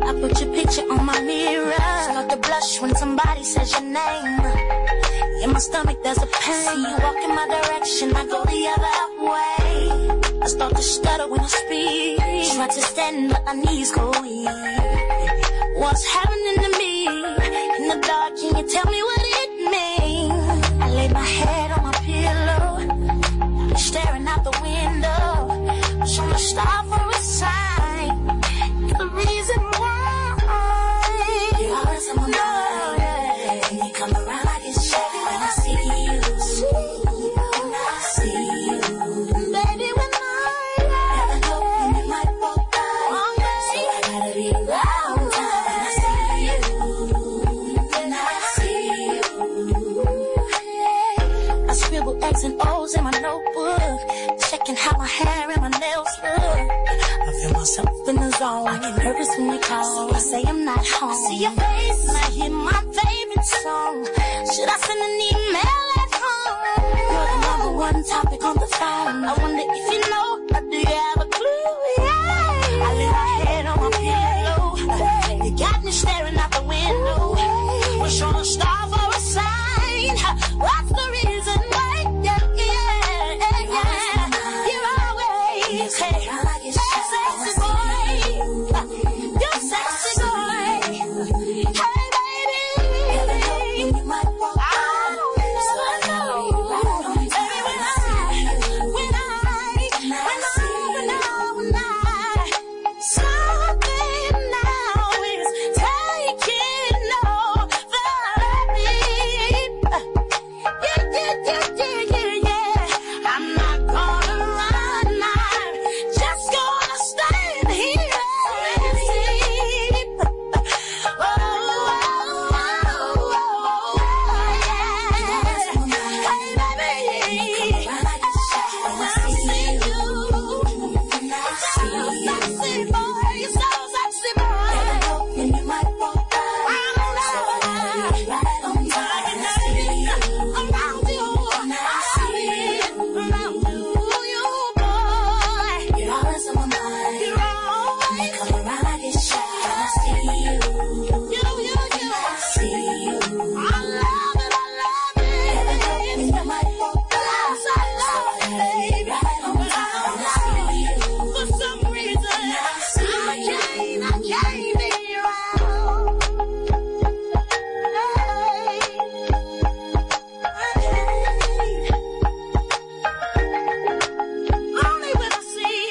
I put your picture on my mirror. Start to blush when somebody says your name. In my stomach there's a pain. See you walk in my direction, I go the other way. I start to stutter when I speak. Try to stand, but my knees go weak. What's happening to me? In the dark, can you tell me what it means? I lay my head on my pillow, staring out the window. Wish on a star for a sign. The reason why you're always on my mind. When you come around, I get shy when I see you. When I see you, baby, when I never know when we might walk by, so I gotta be round time. When I see you, when I see you, I scribble X and O's in my notebook, checking how my hair and my nails look. I feel myself in the zone. I get nervous when you call, so I say I'm not home. I see your face and I hear my favorite song. Should I send an email at home? You're the number one topic on the phone. I wonder if you know, or do you have a clue? Yeah. I lay my head on my pillow. You got me staring out the window. Wish on a star for a sign. What's the reason why? Yeah, yeah, yeah. You're always hey, sexy boy. You sexy boy. Hey, baby. Oh, I know. Baby, when I, when I, when I, when I, when I, something now is taking over me. Yeah, yeah, yeah, yeah, yeah, yeah. I'm not gonna run. I'm just gonna stand here and see. Oh, oh, oh, oh, yeah. Hey, baby. I see you. So sexy, boy. You're so sexy, boy. Around you, around you, you boy. You're always on my mind. You're always. When you come around, I get shy. When I see you, you, you, you. I see you. I love it, I love it. Yes, I love it, baby. For some reason, I can't be around. Hey, hey. Only when I see.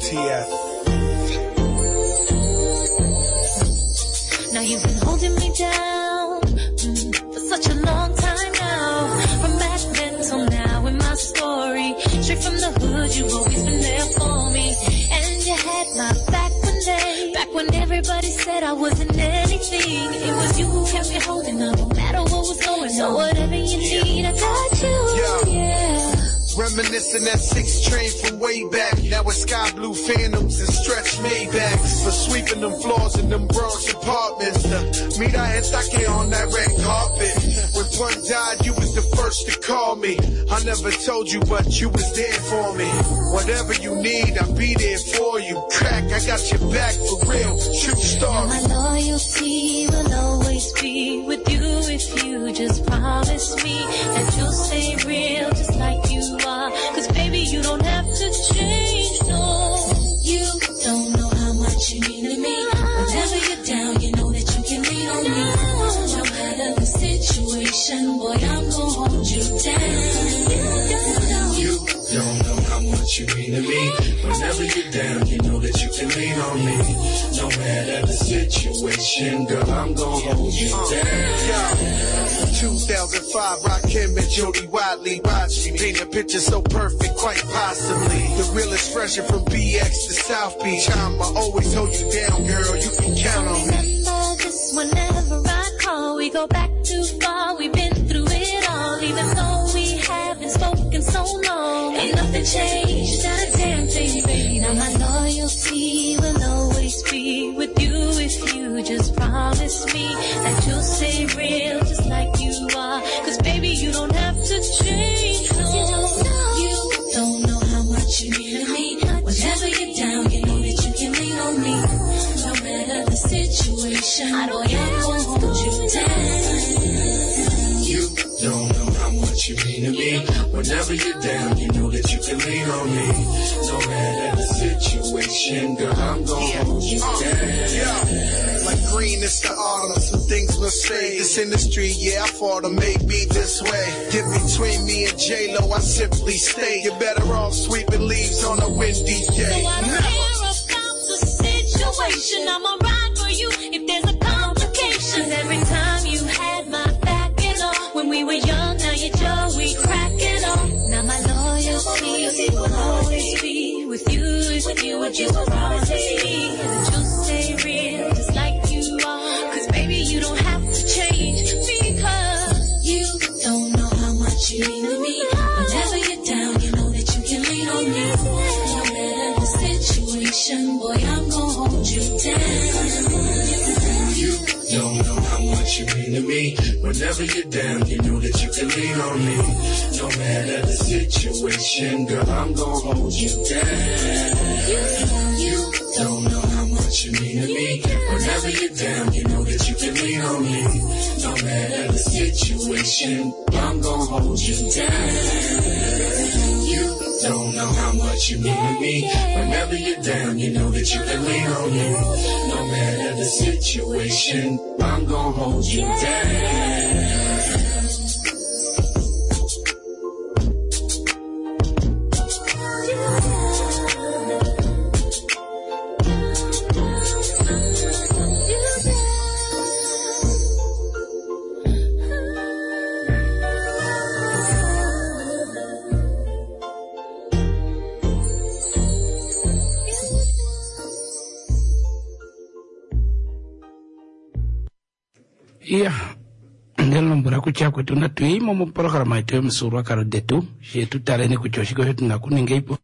TF. Now you've been holding me down for such a long time now. From back then till now in my story, straight from the hood, you've always been there for me. And you had my back when they, back when everybody said I wasn't anything. It was you who kept me holding on, no matter what was going on. So whatever you need, I got you. Yeah. Reminiscing that 6 train from way back. Now it's sky blue phantoms and stretch Maybachs. For sweeping them floors in them Bronx apartments. The Mira Estaque on that red carpet. When Pun died, you was the first to call me. I never told you, but you was there for me. Whatever you need, I'll be there for you. Crack, I got your back for real. True story. Now my loyalty will always Whenever you're down, you know that you can lean on me. No matter the situation, boy, I'm gonna hold you down. You don't know how much you mean to me. Whenever you're down, you know that you can lean on me. No matter the situation, girl, I'm gonna hold you down. 2005, Rakim and Jody Watley. Watch me paint a picture so perfect, quite possibly. The real expression from BX to South Beach. I'ma always hold you down, girl. You can count on me. Remember this whenever I call. We go back too far. We've been through it all. Even though we haven't spoken so long. Ain't nothing changed, not a damn thing, baby. Now my loyalty will always be with you if you just promise me that you'll stay real just like you are. Cause baby, you don't have to change. No. You don't know how much you mean to me. Whenever you're down, you know that you can lean on me. No matter the situation, I don't boy, I'm gonna hold you down. You don't know how much you mean to me. Whenever you're down, you know that you can lean on me. No matter the situation, girl, I'm gonna hold you down. Yeah. Like green, it's the autumn. Some things must say. This industry, yeah, I fought to make me this way. Get between me and J-Lo, I simply stay. You're better off sweeping leaves on a windy day. So I don't care about the situation. I'ma ride for you if there's a complication. Every time you had my back and all, when we were young, now you're Joey cracking on. Now my loyalty will always be with you if you just promise me that you'll stay real just like you are. Cause baby, you don't have to change because you don't know how much you mean to me. Whenever you're down, you know that you can lean on me. No matter the situation, boy, I'm gonna hold you down. You don't know how much you mean to me. Whenever you're down, you know that you can lean on me. No matter the situation, girl, I'm gonna hold you down. You don't know how much you mean to me. Whenever you're down, you know that you can lean on me. No matter the situation, I'm gonna hold you down. You don't know how much you mean to me. Whenever you're down, you know that you can lean on me. No matter the situation, I'm gonna hold you down. Iya, ndelombwela kutya kwetu natu yimo moprograma yetu yomufyuululwakalo detu she tu taleni kutya oshike osho tuna kuninga ipo.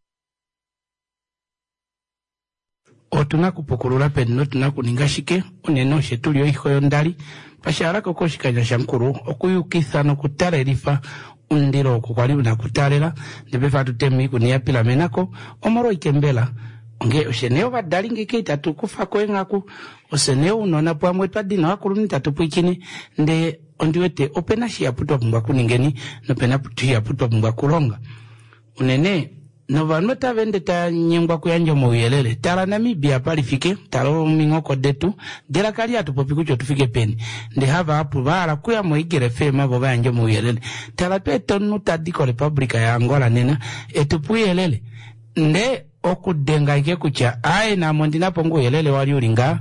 Otuna kupukulula peni notuna kuninga shike unene oshe tuli oiho yondali pashalako koshikandja shamukulu okuyukitha nokutalelifa omundilo oko kwali una kutalela ndepefa atutema oikuni ya pilamenako omolwa oikembela onge oshe nee ovadali ngeke itatu kufako eenghaku ose nee ounona pamwe twa dina ovakulunhu itatu pwiikine ndee ondiwete opena shihapu twa pumbwa kuningeni nopena shihapu twa pumbwa kulonga unene novanhu otava ende tanyengwa okuyandja omauyelele. Tala Namibia apa lifike, tala ominghoko detu, ndele kali hatu popi kutya otufike peni. Ndee havahapu vahala okuya moEagle FM vo vayandje omauyelele. Tala tweeta omunhu tadi koRepublica yaAngola nena etupe ouyelele. Ndee okudenga ashike kutya aaye naame ondina po ngoo ouyelele wali uli ngaa,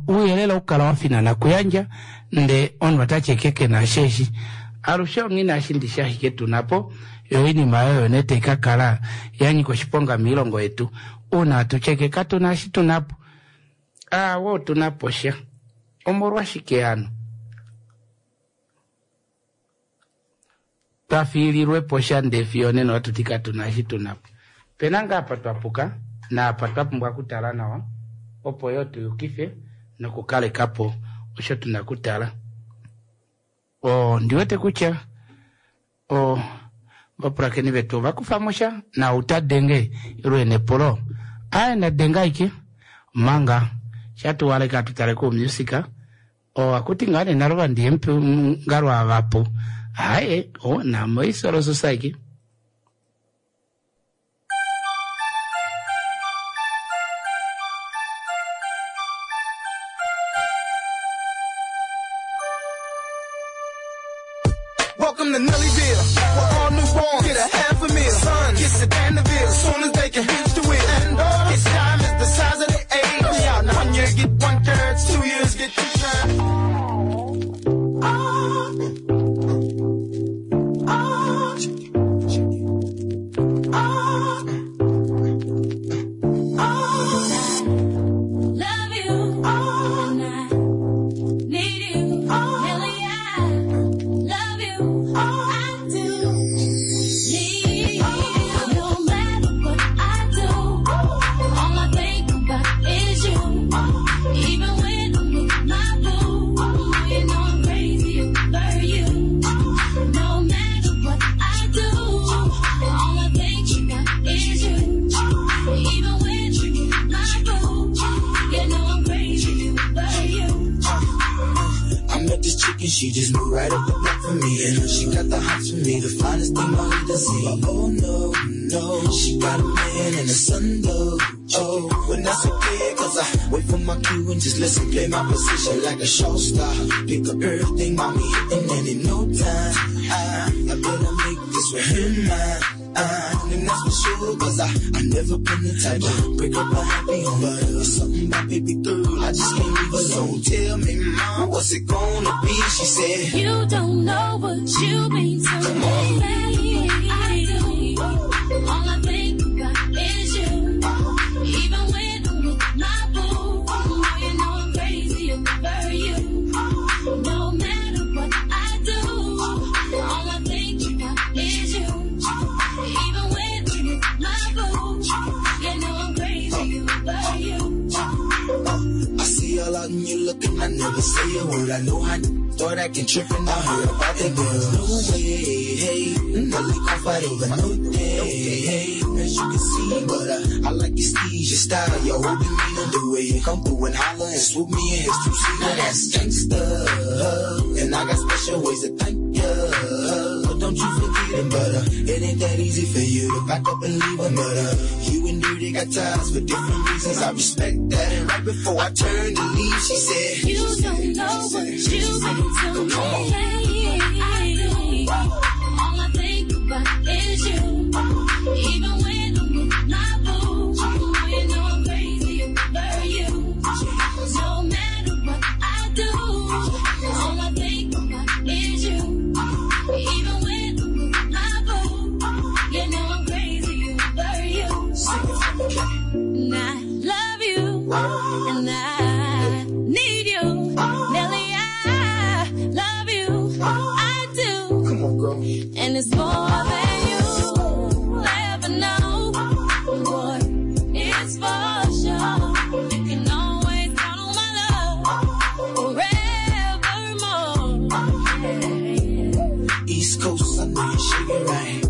ouyelele okukala wa finana kuyandja ndee omunhu otati ashike kena sheeshi. Alushe onghee naashi ndishi ashike tuna po yo oinima oyo nee tai ka kala ya nyika oshiponga moilongo yetu uuna hatu tyeke katu na eshi tuna po. Aawe otu na po sha. Omolwashike hano twa fiililwe po sha ndee fiyo onena ohatu ti katu na eshi tuna po? Pena ngaa apa twa puka naapa twa pumbwa okutala nawa opo yoo tu yukife nokukaleka po osho tuna okutala. Ondi wete kutya ovapulakeni vetu ova kufa mo sha na ou ta denge ile ena epulo aye na denge ashike omanga shatuwaleka atu tale koumusika oo akuti ngaa nee nalo vandiye ngalwa vapu aye o namo isolo society. Welcome to Nellyville, where all newborn get a half a meal. Son gets a Danville soon as they can hitch the wheel. And daughters get diamonds the size of their age. We out now. 1 year get 1 carats, 2 years get 2 carats. Love you, and I need you. Nelly, I love you. I do need you. No matter what I do, all I think about is you. Even when I'm with my boo, you know I'm crazy over you. No matter what I do, all I think about is you. Even when you're with my boo, you know I'm crazy over you. I met this chick and she just moved right up the block for me. And she got the hots for me, the finest thing my hood has seen. But oh no, no, she got a man and a son though. Oh, when that's okay, cause I wait for my cue and just listen. Play my position like a show star. Pick up everything, mommy hitting, and in no time, I better make this with him mine. And that's for sure, cause I never been the type to break up a happy home. But something about baby girl, I just can't leave alone. Tell me, mom, what's it gonna be? She said, You don't know what you mean to me. I do. All I think about is you. Even when I'm with my boo, you know I'm crazy over you. No matter what I do, all I think about is you. Even when I'm with my boo, you know I'm crazy over you. I see all out and you looking, I never say a word. I know how start acting trippin'. I heard about that girl. No way, hey, Nelly gon' fight over no day, hey. As you can see, but I like your steez, your style, your whole demeanor, the way you come through and holler and swoop me in his two-seater. That's gangsta, and I got special ways to thank ya. But don't you forget it, but it ain't that easy for you to back up and leave him. But you and Dirty got ties for different reasons. I respect that. And right before I turned to leave, she said, You don't know what you mean to me. I do. All I think about is you. Even when I'm with my boo, you know I'm crazy over you. No matter what I do, all I think about is you. Even when I'm with my boo, you know I'm crazy over you. And I love you, and I need you. Nelly, I love you. I do. Come on, girl. And it's more than you ever know. Boy, it's for sure. You can always count on my love forevermore. Yeah. East Coast, I know you're shaking right.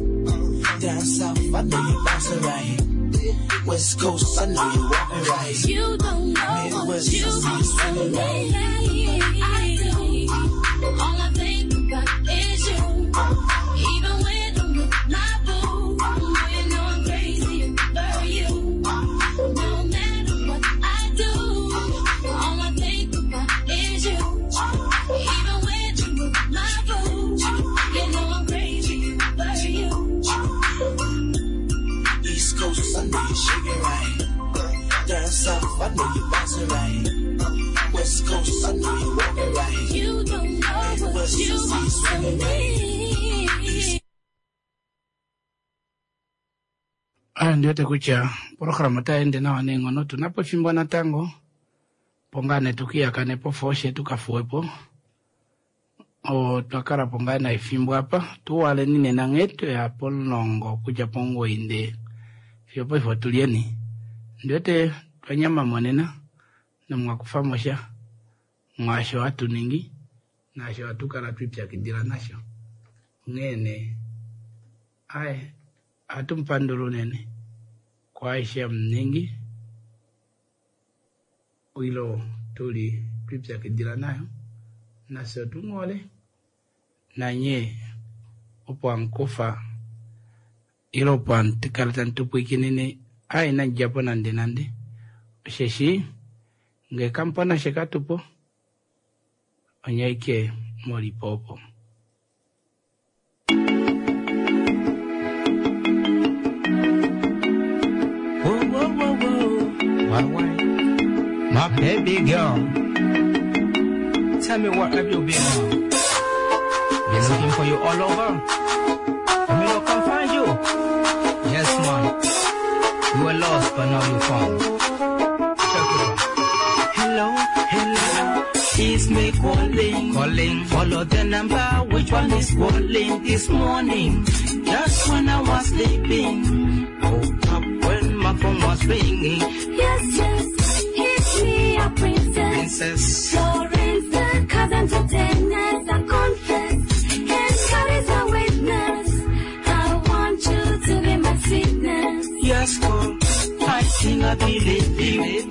Down South, I know you're bouncing right. West Coast, I know you're walking right. You don't know what Midwest, you I see mean you to swinging me. right. I do. All I think about is you. Even when I'm with my boo, you know I'm crazy over you. No matter what I do, all I think about is you. Even when I'm with my boo, you know I'm crazy over you. East Coast, I know you're shaking right. Down South, I know you're bouncing right. West Coast, I know you're walking right. You don't know what Midwest, you I see you mean to swinging right. me. Ayo ndiwete kutya programa otayi nawa neenghono tunapo efimbo natango po ngaa nee tukiyakane po fooshe tukafuwepo. Otwa kala po ngaa na efimbo apa tuwaleni nena nghee tweya pomulongo okudja pomugoyi ndee fiyo paife otulyeni. Ndiwete twanyamamo nena nomwakufamo sha mwaasho hatu ningi naasho hatu kala twipyakidila nasho. Onghee nee aye ohatu mupandula unene kwaaishe hamuningi ilo tuli twipyakidila nayo nafye otumuhole nanye opo hamukufa ile opo hamukala tamu tupwikinine aye inamudjapo nande nande osheshi ngee kamupona shekatupo onye ashike mulipo opo. My wife, my baby girl. Tell me what have you been on? Been looking for you all over. And me no can find you. Yes, man. You were lost, but now you found. Check it out. Hello, hello. It's me calling, calling. Follow the number, which one is calling this morning? Just when I was sleeping, woke up when my phone was ringing. Yes, yes, it's me, a princess. Princess. Florence, the cousin to Dennis, I confess. And God is a witness. I want you to be my sweetness. Yes, girl, I think I believe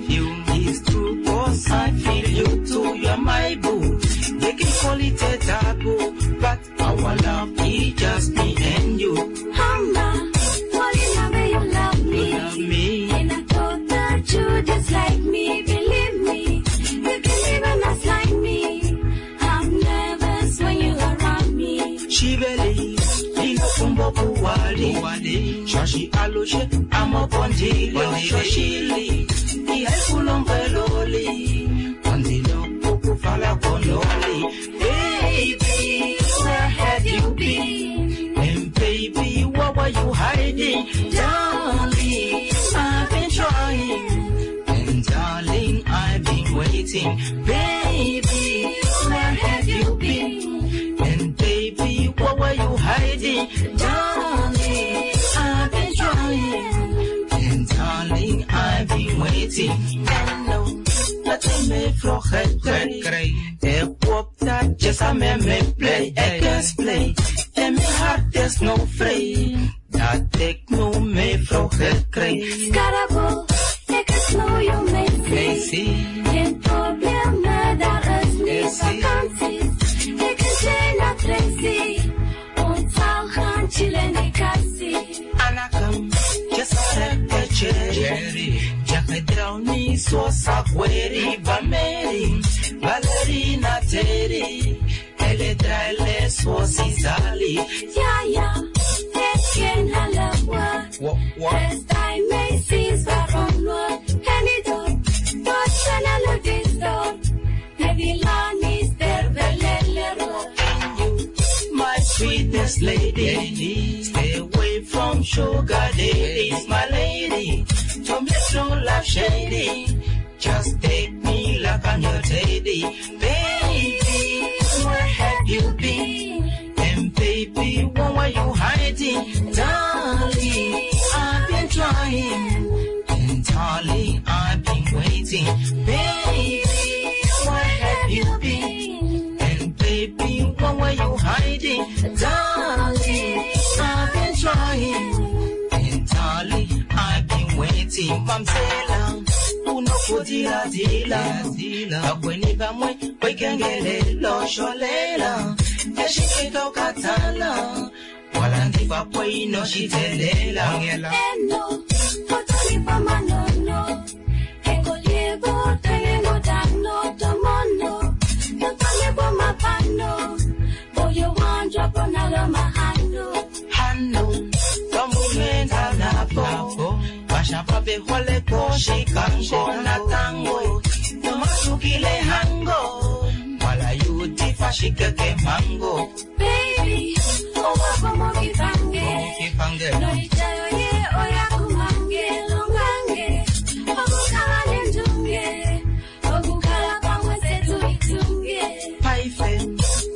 you. It's true, cause I feel you too. You're my boo. They can call it a taboo, but our love is just me and you. Hamba, falling away, you love me. You love me. And I thought that you dislike me. Believe me, you can even gaslight me. I'm nervous when you're around me. Shibeli, inokumbo kuwali, shashi alushe amokondilo, shoshili, ihaikulombeloli, kondilo kukufala konoli. Baby, where have you been? And baby, what were you hiding? Darling, I've been trying. And darling, I've been waiting. Baby, where have you been? And baby, what were you hiding? Darling, I've been trying. And darling, I've been waiting. And no, nothing me vroeg kry. Ek hoop dat jy saam met my bly. Ek is bly. En my hart is nou vry. Dat ek nou my vrou gekry. Skarabo, ek is nou jou meisie. Meisie. Geen probleme, daar is nie vakansies. Ek is Jane Tracy. Ons sal gaan chill in die kassie. Anakam, jesareke cherry. Jakadrauni sosa kweri bameri. Valerina teri. Eledraile sosizali. Ja, ja, ek ken hulle ook. Dis daai meisies waarom loop en die dorp, tot in hulle die dorp. Met die lanies terwyl hulle rook. My sweetest lady, stay away from sugar daddies, my lady. Don't make no love shady. Just take me like I'm your teddy. Baby, where have you been? And baby, what were you hiding? Darling, I've been trying. And darling, I've been waiting. Baby, where have you been? And baby, what were you hiding? Darling, I've been trying. And darling, I've been waiting. Mamzela, unokudila-dila. Vakweni vamwe, kwekengelelo sholela. Eshikeka ukatala. Walandiva kweinoshitelela. Eno, otolipa manono. Ekoliebo, tenengo dano, tomono. Totolebo mapano. Boyo wanjwa ponalo mahano. Hano, vamumenda napo. Vashapa behole koshikango natango. Nomashukile hango. Wala yuti fashikeke mango. Baby, owapo mokipange. Kipange. Noichayo ye oyakumange, longange. Okukala nendunge. Okukala pamwe setu itunge. Paife,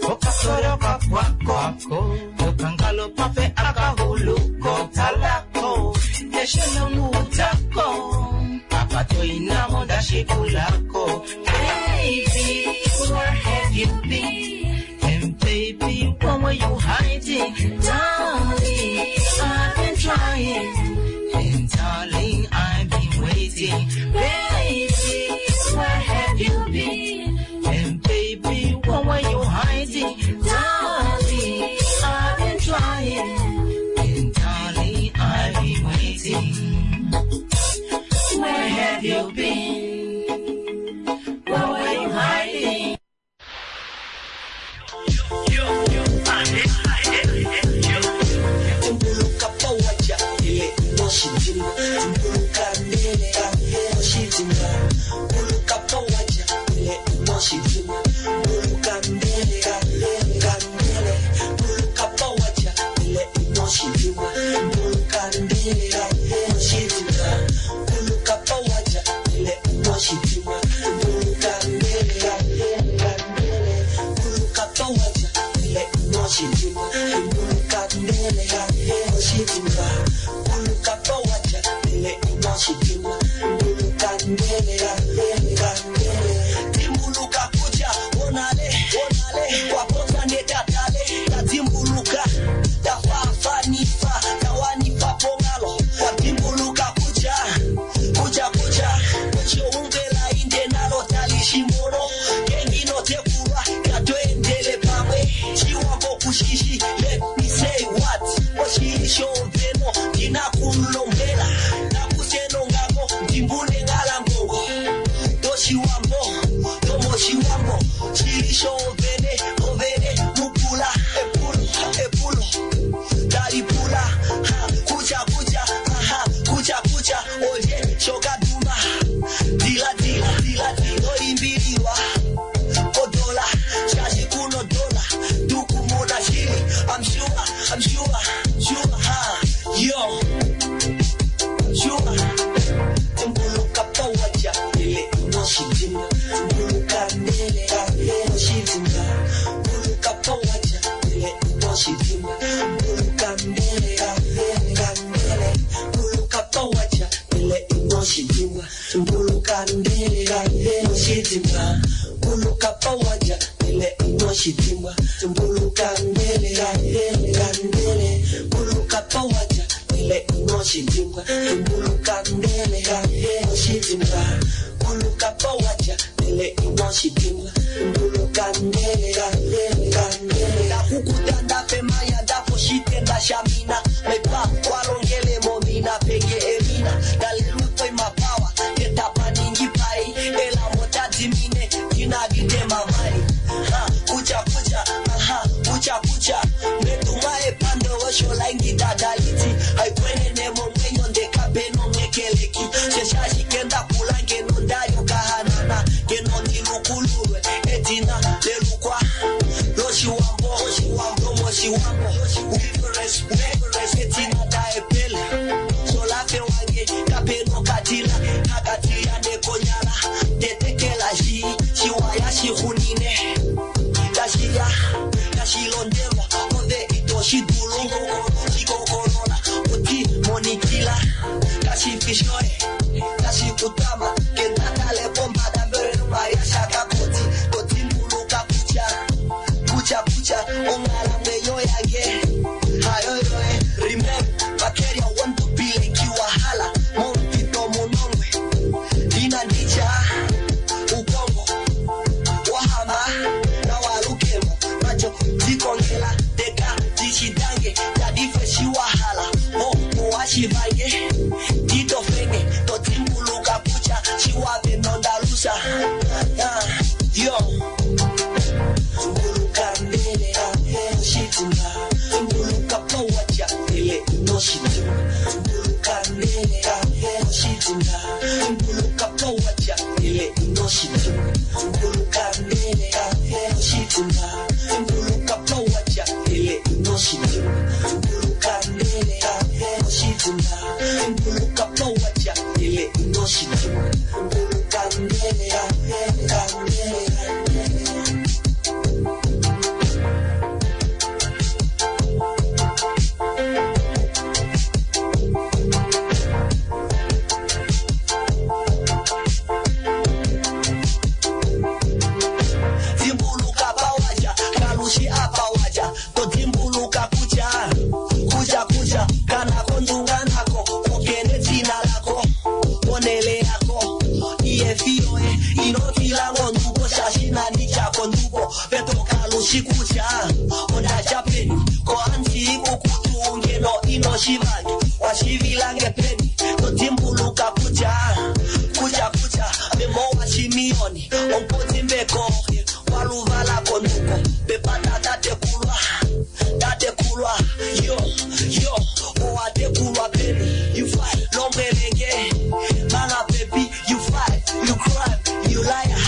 okasoroka kwako. Okangalo pafe akahuluko talako. Eshelongutako. Apatoinamo dashikulako. Baby, where have you been? And baby, what were Oshiwambo shili shovene ovene mupula epulo epulo talipula ha kucha kucha aha kucha kucha olye shokaduma dila dila dila nolimbiliwa kodola shashi kuno dola tukumuna shili I'm sure I'm sure sure ha yo sure Tumbuluka pawaja ile inoshidimba Tumbuluka ndele inoshidimba Buluka pawaja ile inoshidimba Buluka ndele ndele Buluka pawaja ile inoshidimba Tumbuluka ndele inoshidimba Buluka pawaja ile inoshidimba Tumbuluka ndele ndele Buluka pawaja ile inoshidimba Tumbuluka ndele inoshidimba Buluka pawaja ile inoshidimba Tumbuluka ndele ndele Ndakukutanda pemanya ndaposhitenda shamina Mepa kwalongele momina penge emina Ndalelutwe mapawa etapaningi pai Ela motadimine dinagide mamai Ha kucha kucha aha kucha kucha Meduma epando oshola ingidadaliti Haikwenene momwenyo ndekapeno ngekeleki Sheshashikenda kula ngeno ndayo kahanana Ngeno ndilukululwe edina lelukwa Loshiwambo oshiwambo moshiwambo Respect etina daepele Solafe wange kapeno katila Kakatiya nekonyala Tetekela shi Shiwaya shihunine Kashiya Kashilondelwa Ove itoshidulu Shikokolola Oti monikila Kashifishoe Kashikutama Kendatale pombada Mbere shakakoti Kotimbuluka kucha Kucha kucha Ongala mweyo yange Hayoyoe Remember Bakeria want to be like you wahala Mompito munongwe Dina ndicha Ukongo Wahama Na walukemo Macho Zikongela Teka Tishidange Tadife shiwahala Oh Owashivange Tito fenge Totimbuluka kucha Shiwape nondalusa Yo Tumbuluka mbele Shitimba Tumbuluka pawaja Ile inoshidimba Tumbuluka mbele Shitimba Tumbuluka pawaja Ile inoshidimba Tumbuluka mbele Shitimba Tumbuluka pawaja Ile inoshidimba Tumbuluka mbele Shitimba Tumbuluka pawaja Ile inoshidimba Tumbuluka mbele mbele Timbuluka pawaja, kalushi apawaja, totimbuluka kucha, kucha kucha, kana kondunga nako, okene tina lako, onele yako, iye fiyoe, inotila ngonduko, shashina nicha konduko, peto kalushi kucha, ondacha peni, ko anti ikukutu ngeno inoshivange, washivilange peni, totimbuluka kucha, kucha kucha, memo washimioni, ompotimbeko, waluvala konduko, pepata tatekulwa, tatekulwa, yo, yo, owatekulwa peni, you fight, lombelenge, manga pepi, you fight, you cry, you liar,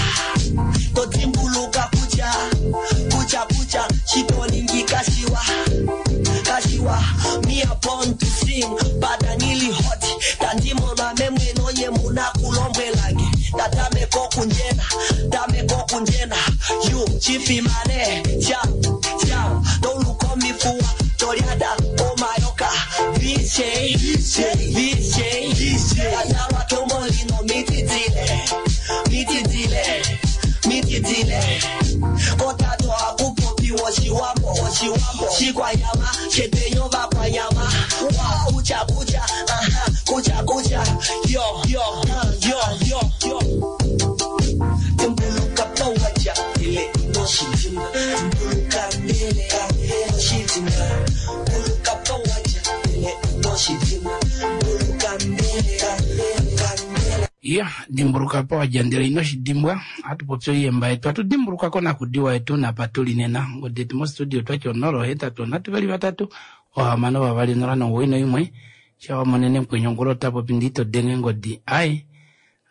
totimbuluka kucha, kucha kucha, shitoningi kashiwa, kashiwa, me a born to sing, badanili hot, tandimona memweno ye muna kulombwelange, tatameko kunjena, tameko kunjena, you chifimane, cha, cha, toluko mifuwa, tolyada, omayoka, viche, viche, viche, viche, tatalwa tomolino mititile, mititile, mititile, kotato akupopi woshiwambo, woshiwambo, shikwanyama, shetenyo vakwanyama, wa kucha kucha, aha, kucha kucha, yo, yo, yo, yo, yo. Tumbuluka pawaja, ile inoshidimba, tumbuluka mbele, inoshidimba, buluka pawaja, ile inoshidimba, buluka mbele, mbele. Ya. Ya, dimbuluka pa wadja ndele ino shi dimbwa. Ohatu popi oiyemba yetu, hatu dimbuluka konakudiwa yetu napa tuli nena. Ongodi yetu mostudio otwati 0 8 3 3 6 2 0 9 1. Sha wa monene mukwenyu ongula ota popi ndee ito denge ngodi. Ai,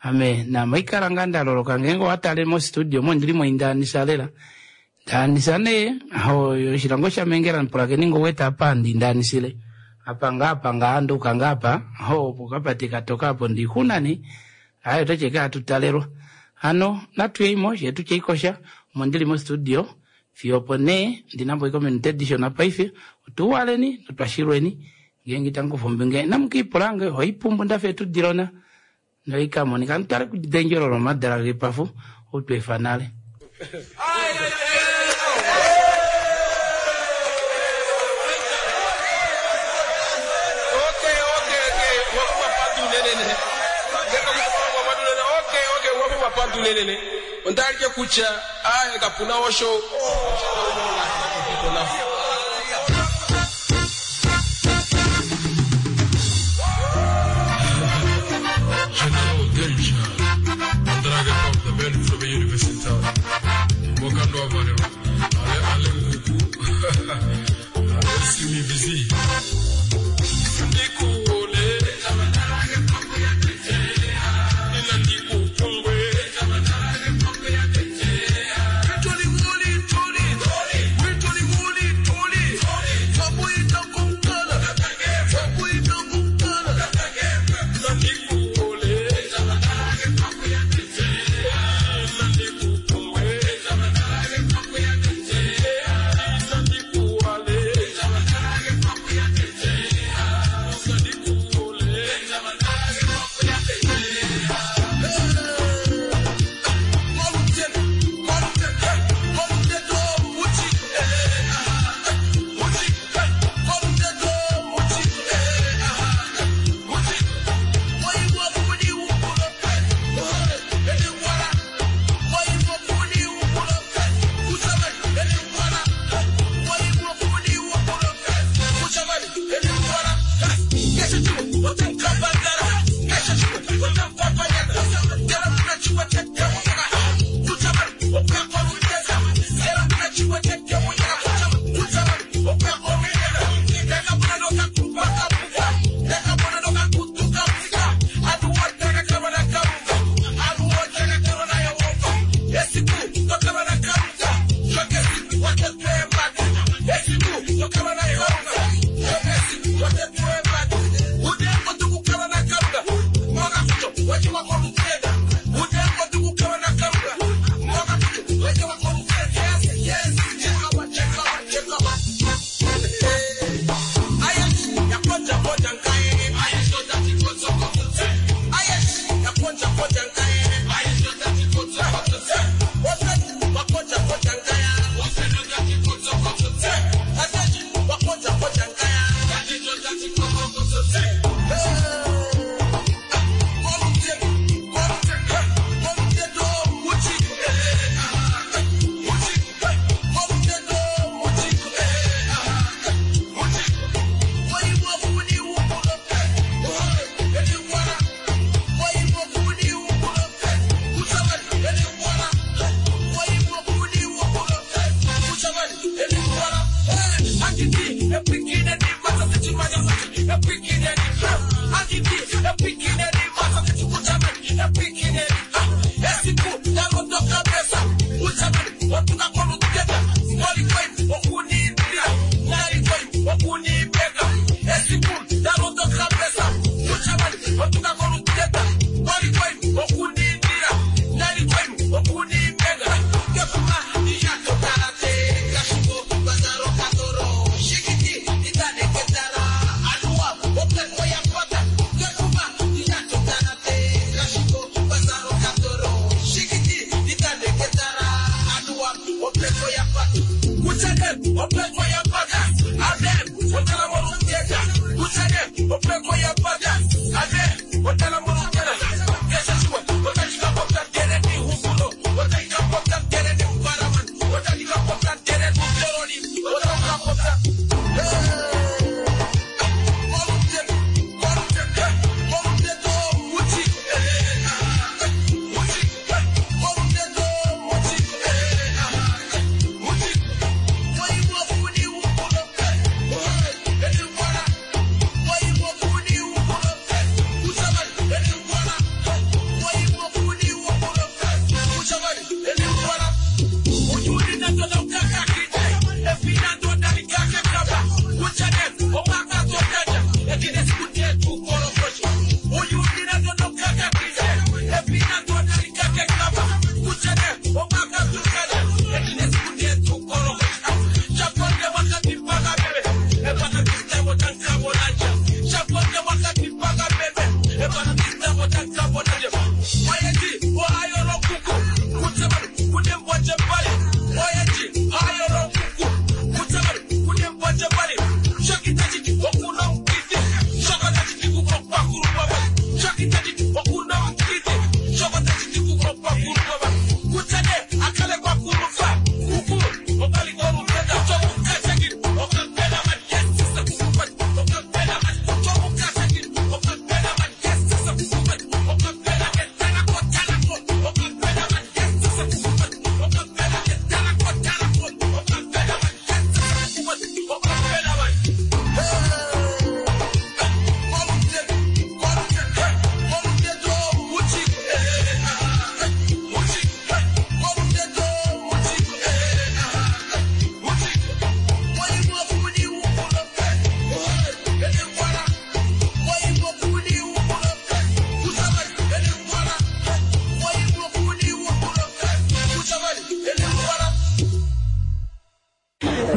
ame naame oikala ngaa nda loloka ngeenge owa tale mostudio omo ondili mo indaanisa lela. Ndaanisa nee, oshilango shamengela pulakeni ngo wete apa handi ndaanisile. Apa ngaa apa ngaa nduuka ngaa apa, opo okapate katoka apo ndiixuna nee. Aye otati eke hatu talelwa. Hano natu yeimo shee tutye ikosha omo ndili mostudio fiyo opo nee ndina po ominute dishona paife otuuwaleni notwashilweni ngeenge itamu kufa ombinga inamu kiipula nge ohaipumbu ndafa etudilona noikamonika mutale kudendjelo lomadala gepafu outweefa nale. Pantu onda alike kutya aye kapuna osho General Danger, Andraga of the men from the University. Mokando Avareo, Ale Ale Nkuku, Simi Vizi. Ndiku ole, ina ndiku pungwe.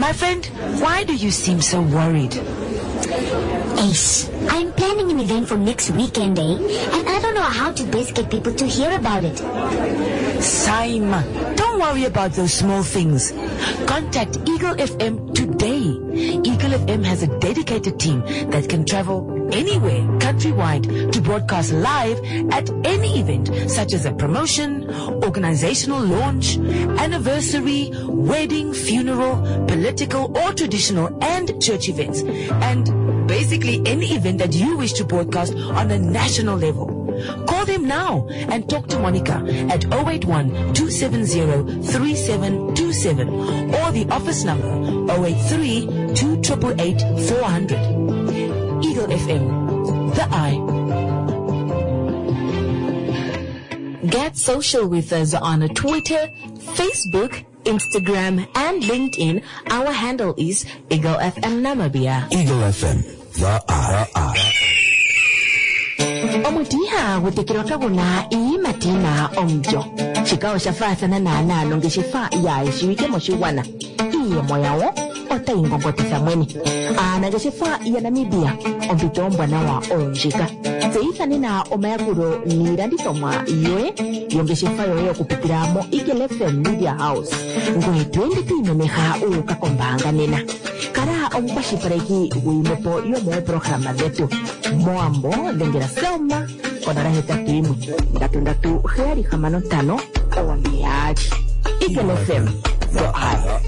My friend, why do you seem so worried? Ace, I'm planning an event for next weekend, eh? And I don't know how to best get people to hear about it. Saima, don't worry about those small things. Contact Eagle FM today. Eagle FM has a dedicated team that can travel anywhere countrywide to broadcast live at any event such as a promotion, organizational launch, anniversary, wedding, funeral, political or traditional and church events. And basically any event that you wish to broadcast on a national level. Call them now and talk to Monica at 081 270 3727 or the office number 083 2888 400. Eagle FM, the eye. Get social with us on Twitter, Facebook, Instagram, and LinkedIn. Our handle is Eagle FM Namibia. Eagle FM, the eye. Omuti ihagu tekelwa kagu na iiyimati yi na omulyo. Shika osha faathana naanaa nongeshefa yaa shiwike moshigwana. Iiyemo yawo otayi ngongotitha mwene. Aanangeshefa yaNamibia, ompito ombwanawa oyo ndjika. Tseyitha nena omayakulo niilandithomwa yoye yongeshefa yoye okupitila moEagle FM Media House. Ngoye to ende to imemeha wu uka kombaanga nena. Kala omukwashilipaleki gwiimwepo yomooprograma dhetu. Mowambo dhengela Selma konola hetatu yimwe ndatu ndatu heyali hamano ntano oombali. Eagle FM, the eye.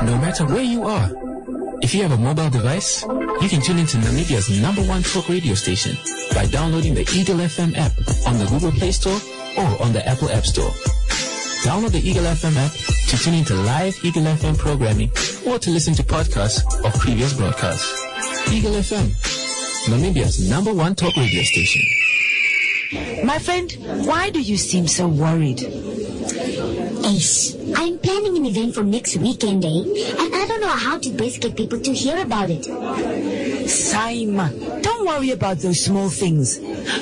No matter where you are, if you have a mobile device, you can tune into Namibia's number one talk radio station by downloading the Eagle FM app on the Google Play Store or on the Apple App Store. Download the Eagle FM app to tune into live Eagle FM programming or to listen to podcasts of previous broadcasts. Eagle FM, Namibia's number one talk radio station. My friend, why do you seem so worried? Ace, I'm planning an event for next weekend, eh? And I don't know how to best get people to hear about it. Saima, don't worry about those small things.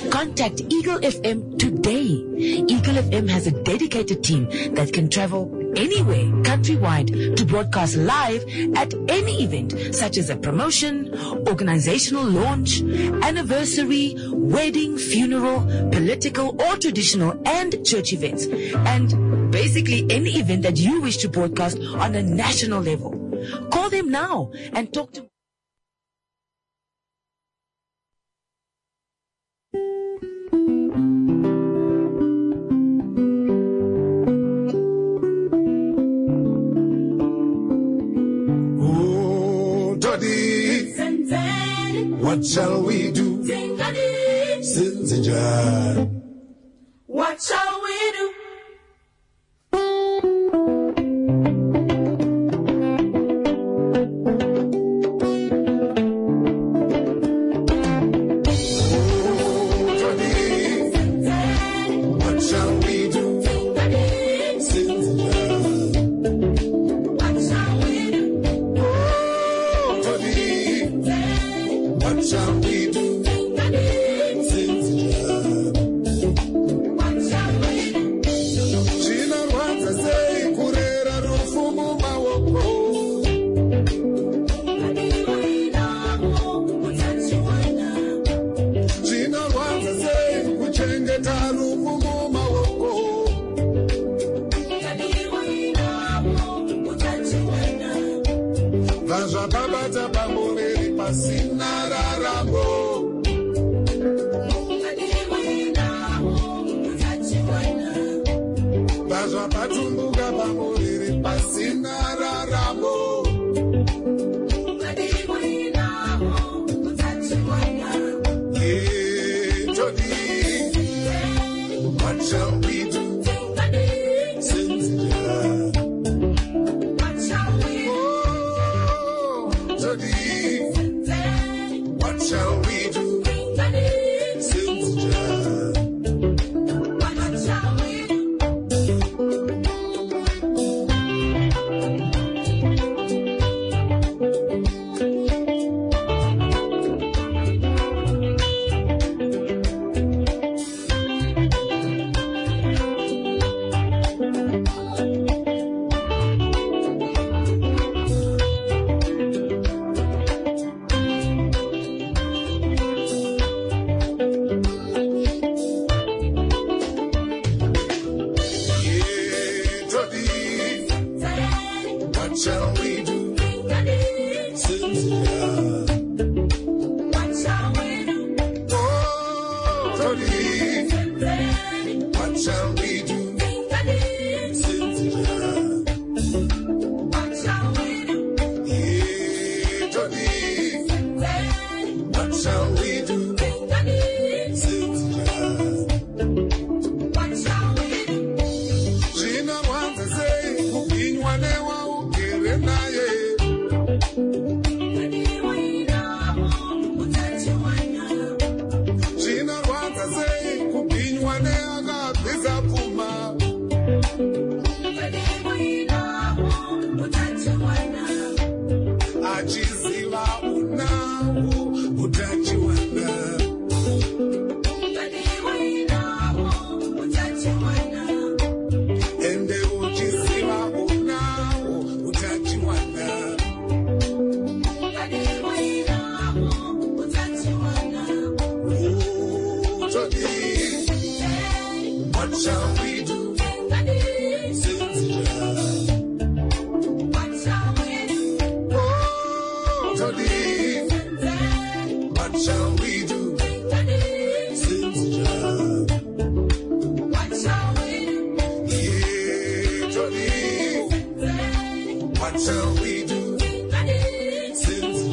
Contact Eagle FM today. Eagle FM has a dedicated team that can travel anywhere countrywide to broadcast live at any event such as a promotion, organizational launch, anniversary, wedding, funeral, political or traditional and church events. And basically any event that you wish to broadcast on a national level. Call them now and talk to Oh, Doddy, what shall we do? Sinzinjan. What shall we do? What shall we do? Sinzinjan. What shall we do? Oh, Doddy, what shall we do? Sinzinjan. What shall we do? Chinorwadza sei kurera rufu mumaoko? Chinorwadza sei kuchengeta rufu mumaoko? Bva zvakabata pamuviri pasina raramo. Bva zvapatumbuka pamuviri pasina raramo. Yeah, Jody, what shall we do? Since Oh, Jody, what shall we do? Since What shall we do? What shall we do? Since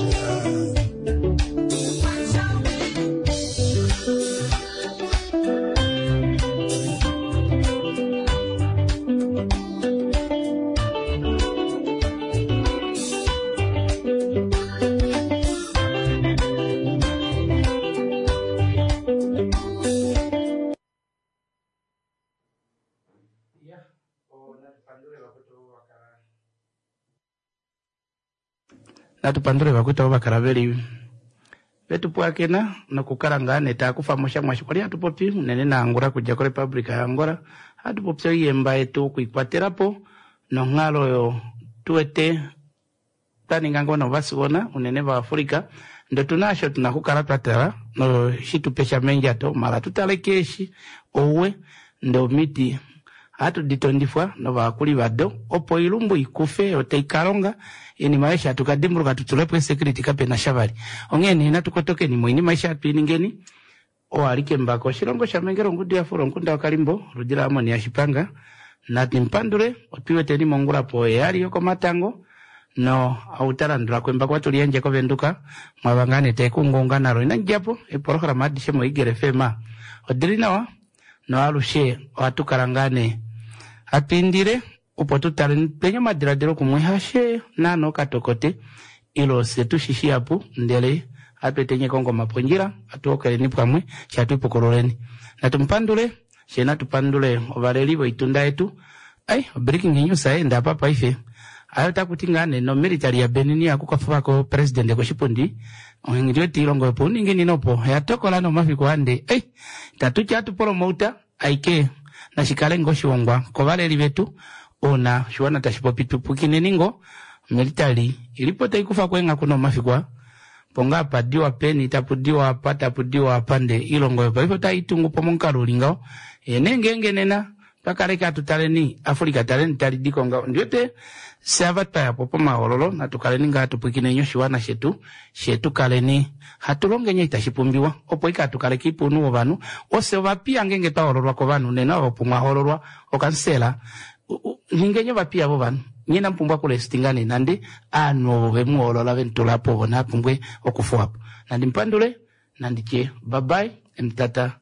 Natu pandule vakwetu avo vakala veli vetu pwakena nokukala ngaa nee taya kufa mo sha mwaashi kwali hatu popi unene naAngola kudja koRepublica yaAngola hatu popi oiyemba yetu okuikwatela po nonghalo oyo tuwete twa ninga ngoo novasiwona unene vaAfrica ndee otuna osho tuna okukala twa tala noshi tupe sha meendjato mala tu tale keeshi ouwe ndee omiti ohatu di tondifwa novayakuli vado opo oilumbu ikufe yo tai ka longa oinima aishe hatu ka dimbuluka tu tulepo eesecurity kapena sha vali. Onghee nee natu kotokeni moinima aishe hatu i ningeni. Oo ali kembako oshilongo shaMengela ongudu ya fula omukunda waKalimbo oludi laAmon yaShipanga. Nandi mupandule otwi weteni mongula poheyali yokomatango no ou ta landula ko embako ohatu li yandje kOvenduka mwava ngaa nee tae kuungaunga nalo. Inandi dja po eepolohalama adishe moEagle FM odili nawa. Noalushe ohatu kala ngaa nee hatu indile opo tu tale twenye omadiladilo kumwe hashe naana okatokote ile ofye tu shi shihapu ndele ohatu etenye kongoma pondjila hatu hokeleni pamwe she hatu ipukululeni. Natu mu pandule she natu pandule ovaleli voitunda yetu. Ai obreaking news aye enda apa paife. Aye otaku ti ngaa nee nomilitali yaBenin ya kukafako presidente koshipundi onghedi wete oilongo yopouninginino opo oya tokola nomafiku ande ei itatu ti hatu polomouta aike nashi kale ngoo oshihongwa kovaleli vetu ouna oshiwana tashi popi tu pwikineni ngoo omilitali ilipo tai kufako eenghaku nomafiku aa po ngaa pa diwa peni tapu diwa apa tapu diwa apa ndee oilongo oyo paife otai tungu po momukalo uli ngaho yee nee ngeenge nena Twa kaleke hatu taleni Africa taleni tali di ko ngaho. Ondi wete fye ava twa ya po pomahoololo natu kaleni ngaa hatu pwikineni oshiwana shetu, fye tu kaleni hatu longeni eshi tashi pumbiwa opo ike hatu kaleke ipuunhu wovanhu. Ofye ovapiya ngeenge twa hoololwa kovanhu nena opo mwa hoololwa okansela ningeni ovapiya vovanhu. Nye inamu pumbwa okulestinga nee nande aanhu ovo ve mu hoolola ve mu tula po ovo naa pumbwe okufuwa po. Nandi mu pandule, nandi tye bye bye, emutata.